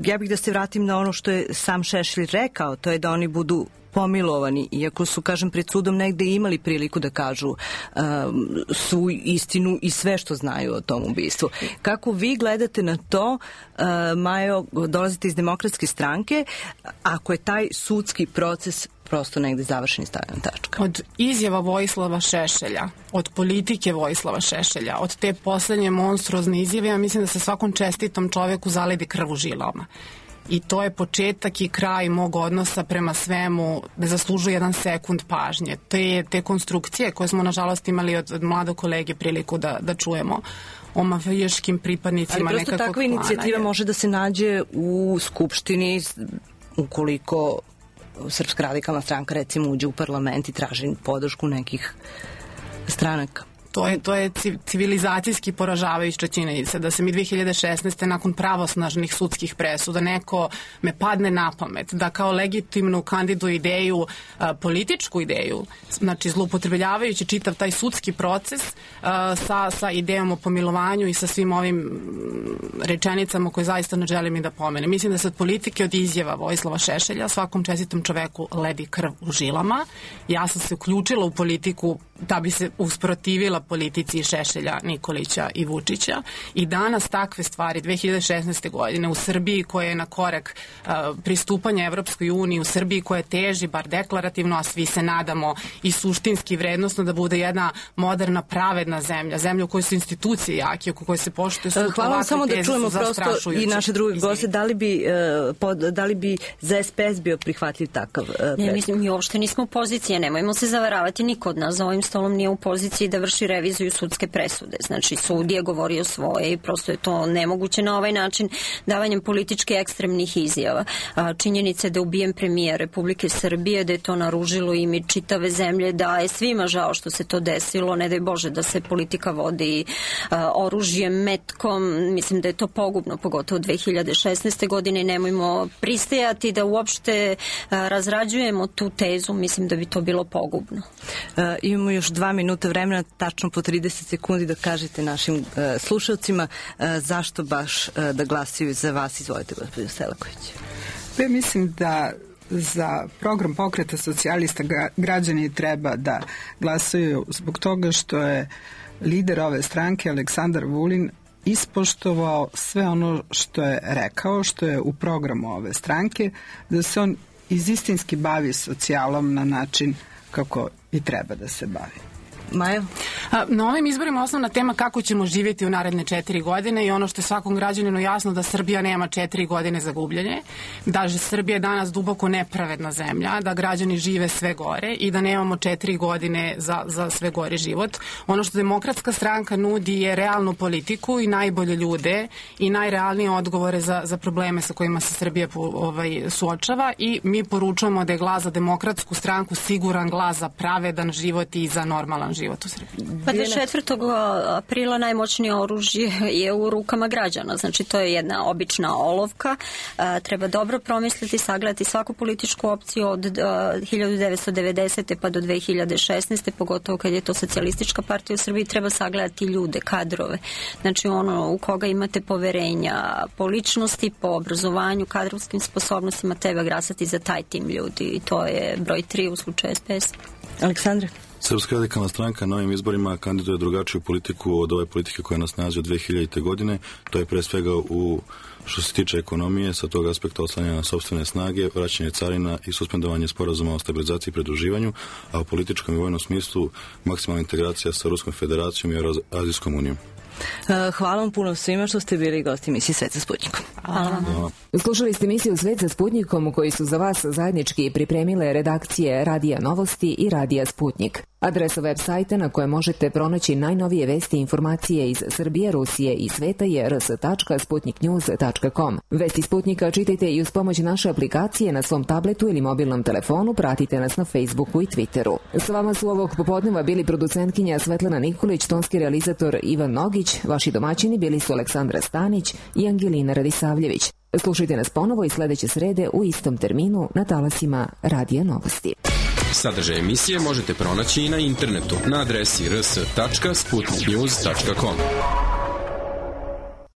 Ja bih da se vratim na ono što je sam Šešelj rekao, to je da oni budu pomilovani, iako su, kažem, pred sudom negde imali priliku da kažu svu istinu i sve što znaju o tom ubistvu. Kako vi gledate na to, Majo, dolazite iz Demokratske stranke, ako je taj sudski proces prosto negde završen i stavljen tačka? Od izjava Vojislava Šešelja, od politike Vojislava Šešelja, od te poslednje monstruozne izjave, ja mislim da se svakom čestitom čoveku zaledi krv u žilama. I to je početak i kraj mog odnosa prema svemu, ne zaslužuje jedan sekund pažnje. Te konstrukcije koje smo nažalost imali od mladog kolege priliku da čujemo o mafijaškim pripadnicima nekakvog klana. Ali prosto takva inicijativa može da se nađe u Skupštini ukoliko Srpska radikalna stranka recimo uđe u parlament i traži podršku nekih stranaka. To je civilizacijski poražavajuća činjenica da se mi 2016. nakon pravosnažnih sudskih presuda neko me padne na pamet da kao legitimnu kandiduje ideju, političku ideju, znači zloupotrebljavajući čitav taj sudski proces sa idejom o pomilovanju i sa svim ovim rečenicama koje zaista ne želim i da pomenem. Mislim da se od politike, od izjava Vojislava Šešelja svakom čestitom čoveku ledi krv u žilama. Ja sam se uključila u politiku da bi se usprotivila politici Šešelja, Nikolića i Vučića i danas takve stvari 2016. godine u Srbiji koja je na korak pristupanja Evropskoj uniji, u Srbiji koja teži bar deklarativno, a svi se nadamo i suštinski vrednosno da bude jedna moderna, pravedna zemlja, zemlja u kojoj su institucije jake, u kojoj se poštuje sud. Hvala vam, samo da čujemo prosto i naše druge goste, da li bi za SPS bio prihvatljiv takav predlog? Ne, mislim, mi uopšte nismo u poziciji, nemojmo se zavaravati, niko od nas za ovim stolom nije u poziciji da vrši reviziju sudske presude. Znači, sud je govorio svoje i prosto je to nemoguće na ovaj način davanjem politički ekstremnih izjava. Činjenica je da je ubijen premijer Republike Srbije, da je to naružilo ime čitave zemlje, da je svima žao što se to desilo, ne daj Bože da se politika vodi oružjem, metkom, mislim da je to pogubno, pogotovo 2016. godine, nemojmo pristajati da uopšte razrađujemo tu tezu, mislim da bi to bilo pogubno. Imamo još 2 minuta vremena, tačno po 30 sekundi da kažete našim slušalcima zašto baš da glasaju za vas. Izvolite, gospođo Selaković. Ja mislim da za program Pokreta socijalista građani treba da glasaju zbog toga što je lider ove stranke Aleksandar Vulin ispoštovao sve ono što je rekao, što je u programu ove stranke, da se on istinski bavi socijalom na način kako i treba da se bavi. Maja? Na ovim izborima osnovna tema kako ćemo živjeti u naredne 4 godine i ono što je svakom građaninu jasno da Srbija nema 4 godine za gubljenje, da Srbija je danas duboko nepravedna zemlja, da građani žive sve gore i da nemamo 4 godine za sve gore život. Ono što Demokratska stranka nudi je realnu politiku i najbolje ljude i najrealnije odgovore za probleme sa kojima se Srbija suočava i mi poručujemo da je glas za Demokratsku stranku siguran glas za pravedan život i za normalan život u Srbiji. Pa do 4. aprila najmoćnije oružje je u rukama građana. Znači to je jedna obična olovka. Treba dobro promisliti, sagledati svaku političku opciju od 1990. pa do 2016. pogotovo kad je to socijalistička partija u Srbiji, treba sagledati ljude, kadrove. Znači ono u koga imate poverenja po ličnosti, po obrazovanju, kadrovskim sposobnostima, treba glasati za taj tim ljudi i to je broj 3 u slučaju SPS. Aleksandre? Srpska radikalna stranka na ovim izborima kandiduje drugačiju politiku od ove politike koja nas nalazi od 2000. godine. To je pre svega što se tiče ekonomije, sa tog aspekta oslanjanja na sopstvene snage, vraćanje carina i suspendovanje sporazuma o stabilizaciji i pridruživanju, a u političkom i vojnom smislu maksimalna integracija sa Ruskom federacijom i Azijskom unijom. Hvala vam puno svima što ste bili gosti emisije Svet sa Sputnikom. Hvala. Slušali ste emisiju Svet sa Sputnikom u kojoj su za vas zajednički pripremile redakcije Radija Novosti i Radija Sputnik. Adresa web sajta na kojoj možete pronaći najnovije vesti i informacije iz Srbije, Rusije i sveta je rs.sputniknews.com. Vesti Sputnika čitajte i uz pomoć naše aplikacije na svom tabletu ili mobilnom telefonu, pratite nas na Facebooku i Twitteru. S vama su ovog popodneva bili producentkinja Svetlana Nikolić, tonski realizator Ivan Nogić, vaši domaćini bili su Aleksandra Stanić i Angelina Radisavljević. Slušajte nas ponovo i sledeće srede u istom terminu na talasima Radija Novosti. Sadržaj emisije možete pronaći i na internetu na adresi rs.sputniknews.com.